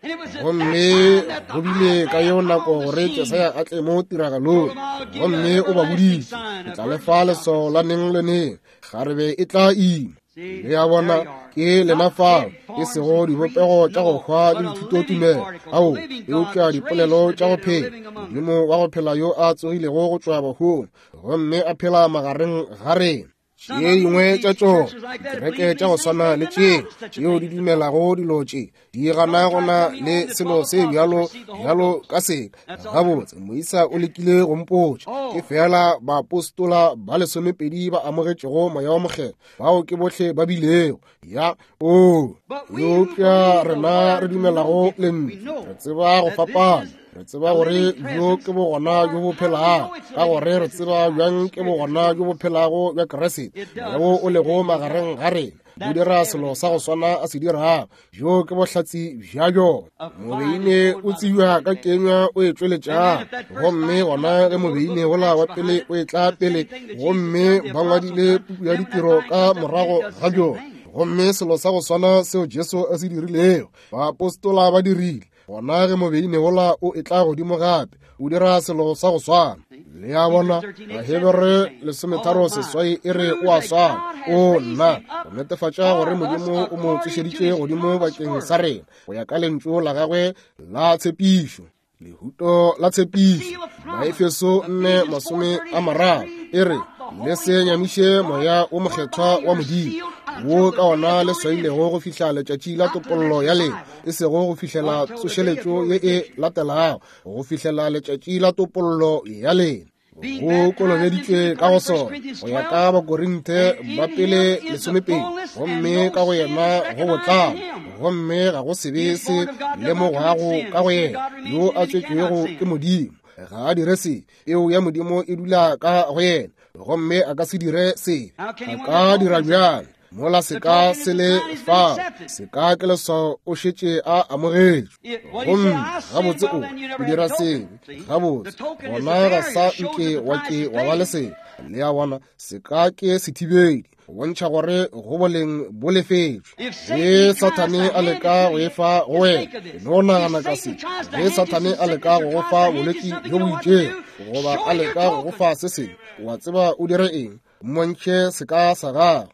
gomme go bile ka yeo nako gore Jesaya a tle mo tiragalong, gomme o ba boditše, ke tla le fa leswao la neng le neng, kgarebe e tla ima. Le a bona, ke lena fao, e sego dibopego tša go hwa le dithutotumelo, ao, eupša dipolelo tša go phela, Modimo wa go phela yo a tsogilego go tšwa bahung, gomme a phela magareng ga rena. Tše dingwe tša tšona dikereke tša go swana le tše tšeo di dumelago dilo tše di gana go na le selo se bjalo bjalo ka seka. Gabotse, moisa o lekile go mpotša, ke feela baapostola ba 12 ba amogetšego Moya wa Mokgethwa, bao ke bohle ba bilego. Ya, o, eupša rena re dumelago lentšu, re tseba go fapana. Re tseba gore bjo ke bogona bjo bo phelago, ka gore re tseba bjang ke bogona bjo bo phelago bja Kriste, bjo o lego magareng ga rena, bo dira selo sa go swana a se dirago. Bjo ke bohlatse bja bjona. Mobeine o tsebja ka kenywa o e tšweletšago, gomme gona ge mobeine wola wa pele o etla pele, gomme ba ngwadile puku ya ditiro ka morago ga bjona, gomme selo sa go swana seo Jesu a se dirilego, baapostola ba dirile. Gona ge mobeine wola o etla godimo gape, o dira selo sa go swana. Le a bona, Bahebere 13:8 e re o a swana. O nna, go netefatša gore Modimo o mo tsošeditše godimo bakeng sa rena, go ya ka lentšu la gagwe la tshepišo. Lehuto la tshepišo, Baefeso 4:30 e re, le se nyamiše Moya wo Mokgethwa wa Modimo, wo ka ona le swailego go fihla letšatši la topollo ya lena, e sego go fihlela tsošeletšo ye e latelago, go fihlela letšatši la topollo ya lena. Go kolobeditšwe ka go sona go ya ka Bakorinthe ba pele 12, gomme ka go yena go botlalo, gomme ga go sebe se lemogwago ka go yena. Yo a tswetšwego ke Modimo ga a dire sebe, peo ya Modimo e dula ka go yena, gomme a ka se dire sebe. A ka dira bjang? Mola seka se le fao, seka ke leswao, o šetše a amogetšwe. Gomme gabotse o o dira sebe, gabotse gona ga sa nke wa ke wa ba le sebe. Le a bona, seka ke sethibedi go bontšha gore go boleng bo lefetšwe. Ge Sathane a leka go e fa go wena, no nagana ka se. Ge Sathane a leka go go fa bolwetši bjo bo itšego, goba a leka go go fa se sengwe, wa tseba o dire eng? Mmontšhe seka sa gago.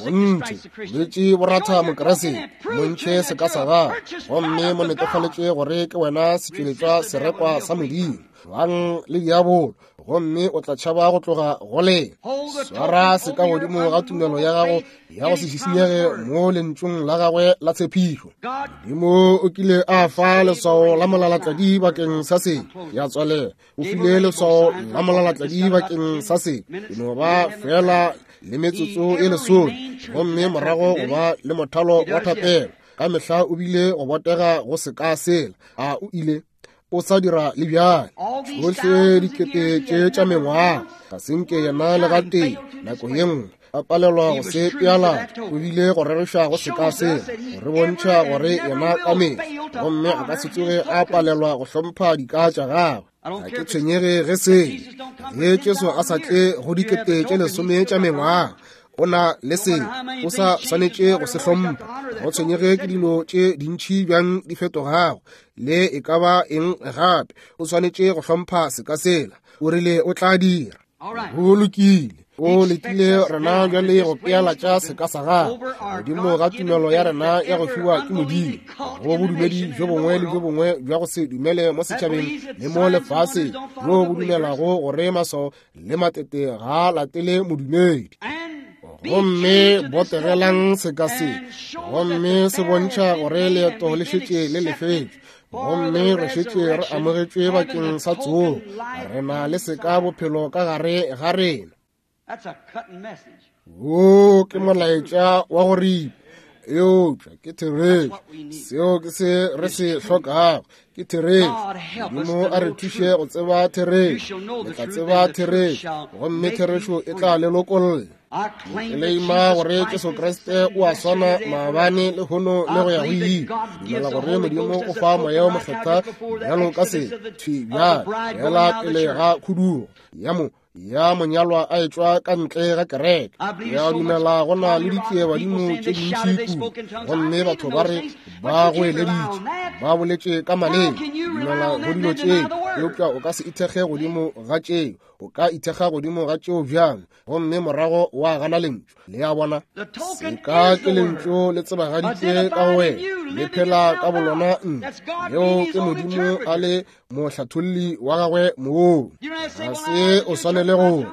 Gonthe bolwetši bo ratha Mokeresete. Mmontšhe seka sa gago gomme mo netefaletše gore ke wena setšweletšwa serekwa sa Modimo. Bang le diabolo gomme o tla tšhaba go tloga go lena. Swara seka godimo ga tumelo ya gago ya go se šišinyege mo lentšung la gagwe la tshepišo. Modimo o kile a fa leswao la molalatladi bakeng sa se ya tswalela. O file leswao la molalatladi bakeng sa se. E no ba fela le metsotso e lesome gomme morago go ba le mothalo wa thapelo. Ka mehla o bile go botega go se ka sela. A o ile o sa dira le bjale. Tšohle dikete tše tša mengwaga ga se nke yena le gatee nako ye nngwe a palelwa go se pealatša. O bile go rereša go se ka sela go re bontšha gore yena ka mehla, gomme a ka se tsoge a palelwa go hlompha dika tša gagwe. Ga ke tshwenyege ge se ge Jesu a sa tle go dikete tše lesome tša mengwaga, o na le se o sa swanetše go se hlompha. Go tshwenyege ke dilo tše dintši bjang di fetogago le e ka ba eng gape, o swanetše go hlompha seka sela. O rile o tla dira. Go lokile. O letile rena bjale go pealatša seka sa gagwe godimo ga tumelo ya rena ya go fiwa ke Modimo, go bodumedi bjo bongwe le bjo bongwe bja go se dumele mo setšhabeng le mo lefaseng, bjo bo dumelago gore maswao le matete ga latele modumedi. Gomme botegelang seka se, gomme se bontšha gore leeto le šetše le lefetšwe, gomme re šetše re amogetšwe bakeng sa tsogo. Re na le seka bophelo ka gare ga rena. Wo ke molaetša wa go ripa, eupša ke therešo. Seo ke se re se hlokago, ke therešo. Modimo a re thuše go tseba therešo. Le tla tseba therešo, gomme therešo e tla le lokolla. Ke leima gore Jesu Kriste o a swana maabane, lehono le go ya go ile. Dumela gore Modimo o fa Moya wo Mokgethwa bjalo ka se thwi bjale, fela pele ga khudugo ya mo ya monyalwa a etšwa ka ntle ga kereke. Ya dumela go na le ditšiebadimo tše dintši kudu, gomme batho ba re ba goeleditše, ba boletše ka maleme. Dumela go dilo tšeo, eupša o ka se ithekge godimo ga tšeo. O ka ithekga godimo ga tšeo bjang, gomme morago wa gana lentšu? Le a bona, seka ke lentšu le tsebagaditšwe ka go wena, le phela ka bolona ntle. Leo ke Modimo a le mohlatholli wa gagwe moo. Ga se o swanele go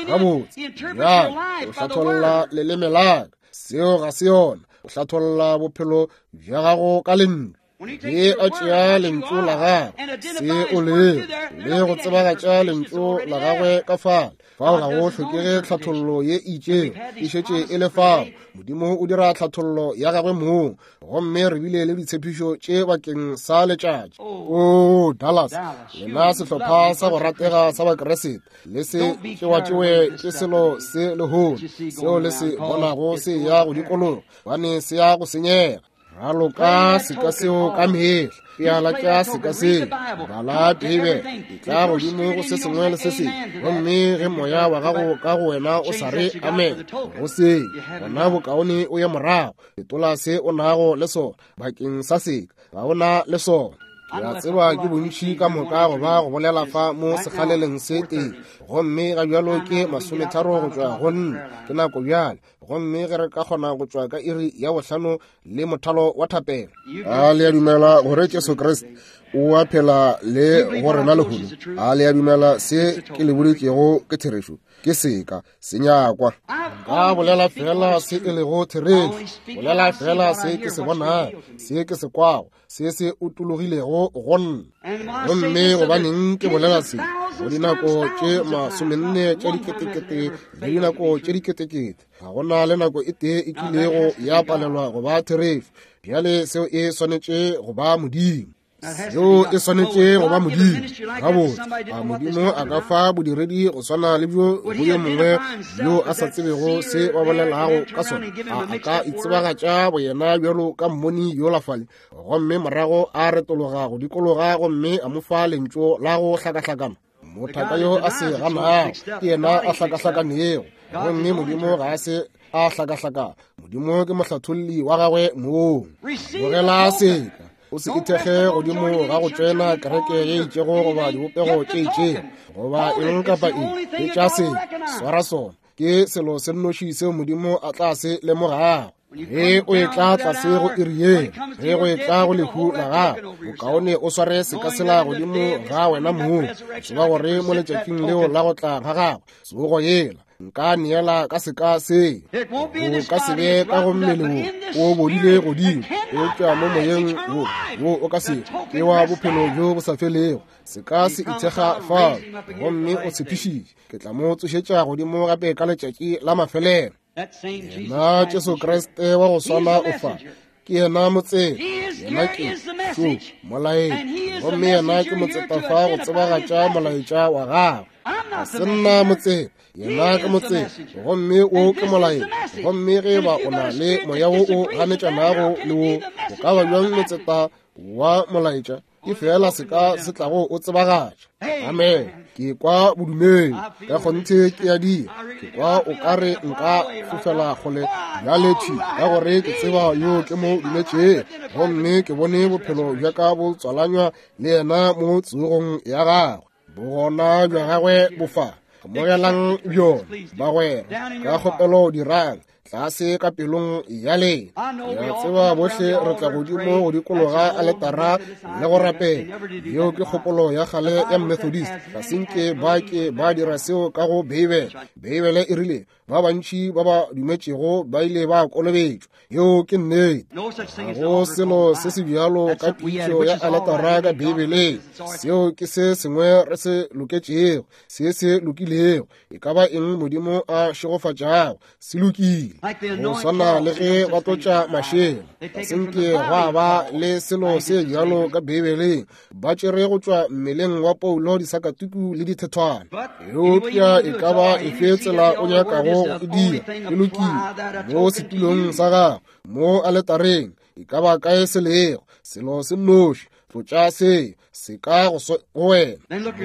gabotse bjale o hlatholla leleme la ka, seo ga se yona. O hlatholla bophelo bja gago ka lentšu. Ge a tšea lentšu la gagwe, se o lego, le go tsebagatša lentšu la gagwe ka fale, fao ga go hlokege tlhathollo ye e itšego, e šetše e le fao. Modimo o dira tlhathollo ya gagwe mong, gomme re bile le ditshepišo tše bakeng sa letšatši. O Dallas, lena sehlopha sa go ratega sa Bakeresete, le se tšewatšewe ke selo se lehono seo le se bonago se ya go dikologa, gobane se ya go senyega. Raloka seka seo ka mehla, peala tša seka seo, bala Beibele, e tla godimo go se sengwe le se sengwe. Gomme ge moya wa gago ka go wena o sa re amen go se, gona bokaone o ye morago, fetola se o nago le sona bakeng sa seka, ga o na le sona. Ke a tseba ke bontši ka moka go ba go bolela fa mo sekgaleleng se tee, gomme ga bjalo ke 30 go tšwa go nna, ke nako bjale. Gomme ge re ka kgona go tšwa ka iri ya 5 le mothalo wa thapelo. A le a dumela gore Jesu Kriste o a phela le go rena lehono? A le a dumela se ke le boditšego ke therešo? Ke seka se nyakwa. Nka bolela fela se e lego therešo, bolela fela se ke se bonago, se ke se kwago, se se utologilego go nna. Gomme gobaneng ke bolela se? Go dinako tše 40 tša diketekete le dinako tše diketekete, ga go na le nako e tee e kilego ya palelwa go ba therešo. Bjale seo e swanetše go ba Modimo. Seo e swanetše go ba Modimo. Gabotse, a Modimo a ka fa bodiredi go swana le bjo go yo mongwe yo a sa tsebego se ba bolelago ka sona? A a ka itsebagatša boyena bjalo ka mmoni yola fale, gomme morago a retologa go dikologa gomme a mo fa lentšu la go hlakahlakana? Mothaka yo a se ganago ke yena a hlakahlakanego, gomme Modimo ga a se a hlakahlakana. Modimo ke mohlatholli wa gagwe mong. Bogela seka. O se ithekge godimo ga go tšwena kereke ye itšego goba dibopego tše itšego goba eng kapa eng. Etša se, swara sona. Ke selo se nnoši seo Modimo a tla se lemogago. Ge o etla tlase go iri yela, ge go etla go lehu la gago, bokaone o sware seka sela godimo ga wena mong, tseba gore mo letšatšing leo la go tla ga gagwe, tsogo yela, nka neela ka seka se. Go ka se be ka go mmele wo o bodile godimo, eupša mo moyeng wo wo o ka se ke wa bophelo bjo bo sa felego. Seka se ithekga fao, gomme o tshepišitše, ke tla mo tsošetša godimo gape ka letšatši la mafelelo. Yena Jesu Kriste wa go swana o fa, ke yena motseta, yena ke šo molaetša, gomme yena ke motseta fa go tsebagatša molaetša wa gagwe. Ga se nna motseta, yena ke motseta, gomme wo ke molaetša. Gomme ge ba o na le moya wo o ganetšanago le wo, o ka ba bjang motseta wa molaetša? Ke feela seka se tlago o tsebagatša. Amen. Ke kwa bodumedi ka kgonthe ke a dira. Ke kwa o ka re nka fofela kgole bjale thwi, ka gore ke tseba yo ke mo dumetšego, gomme ke bone bophelo bja ka bo tswalanywa le yena mo tsogong ya gagwe. Bogona bja gagwe bo fa. Amogelang bjona, bagwera, ka kgopelo dirang tlase ka pelong ya lena. Ya tseba bohle re tla godimo go dikologa aletara le go rapela. Yeo ke kgopolo ya kgale ya Methodist. Ga se nke ba ke ba dira seo ka go Beibele. Beibele e rile ba bantši ba ba dumetšego ba ile ba kolobetšwa. Yeo ke nnete. Ga go selo se se bjalo ka pitšo ya aletara ka Beibeleng. Seo ke se sengwe re se loketšego, se se lokilego. E ka ba eng Modimo a šegofatšago, se lokile. Go swana le ge ba tlotša mašela, ga se nke gwa ba le selo se bjalo ka Beibeleng. Ba tšere go tšwa mmeleng wa Paulo disakatuku le dithethwana. Eupša e ka ba efe tsela o nyakago go e dira, e lokile. Mo setulong sa gago, mo aletareng, e ka ba kae se lego, selo se nnoši, tlotša se se ka go wena.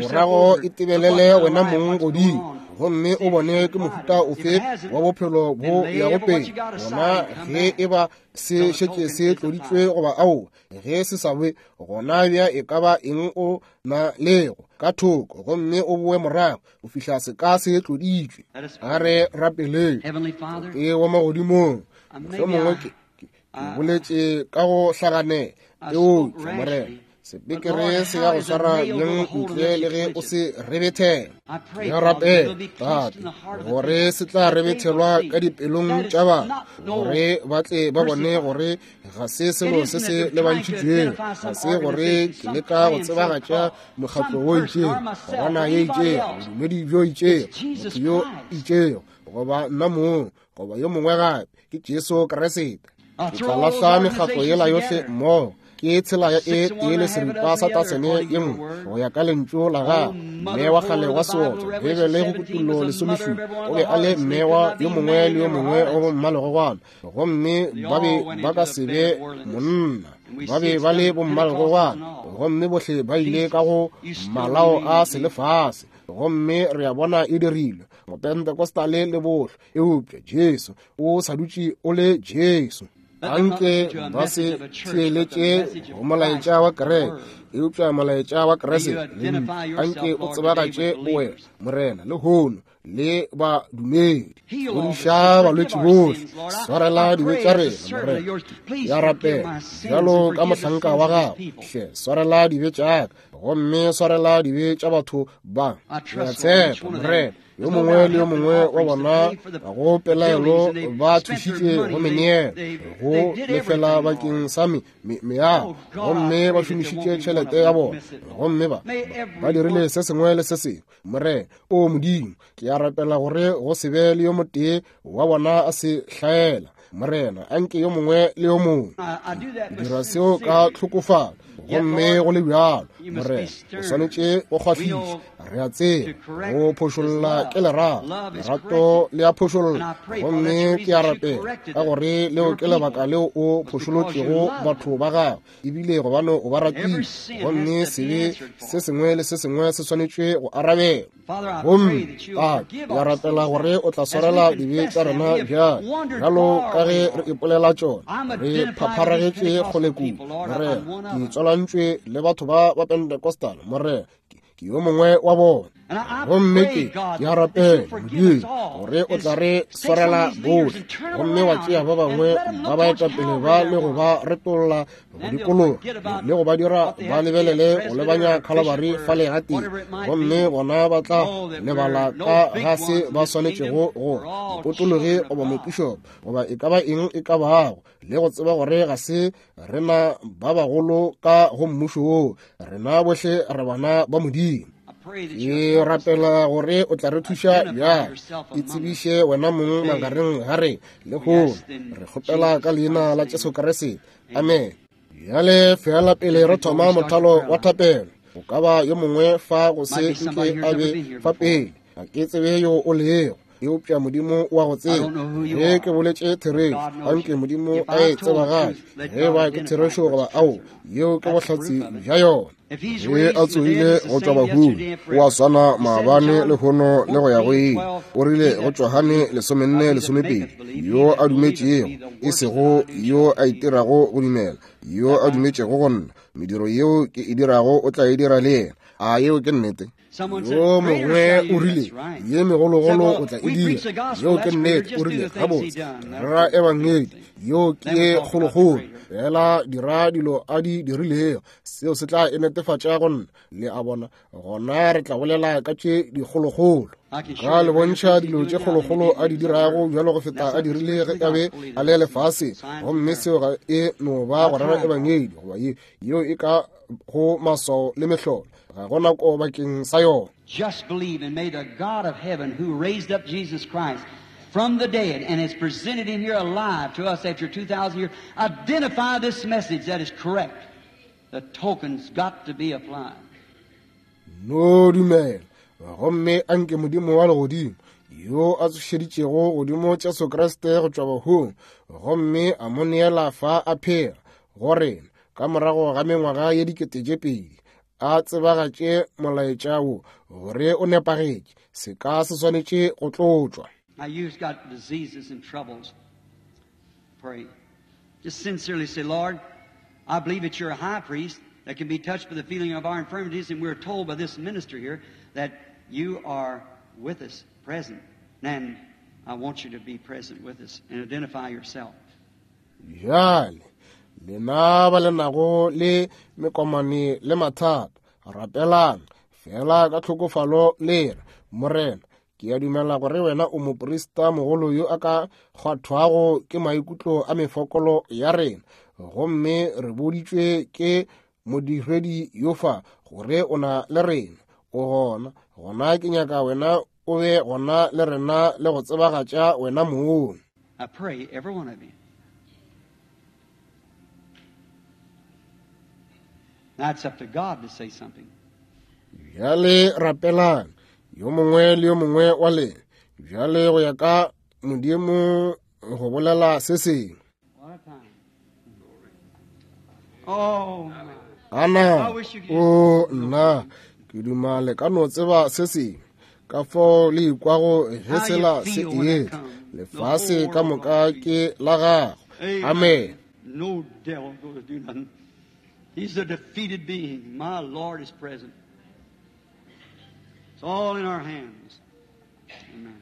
Morago e tebelele wena mong godimo, gomme o bone ke mohuta ofe wa bophelo bo yago pele. Gona ge e ba se šetše se tloditšwe goba aowa, ge se sa be, gona bja e ka ba eng o na lego ka thoko, gomme o boe morago go fihla se ka se tloditšwe. A re rapeleng. Tate wa magodimong, mohlomongwe ke boletše ka go hlaganela, eupša Morena, sepekere se ya go swara bjang ntle le ge o se rebethela? Ke a rapela, Tate, gore se tla rebethelwa ka dipelong tša batho, gore ba tle ba bone gore ga se selo se se lebantšhitšwego, ga se gore ke leka go tsebagatša mokgatlo wo itšego, gona ye itšego, bodumedi bjo itšego, motho yo itšego, goba nna mong, goba yo mongwe gape. Ke Jesu Kriste. Ke tla lahla mekgatlo yela yohle mmogo. Ke tshela ya e tee le seripa sa tasene ye nngwe go ya ka lentšu la gagwe. Mme wa kgale wa seotswa, Beibele go Kutullo 17, o be a le mme wa yo mongwe le yo mongwe wa bommalegogwana, gomme ba be ba ka se be monna. Ba be ba le bommalegogwana, gomme bohle ba ile ka go malao a selefase, gomme re a bona e dirilwe Mopentecostale le bohle. Eupša Jesu o sa dutše o le Jesu. Anke ba se theeletše go molaetša wa kereke, eupša molaetša wa Kriste. Anke o tsebagatše bowena, Morena, lehono le badumedi. Fodiša balwetši bohle, swarela dibe tša rena, Morena. Ya rapela bjalo ka mohlanka wa gago, hle swarela dibe tša ka, gomme swarela dibe tša batho ba. Ke a tshepa, Morena, yo mongwe le yo mongwe wa bona ga go pelaelo ba thušitše go meneelo go lefela bakeng sa meago, gomme ba šomišitše tšhelete ya bona, gomme ba dirile se sengwe le se sengwe. Morena, o Modimo, ke a rapela gore go se be le yo motee wa bona a se hlaela. Morena, anke yo mongwe le yo mongwe. Ke dira seo ka tlhokofalo, gomme go le bjalo, Morena, o swanetše go kgwahliša. Re a tseba go phošolla ke lerato, lerato le a phošolla, gomme ke a rapela ka gore leo ke lebaka leo o phošolotšego batho ba gago, ebile gobane o ba ratile, gomme sebe se sengwe le se sengwe se swanetše go arabela. Gomme Tate, ke a rapela gore o tla swarela dibe tša rena bjale, bjalo ka ge re ipolela tšona, re phapharagetše kgole kudu. Morena, ke tswalantšwe le batho ba ba Pentecostal, Morena, ke yo mongwe wa bona. Gomme ke a rapela, Modimo, gore o tla re swarela bohle, gomme wa tšea ba bangwe ba baetapele ba le go ba retolla go dikologa le go ba dira ba lebelele go lebanya Calvary fale gatee, gomme bona ba tla lebala ka ga se ba swanetšego go potologe goba mopišopo goba e ka ba eng e ka bago, le go tseba gore ga se rena ba bagolo ka go mmušo woo, rena bohle re bana ba Modimo. Ke rapela gore o tla re thuša bjale, e tsebiše wena mong magareng ga re le lehono. Re kgopela ka leina la Jesu Kriste, amen. Bjale fela pele re thoma mothalo wa thapelo, o ka ba yo mongwe fa go se nke a be fa pele, ga ke tsebe yo o lego, eupša Modimo wa go tseba. Ge ke boletše therešo, anke Modimo a e tsebagatše, ge ba ke therešo goba ao, yeo ke bohlatse bja yona. Ge a tsogile go tšwa bahung, o a swana maabane, lehono le go ya go ile. O rile go Johane 14:12, yo a dumetšego, e sego yo a itirago go dumela, yo a dumetšego go nna, mediro yeo ke e dirago o tla e dira le yena. A yeo ke nnete? Yo mongwe o rile, ye megologolo o tla e dira. Yeo ke nnete. O rile, gabotse, rera ebangedi, yeo ke ye kgolokgolo, fela dira dilo a di dirilego, seo se tla e netefatša go nna. Le a bona? Gona re tla bolela ka tše dikgolokgolo. Ka le bontšha dilo tše kgolokgolo a di dirago bjalo go feta a dirile ge a be a le lefaseng, gomme seo ga e no ba go rera ebangedi, goba ye yeo e ka go maswao le mehlolo, ga go nako bakeng sa yona. Just believe, and may the God of heaven who raised up Jesus Christ from the dead and has presented him here alive to us after 2,000 years, identify this message that is correct. The token's got to be applied. No dumela, gomme anke Modimo wa legodimo yo a tsošeditšego godimo Jesu Kriste go tšwa bahung, gomme a mo neela fa a phela go rena ka morago ga mengwaga ye 2000, a tsebagatše molaetša wo gore o nepagetše. Se ka se swanetše go tlotšwa. Now you've got diseases and troubles. Pray. Just sincerely say, Lord, I believe that you're a high priest that can be touched by the feeling of our infirmities, and we're told by this minister here that you are with us present. And I want you to be present with us and identify yourself. Bjale, lena ba le nago le mekomane le mathata, rapelang fela ka tlhokofalo le re, Morena, ke a dumela gore wena o moprista mogolo yo a ka kgwathwago ke maikutlo a mefokolo ya rena, gomme re boditšwe ke modiredi yo fa gore o na le rena, o gona. Gona ke nyaka wena o be gona le rena le go tsebagatša wena mong. I pray every one of you. Now it's up to God to say something. Bjale rapelang yo mongwe le yo mongwe wa lena. Bjale go ya ka Modimo go bolela se sengwe. What a time. Oh, my. Ana, o nna, ke duma le ka no tseba se sengwe. Ka fao le ikwago ge sela se etla, lefase ka moka ke la gago. Amen. No devil goes to do nothing. He's a defeated being. My Lord is present. It's all in our hands. Amen.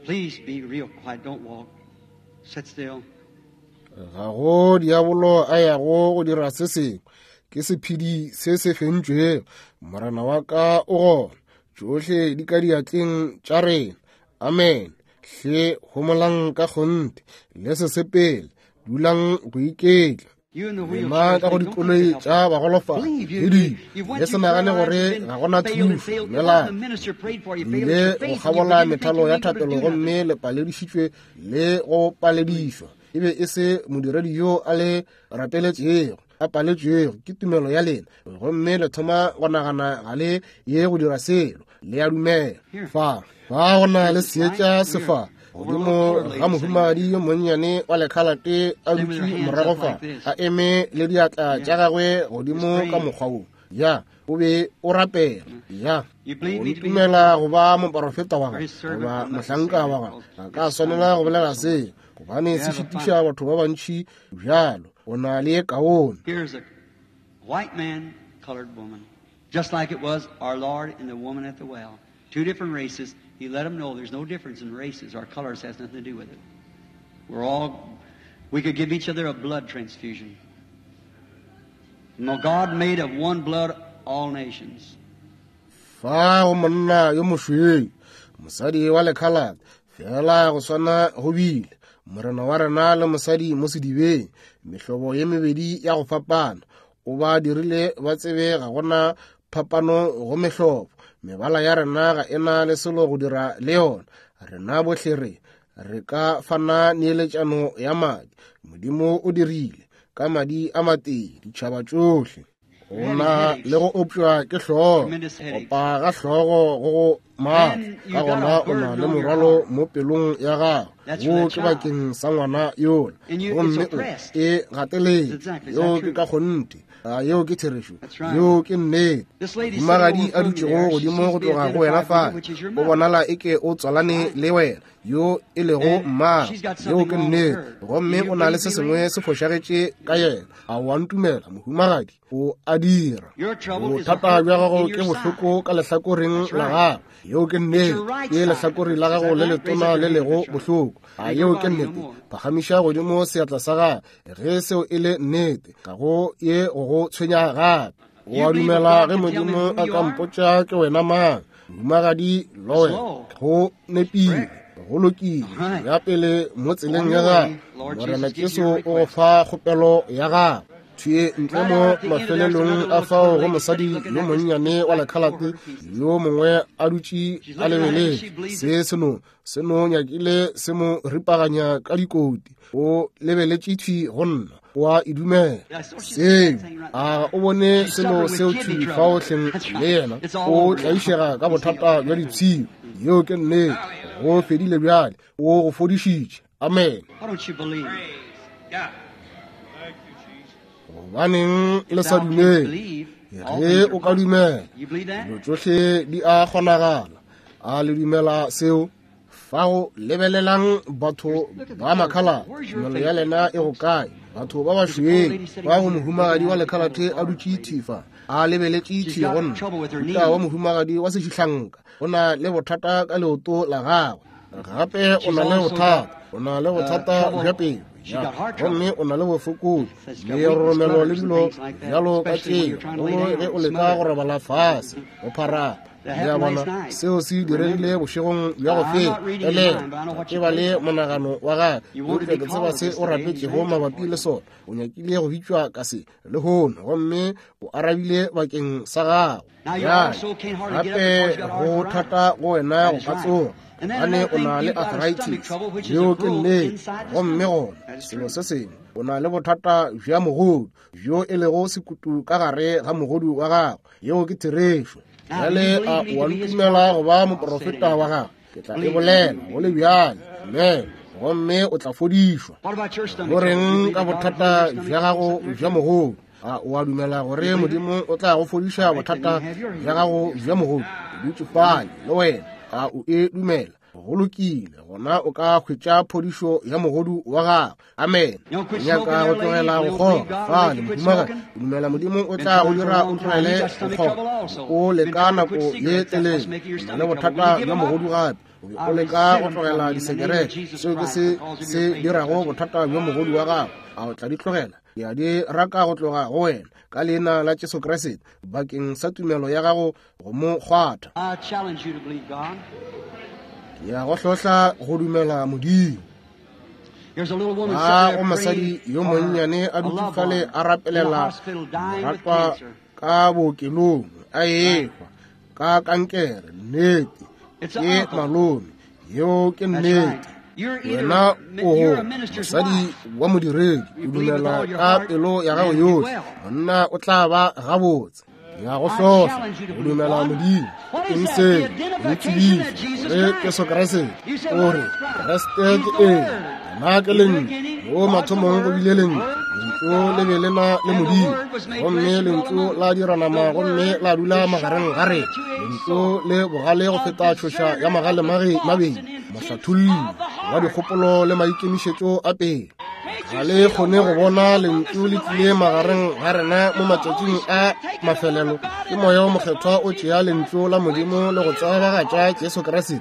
Please be real quiet. Don't walk. Sit still. Ga go diabolo a yago go dira se sengwe. Ke sephedi se se fentšwego. Morena wa ka o gona. Tšohle di ka diatleng tša rena. Amen. Hle homolang ka kgonthe, le se sepele, dulang go iketla. Lena ka go dikoloi tša bagolofadi le dilo, le se nagane gore ga go na thušo. Dumelang. Le ile go kgabola methalo ya thapelo gomme le paledišitšwe le go paledišwa. E be e se modiredi yo a le rapeletšego, a paletšwego ke tumelo ya lena, gomme le thoma go nagana ga le ye go dira selo. Le a dumela. Fa, fa go na le seetša sefa godimo ga mohumagadi yo monnyane wa lekhalate a dutše morago fa, a eme le diatla tša gagwe godimo ka mokgwa wo. Ya, o be o rapela. Ya, o ntumela go ba moporofeta wa gagwe goba mohlanka wa gagwe. Ga ka swanela go bolela se, gobane se šitiša batho ba bantši bjalo. O na le ye kaone. White man, colored woman. Just like it was our Lord and the woman at the well. Two different races. He let them know there's no difference in races. Our colors has nothing to do with it. We're all, we could give each other a blood transfusion. No, God made of one blood all nations. Fa go monna yo mošweu, mosadi wa lekhalate, fela go swana go bile morena wa rena le mosadi mo sedibeng, mehlobo ye mebedi ya go fapana. O ba dirile ba tsebe ga gona phapano go mehlobo. Mebala ya rena ga e na le selo go dira le yona. Rena bohle re re ka fana neeletšano ya madi. Modimo o dirile ka madi a matee ditšhaba tšohle. O na le go opšwa ke hlogo, opa ga hlogo go go maatla, ka gona o na le morwalo mo pelong ya gago, wo ke bakeng sa ngwana yola, gomme o e gateletše. Yeo ke ka kgonthe, a yeo ke therešo, yeo ke nnete. Mohumagadi a dutšego godimo go tloga go wena fale, o bonala eke o tswalane le wena, yo e lego mmago. Yeo ke nnete, gomme o na le se sengwe se fošagetše ka yena. A o a ntumela, mohumagadi? O a dira. Bothata bja gago ke bohloko ka lehlakoreng la gago. Yeo ke nnete. Ke lehlakore la gago le letona le lego bohloko. A yeo ke nnete? Phagamiša godimo seatla sa gago ge seo e le nnete. Ga go ye go go tshwenya gape. O a dumela ge Modimo a ka mpotša ke wena mang? Mohumagadi Lowell, go nepile, go lokile. Ya pele mo tseleng ya gago, Morena Jesu o go fa kgopelo ya gago. Thwi ntle mo mafelelong a fao go mosadi yo monnyane wa lekhalate yo mongwe a dutše a lebeletše se seno se no nyakile se mo ripaganya ka dikoti. O lebeletše thwi go nna, o a e dumela seo. A o bone selo seo thwi fao hleng le yena o tlaišega ka bothata bja dipshio. Yeo ke nnete. Go fedile bjale. O go fodišitše. Amen. Gobaneng le sa dumele? Ge o ka dumela, dilo tšohle di a kgonagala. A le dumela seo? Fao lebelelang batho ba makhalate, tumelo ya lena e go kae? Batho ba bašweu ba go mohumagadi wa lekhalate a dutše thifa, a lebeletše thi go nna. Mohuta wa mohumagadi wa sešihlanka o na le bothata ka leoto la gagwe. Gape o na le bothata, o na le bothata bja pelo, gomme o na le bofokodi, leroromelo le dilo bjalo ka tšeo, gomme ge o leka go robala fase go pharapa. Le a bona, seo se diregile bošegong bja go feta. Elelwa, ke ba le monagano wa gagwe, eupša ke tseba se o rapetšego mabapi le sona. O nyakile go bitšwa ka se lehono, gomme o arabile bakeng sa gago. Bjale, gape go thata go wena go ka tsoga, gobane o na le arthritis. Yeo ke nnete. Gomme gona, selo se sengwe, o na le bothata bja mogodu, bjo e lego sekutu ka gare ga mogodu wa gago. Yeo ke therešo. Bjale a o a ntumela go ba moporofeta wa gago? Ke tla e bolela go le bjale. Amen. Gomme o tla fodišwa. Go reng ka bothata bja gago bja mogodu? A o a dumela gore Modimo o tla go fodiša bothata bja gago bja mogodu? O dutše fale le wena. A o e dumela? Go lokile, gona o ka hwetša phodišo ya mogodu wa gago. Amen. O nyaka go tlogela go kgoga fale, mohumagadi? O dumela Modimo o tla go dira o tlogele go kgoga? O leka nako ye telele, o na le bothata bja mogodu gape. O be o leka go tlogela disekerete, seo ke se se dirago bothata bja mogodu wa gago. A o tla di tlogela? Ke a di raka go tloga go wena ka leina la Jesu Kriste, bakeng sa tumelo ya gago go mo kgwatha. Ke ya go hlohla go dumela Modimo. A go mosadi yo monnyane a dutše fale a rapelela moratwa ka bookelong a ehwa ka kankere. Nnete, ke malome. Yeo ke nnete. Wena o go mosadi wa modiredi, o dumela ka pelo ya gago yohle, monna o tla ba gabotse. Ya go hlohla go dumela Modimo. Eng seo? O tsebiša gore Jesu Kriste o re Kriste ke eng? Yena ke Lentšu. Mo mathomong go bile Lentšu. Lentšu le be le na le Modimo, gomme Lentšu la dira nama gomme la dula magareng ga rena. Lentšu le bogale go feta tšhoša ya magale mabedi, mohlatholli wa dikgopolo le maikemišetšo a pele. Ga le kgone go bona Lentšu le tlile magareng ga rena mo matšatšing a mafelelo. Ke Moya o Mokgethwa o tšea Lentšu la Modimo le go tsebagatša Jesu Kriste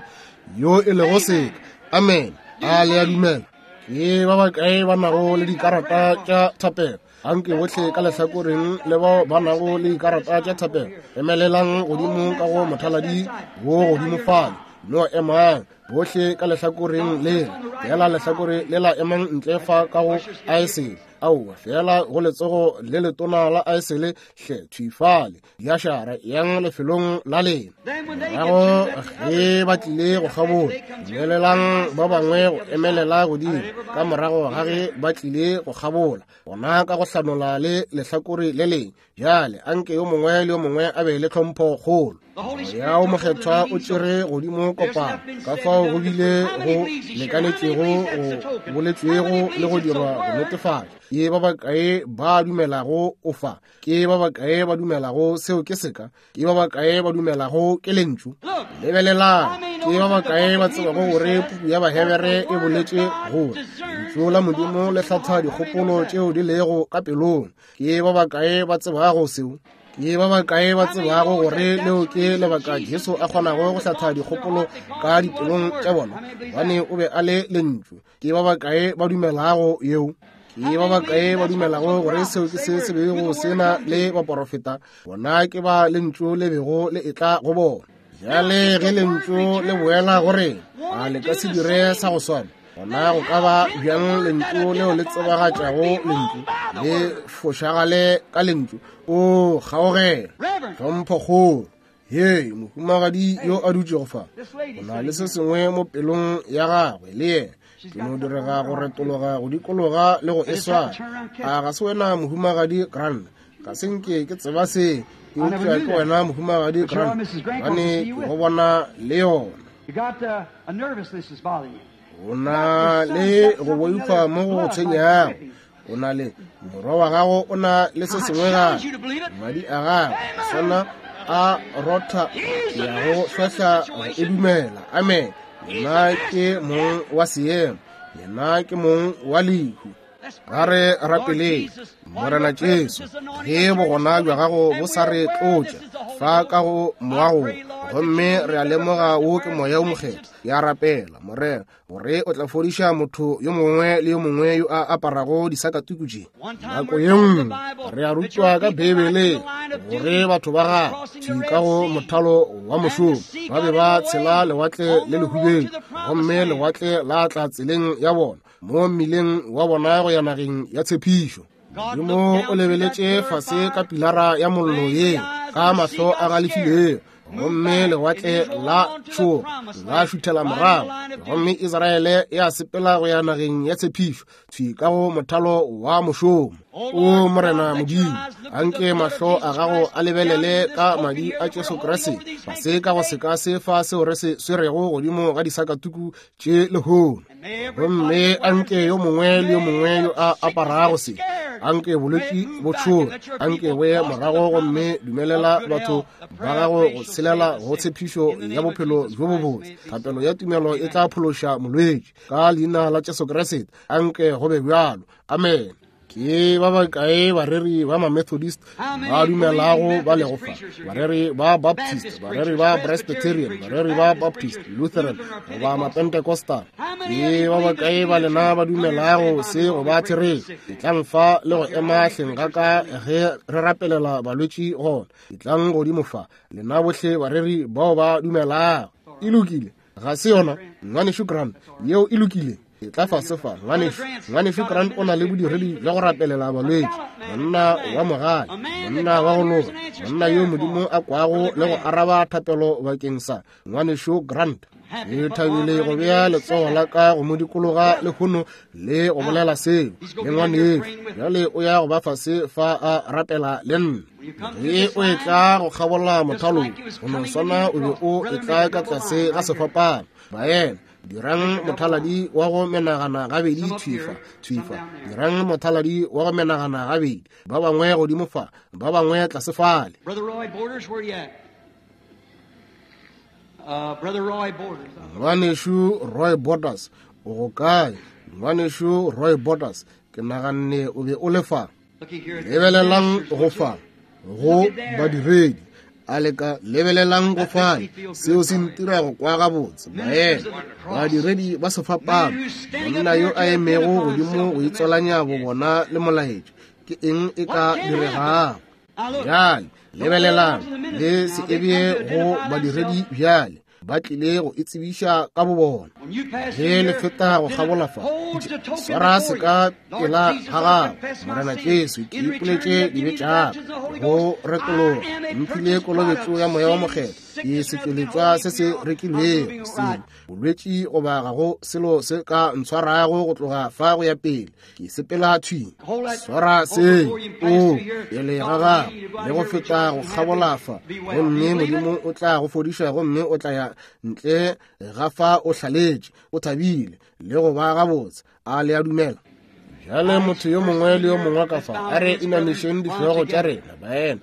yo e lego seka. Amen. A le a dumela? Ke ba bakae ba nago le dikarata tša thapelo? Anke bohle ka lehlakoreng le bao ba nago le dikarata tša thapelo, emelelang godimo ka go mothaladi wo godimo fale. No emang bohle ka lehlakoreng lela, fela lehlakore lela emang ntle fa ka go aesele. Aowa, fela go letsogo le letona la aesele, hle thwi fale. Diašara yang lefelong la lena. Morago ge ba tlile go kgabola, dumelelang ba bangwe go emelela godimo. Ka morago ga ge ba tlile go kgabola, gona ka go hlanola le lehlakore le leng. Bjale anke yo mongwe le yo mongwe a be le tlhompho kgolo. Moya o Mokgethwa o tšere godimo kopano, ka fao go bile go lekanetšego go boletšwego le go dirwa go netefatša. Ke ba bakae ba dumelago o fa? Ke ba bakae ba dumelago seo ke seka? Ke ba bakae ba dumelago ke Lentšu? Lebelelang, ke ba bakae ba tsebago gore puku ya Bahebere e boletše gore Lentšu la Modimo le hlatha dikgopolo tšeo di lego ka pelong? Ke ba bakae ba tsebago seo? Ke ba bakae ba tsebago gore leo ke lebaka Jesu a kgonago go hlatha dikgopolo ka dipelong tša bona? Gobane o be a le Lentšu. Ke ba bakae ba dumelago yeo? Ke ba bakae ba dumelago gore seo ke se se bego se na le baporofeta? Bona ke ba Lentšu le bego le etla go bona. Bjale ge Lentšu le boela go rena, a le ka se dire sa go swana? Gona go ka ba bjang Lentšu leo le tsebagatšago Lentšu le fošagale ka Lentšu? O kgaogela tlhomphokgolo. Hei, mohumagadi yo a dutšego fa, o na le se sengwe mo pelong ya gagwe le yena. Ke no direga go retologa go dikologa le go e swara. A ga se wena mohumagadi Grant? Ga se nke ke tseba se, eupša ke wena mohumagadi Grant, gobane ke go bona le yona. O na le go boifa mo go tshwenyago. O na le morwa wa gago, o na le se sengwe gape, madi a gago sona a rotha ya go hlohla go e dumela. Amen. Yena ke mong wa seemo, yena ke mong wa lehu. A re rapeleng. Morena Jesu, ge bogona bja gago bo sa re tlotša fa ka go moago, gomme re a lemoga wo ke Moya o Mokgethwa, ke a rapela, Morena, gore o tla fodiša motho yo mongwe le yo mongwe yo a aparago disakatuku tše. Nako ye nngwe re a rutwa ka Beibeleng gore batho ba gagwe thwi ka go mothalo wa mošomo ba be ba tshela lewatle le lehubedu, gomme lewatle la tla tseleng ya bona mo mmileng wa bona go ya nageng ya tshepišo. Modimo o lebeletše fase ka pilara ya mollo ye ka mahlo a galefilego, gomme lewatle la tšhoga la šuthela morago, gomme Israele ya sepela go ya nageng ya tshepišo thwi ka go mothalo wa mošomo. O Morena Modimo, anke mahlo a gago a lebelele ka madi a Jesu Kriste fase ka go seka se fa seo re se swerego godimo ga disakatuku tše lehono. Gomme anke yo mongwe le yo mongwe yo a aparago se, anke bolwetši bo tšhoge, anke bo ye morago, gomme dumelela batho ba gago go tshelela go tshepišo ya bophelo bjo bobotse. Thapelo ya tumelo e tla phološa molwetši. Ka leina la Jesu Kriste, anke go be bjalo. Amen. Ke ba bakae bareri ba ma-Methodist ba dumelago ba lego fa? Bareri ba Baptist, bareri ba Presbyterian, bareri ba Baptist, Lutheran, goba ma-Pentecostal. Ke ba bakae ba lena ba dumelago se go ba therešo? Etlang fa le go ema hleng ga ka ge re rapelela balwetši gona. Etlang godimo fa, lena bohle bareri bao ba dumelago. E lokile, ga se yona, Ngwanešu Grant? Yeo e lokile. Etla fase fa, ngwanešu. Ngwanešu Grant o na le bodiredi bja go rapelela balwetši, monna wa mogale, monna wa go loka, monna yo Modimo a kwago le go araba thapelo bakeng sa ngwanešu Grant. Ke thabile go bea letsogo la ka go mo dikologa lehono le go bolela seo le ngwanešu. Bjale o ya go ba fase fa a rapela le nna. Ge o etla go kgabola mothalo, go no swana o be o etla ka tlase ga sefapano. Baena, dirang mothaladi wa go menagana gabedi thwifa thwifa, dirang mothaladi wa go menagana gabedi, ba bangwe godimo fa, ba bangwe tlase fale. Brother Roy Borders, where you at? Brother Roy Borders. Ngwanešu Roy Borders, o go kae? Ngwanešu Roy Borders, ke naganne o be o le fa. Lebelelang go fa go badiredi, a le ka lebelelang go fale, seo se ntira go kwa gabotse. Baena, badiredi ba sefapano, monna yo a emego godimo go itswalanya bo bona le molaetšo, ke eng e ka diregago? Bjale lebelelang le se ebye go badiredi bjale, ba tlile go itsebiša ka bo bona. Ge le feta go kgabola fa, swara se ka pela ga gago. Morena Jesu, ke ipoletše dibe tša ka, go retologa, mphile kolobetšo ya Moya wa Mokgethwa, ke setšweletšwa se se rekilwego, sebe, bolwetši goba ga go selo se ka ntshwarago go tloga fa go ya pele. Ke sepela thwi, swara se o pele ga gago le go feta go kgabola fa, gomme Modimo o tla go fodiša, gomme o tla ya ntle ga fa o hlaletše, o thabile le go ba gabotse. A le a dumela? Bjale motho yo mongwe le yo mongwe ka fa, a re inamišeng dihlogo tša rena, baena,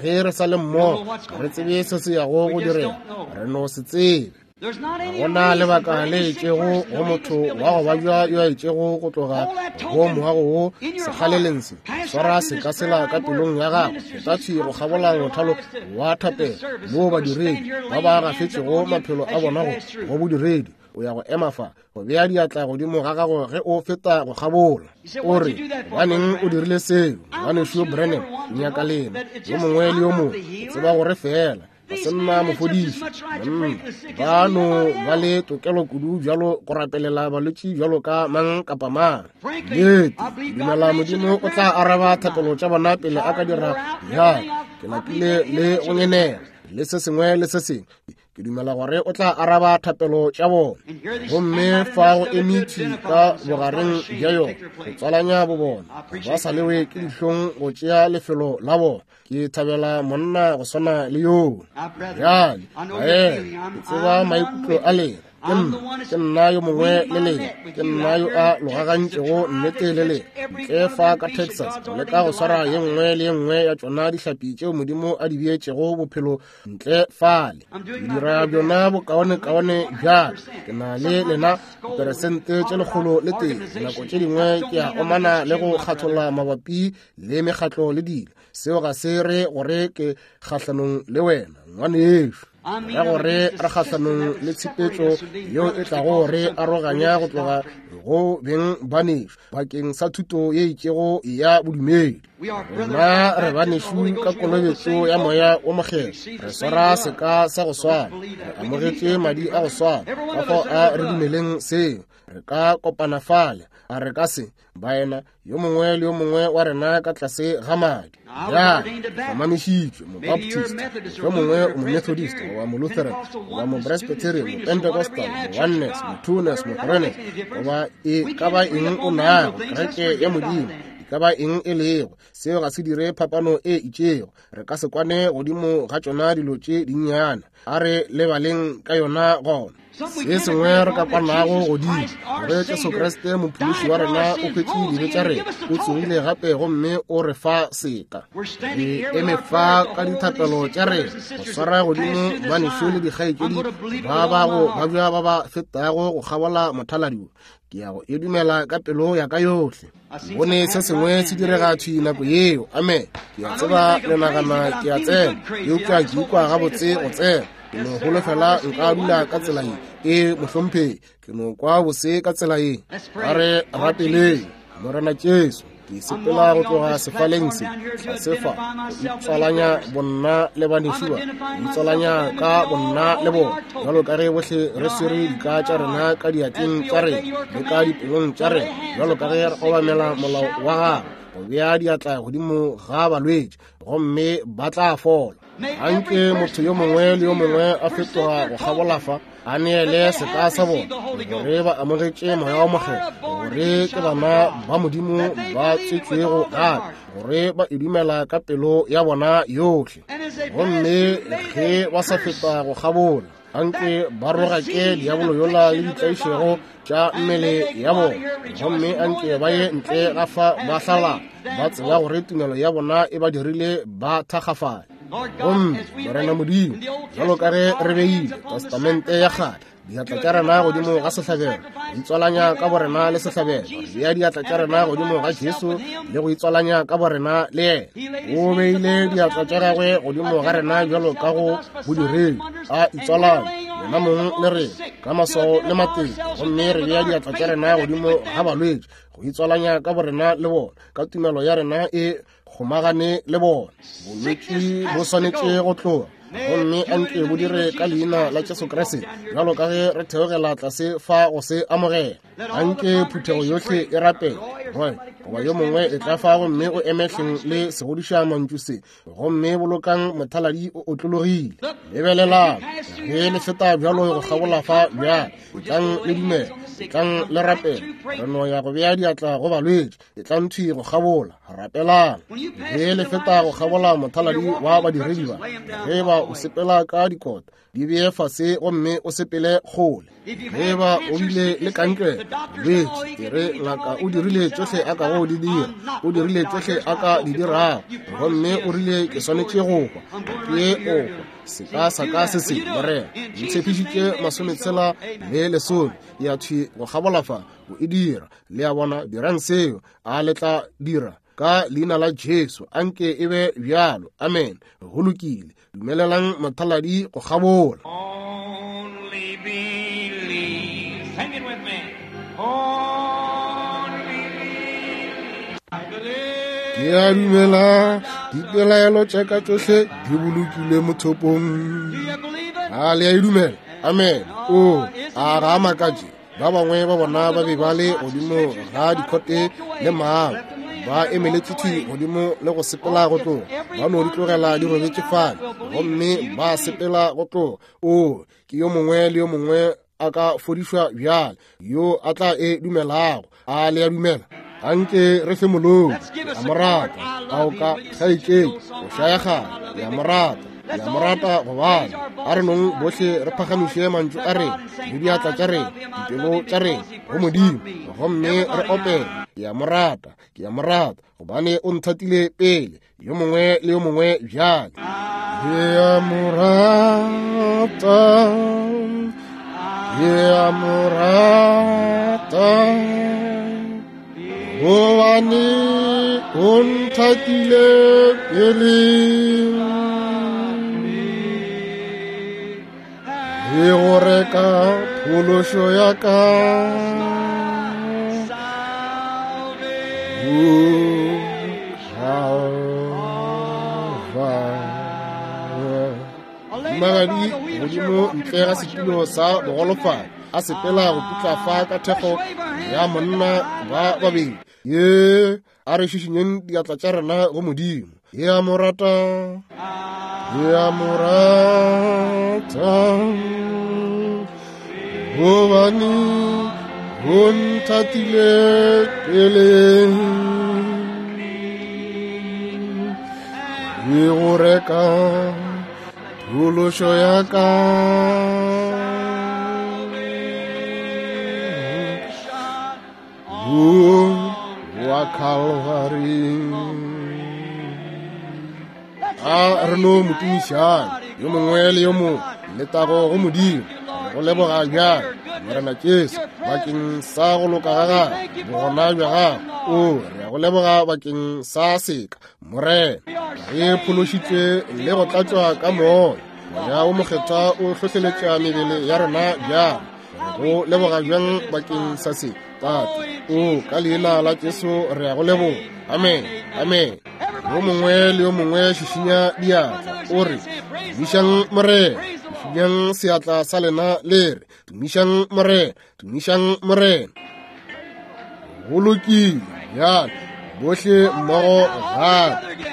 ge re sa le mmogo, ga re tsebe se se yago go direga, re no se tsebe. Ga gona lebaka le itšego go motho wa go babja yo a itšego go tloga go moago wo sekgaleleng se. Swara seka sela ka pelong ya gago, feta thwi go kgabola mothalo wa thapelo moo badiredi ba ba gafetšego maphelo a bona go bodiredi. O ya go ema fa go bea diatla godimo ga gago ge o feta go kgabola. O re, gobaneng o dirile seo, ngwanešu Branham? Nyaka lena yo mongwe le yo mongwe o tseba gore fela ga se nna mofodiši. Monna, ba no ba le tokelo kudu bjalo go rapelela balwetši bjalo ka mang kapa mang. Nnete, dumela Modimo o tla araba thapelo tša bona pele a ka dira bjalo. Ke lapile le go ngenela le se sengwe le se sengwe. Ke dumela gore o tla araba thapelo tša bona. Gomme fa go emitši ka bogareng bja yona, go tswalanya bo bona, ba sa lewe ke dihlong go tšea lefelo la bona. Ke thabela monna go swana le yoo. Bjale, baena, ke tseba maikutlo a lena. Ke nna yo mongwe le lena, ke nna yo a logagantšego nnete le lena ntle fa ka Texas, go leka go swara ye nngwe le ye nngwe ya tšona dihlapi tšeo Modimo a di beetšego bophelo ntle fale. Ke dira bjona bokaonekaone bjale. Ke na le lena diperesente tše 101. Nako tše dingwe ke a omana le go kgatholla mabapi le mekgatlo le dilo. Seo ga se re gore ke kgahlanong le wena, ngwanešu. Ra gore re kgahlanong le tshepetšo yeo e tlago re aroganya go tloga go beng banešu bakeng sa thuto ye itšego ya bodumedi. Rena re banešu ka kolobetšo ya Moya wo Mokgethwa, re swara seka sa go swana, re amogetše madi a go swana. Ka fao a re dumeleng seo, re ka kopana fale, a re ka se, baena, yo mongwe le yo mongwe wa rena ka tlase ga madi. Bjale, hlomamišitšwe, Mobaptist, yo mongwe o Momethodist, goba Molutheran, goba Mopresbyterian, Mopentecostal, Mooneness, Motwoness, Mothreeness, goba e ka ba eng o nago, kereke ya Modimo, e ka ba eng e lego, seo ga se dire phapano e itšego. Re ka se kwane godimo ga tšona dilo tše dinnyane. A re lebaleng ka yona gona. Se sengwe re ka kwanago godimo, gore Jesu Kriste Mophološi wa rena o hwetše dibe tša rena, o tsogile gape gomme o re fa seka. Re eme fa ka dithapelo tša rena go swara godimo banešu le dikgaetšedi ba ba go babja ba ba fetago go kgabola mothaladi wo. Ke ya go e dumela ka pelo ya ka yohle. Bone se sengwe se direga thwi nako yeo. Amen. Ke a tseba le nagana ke a tsena, eupša ke ikwa gabotse go tsena. Ke no holofela nka dula ka tsela ye. Ee, mohlomphegi, ke no kwa bose ka tsela ye. A re rapeleng. Morena Jesu, Ke sepela go tloga sefaleng se, tlase fa, go itswalanya bonna le banešu ba, go itswalanya ka bonna le bona, bjalo ka ge bohle re swere dika tša rena ka diatleng tša rena le ka dipelong tša rena, bjalo ka ge re obamela molao wa gagwe, go bea diatla godimo ga balwetši, gomme ba tla fola. Anke motho yo mongwe le yo mongwe a fetoga go kgabola fa, a neele seka sa bona, gore ba amogetše Moya wa Mokgethwa, gore ke bana ba Modimo ba tswetšwego gape, gore ba e dumela ka pelo ya bona yohle. Gomme ge ba sa feta go kgabola, anke ba rogake diabolo yola le ditlaišego tša mmele ya bona, gomme anke ba ye ntle ga fa ba hlala, ba tseba gore tumelo ya bona e ba dirile ba thakgafale. Gomme Morena Modimo, jalo ka ge re beile Testamente ya kgale diatla tša rena godimo ga sehlabelo, go itswalanya ka borena le sehlabelo, re bea diatla tša rena godimo ga Jesu le go itswalanya ka borena le yena. O beile diatla tša gagwe godimo ga rena bjalo ka go bodiredi, a itswalanya yena mong le rena ka maswao le matete, gomme re bea diatla tša rena godimo ga balwetši go itswalanya ka borena le bona, ka tumelo ya rena e kgomagane le bona. Bolwetši bo swanetše go tloga, gomme a nke bo dire ka leina la Jesu Kriste, bjalo ka ge re theogela tlase fa go se amogela. A nke phuthego yohle e rapele, Roy goba yo mongwe e tla fa gomme o eme hleng le segodiša mantšu se, gomme bolokang mothaladi o otlologile. Lebelelang ge le feta bjalo go kgabola fa bjale, etlang le dumela, etlang le rapela. Re no ya go bea diatla go balwetši, etlang thwi go kgabola, rapelang. Ge le feta go kgabola mothaladi wa badiredi ba, ge ba o sepela ka dikota, di bee fase gomme o sepele kgole. Ge ba o bile le kankere, bolwetši, e re ngaka o dirile tšohle a kago di dira, o dirile tšohle a ka di dirago, gomme o rile ke swanetše go hwa, ke o hwa, seka sa ka se se, Morena, ntshepišitše 60 le 10, ya thwi go kgabola fa, o e dira. Le a bona, dirang seo, a le tla dira ka leina la Jesu, anke e be bjalo. Amen. Go lokile. Dumelelang mothaladi go kgabola. Only believe. Sing it with me. Only believe. I believe. Ke a dumela dipelaelo tša ka tšohle di bolokilwe mothopong. Do you believe it? A le a e dumela? Amen. O, a ga a makatše? Ba bangwe ba bona ba be ba le godimo ga dikhote le mago, ba emeletše thwi godimo le go sepela go tloga, ba no di tlogela di robetše fale, gomme ba sepela go tloga. O, ke yo mongwe le yo mongwe a ka fodišwa bjale, yo a tla e dumelago. A le a dumela? Anke re fe molodi. Ke a mo rata. A o ka kgaetšedi o šaya gale? Ke a mo rata. Ke a mo rata gobane a re nong bohle re phagamiše mantšu a rena le diatla tša rena, dipelo tša rena go Modimo, gomme re opele. Ke a mo rata. Ke a mo rata gobane o nthatile pele. Yo mongwe le yo mongwe bjale. Ke a mo rata. Ke a mo rata gobane o nthatile pele. Le go reka phološo ya ka. Magadi godimo ntle ga setulo sa bogolofadi, a sepela go putla fa ka thekgo ya monna ba babedi. Ye a re šišinyeng diatla tša rena go Modimo. Ke a mo rata, ke a mo rata, gobane o nthatile pele. Ke go reka phološo ya ka. Wa Calvary. A re no mo tumišang yo mongwe le yo mongwe. Letago go Modimo. Go leboga bjang Morena Jesu bakeng sa go loka ga gagwe, bogona bja gagwe. O, re a go leboga bakeng sa seka, Morena. Re phološitšwe le go tlatšwa ka Moya. Moya o Mokgethwa o hlohleletša mebele ya rena bjang. Go leboga bjang bakeng sa se. Tate. O, ka leina la Jesu re a go leboga. Amen. Amen. Yo mongwe le yo mongwe šišinya diatla, o re, Tumišang Morena. Šišinyang seatla sa lena le re, Tumišang Morena. Tumišang Morena. Go lokile bjale, bohle mmogo gape.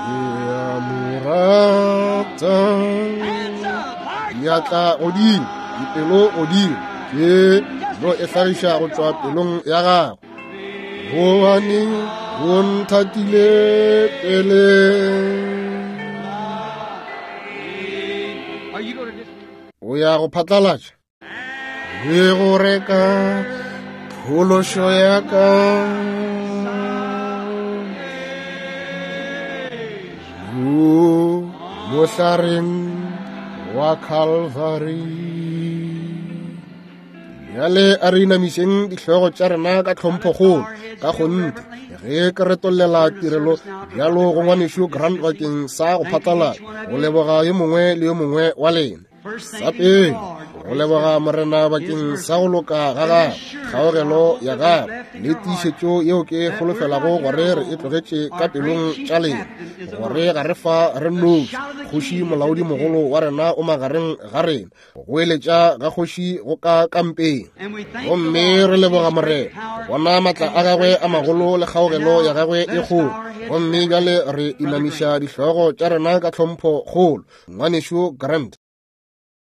Ke a mo rata. Diatla godimo, dipelo godimo, ke no e hlagiša go tšwa pelong ya gago. Gobane o nthatile pele. O ya go phatlalatša le go reka phološo ya ka. Mo mohlareng wa Calvary. Bjale a re inamišeng dihlogo tša rena ka tlhomphokgolo ka kgonthe ge ke retollela tirelo bjalo go ngwanešu Grant bakeng sa go phatlalatša go leboga yo mongwe le yo mongwe wa lena. Sa pele, go leboga Morena bakeng sa go loka ga gagwe, kgaogelo ya gagwe le tiišetšo yeo ke holofelago gore re e tlogetše ka pelong tša lena, gore ga re fa re nnoši. Kgoši molaodimogolo wa rena o magareng ga rena. Go eletša ga kgoši go ka kampeng. Gomme re leboga Morena go bona matla a gagwe a magolo le kgaogelo ya gagwe e kgolo. Gomme bjale re inamiša dihlogo tša rena ka tlhompho kgolo. Ngwanešu Grant.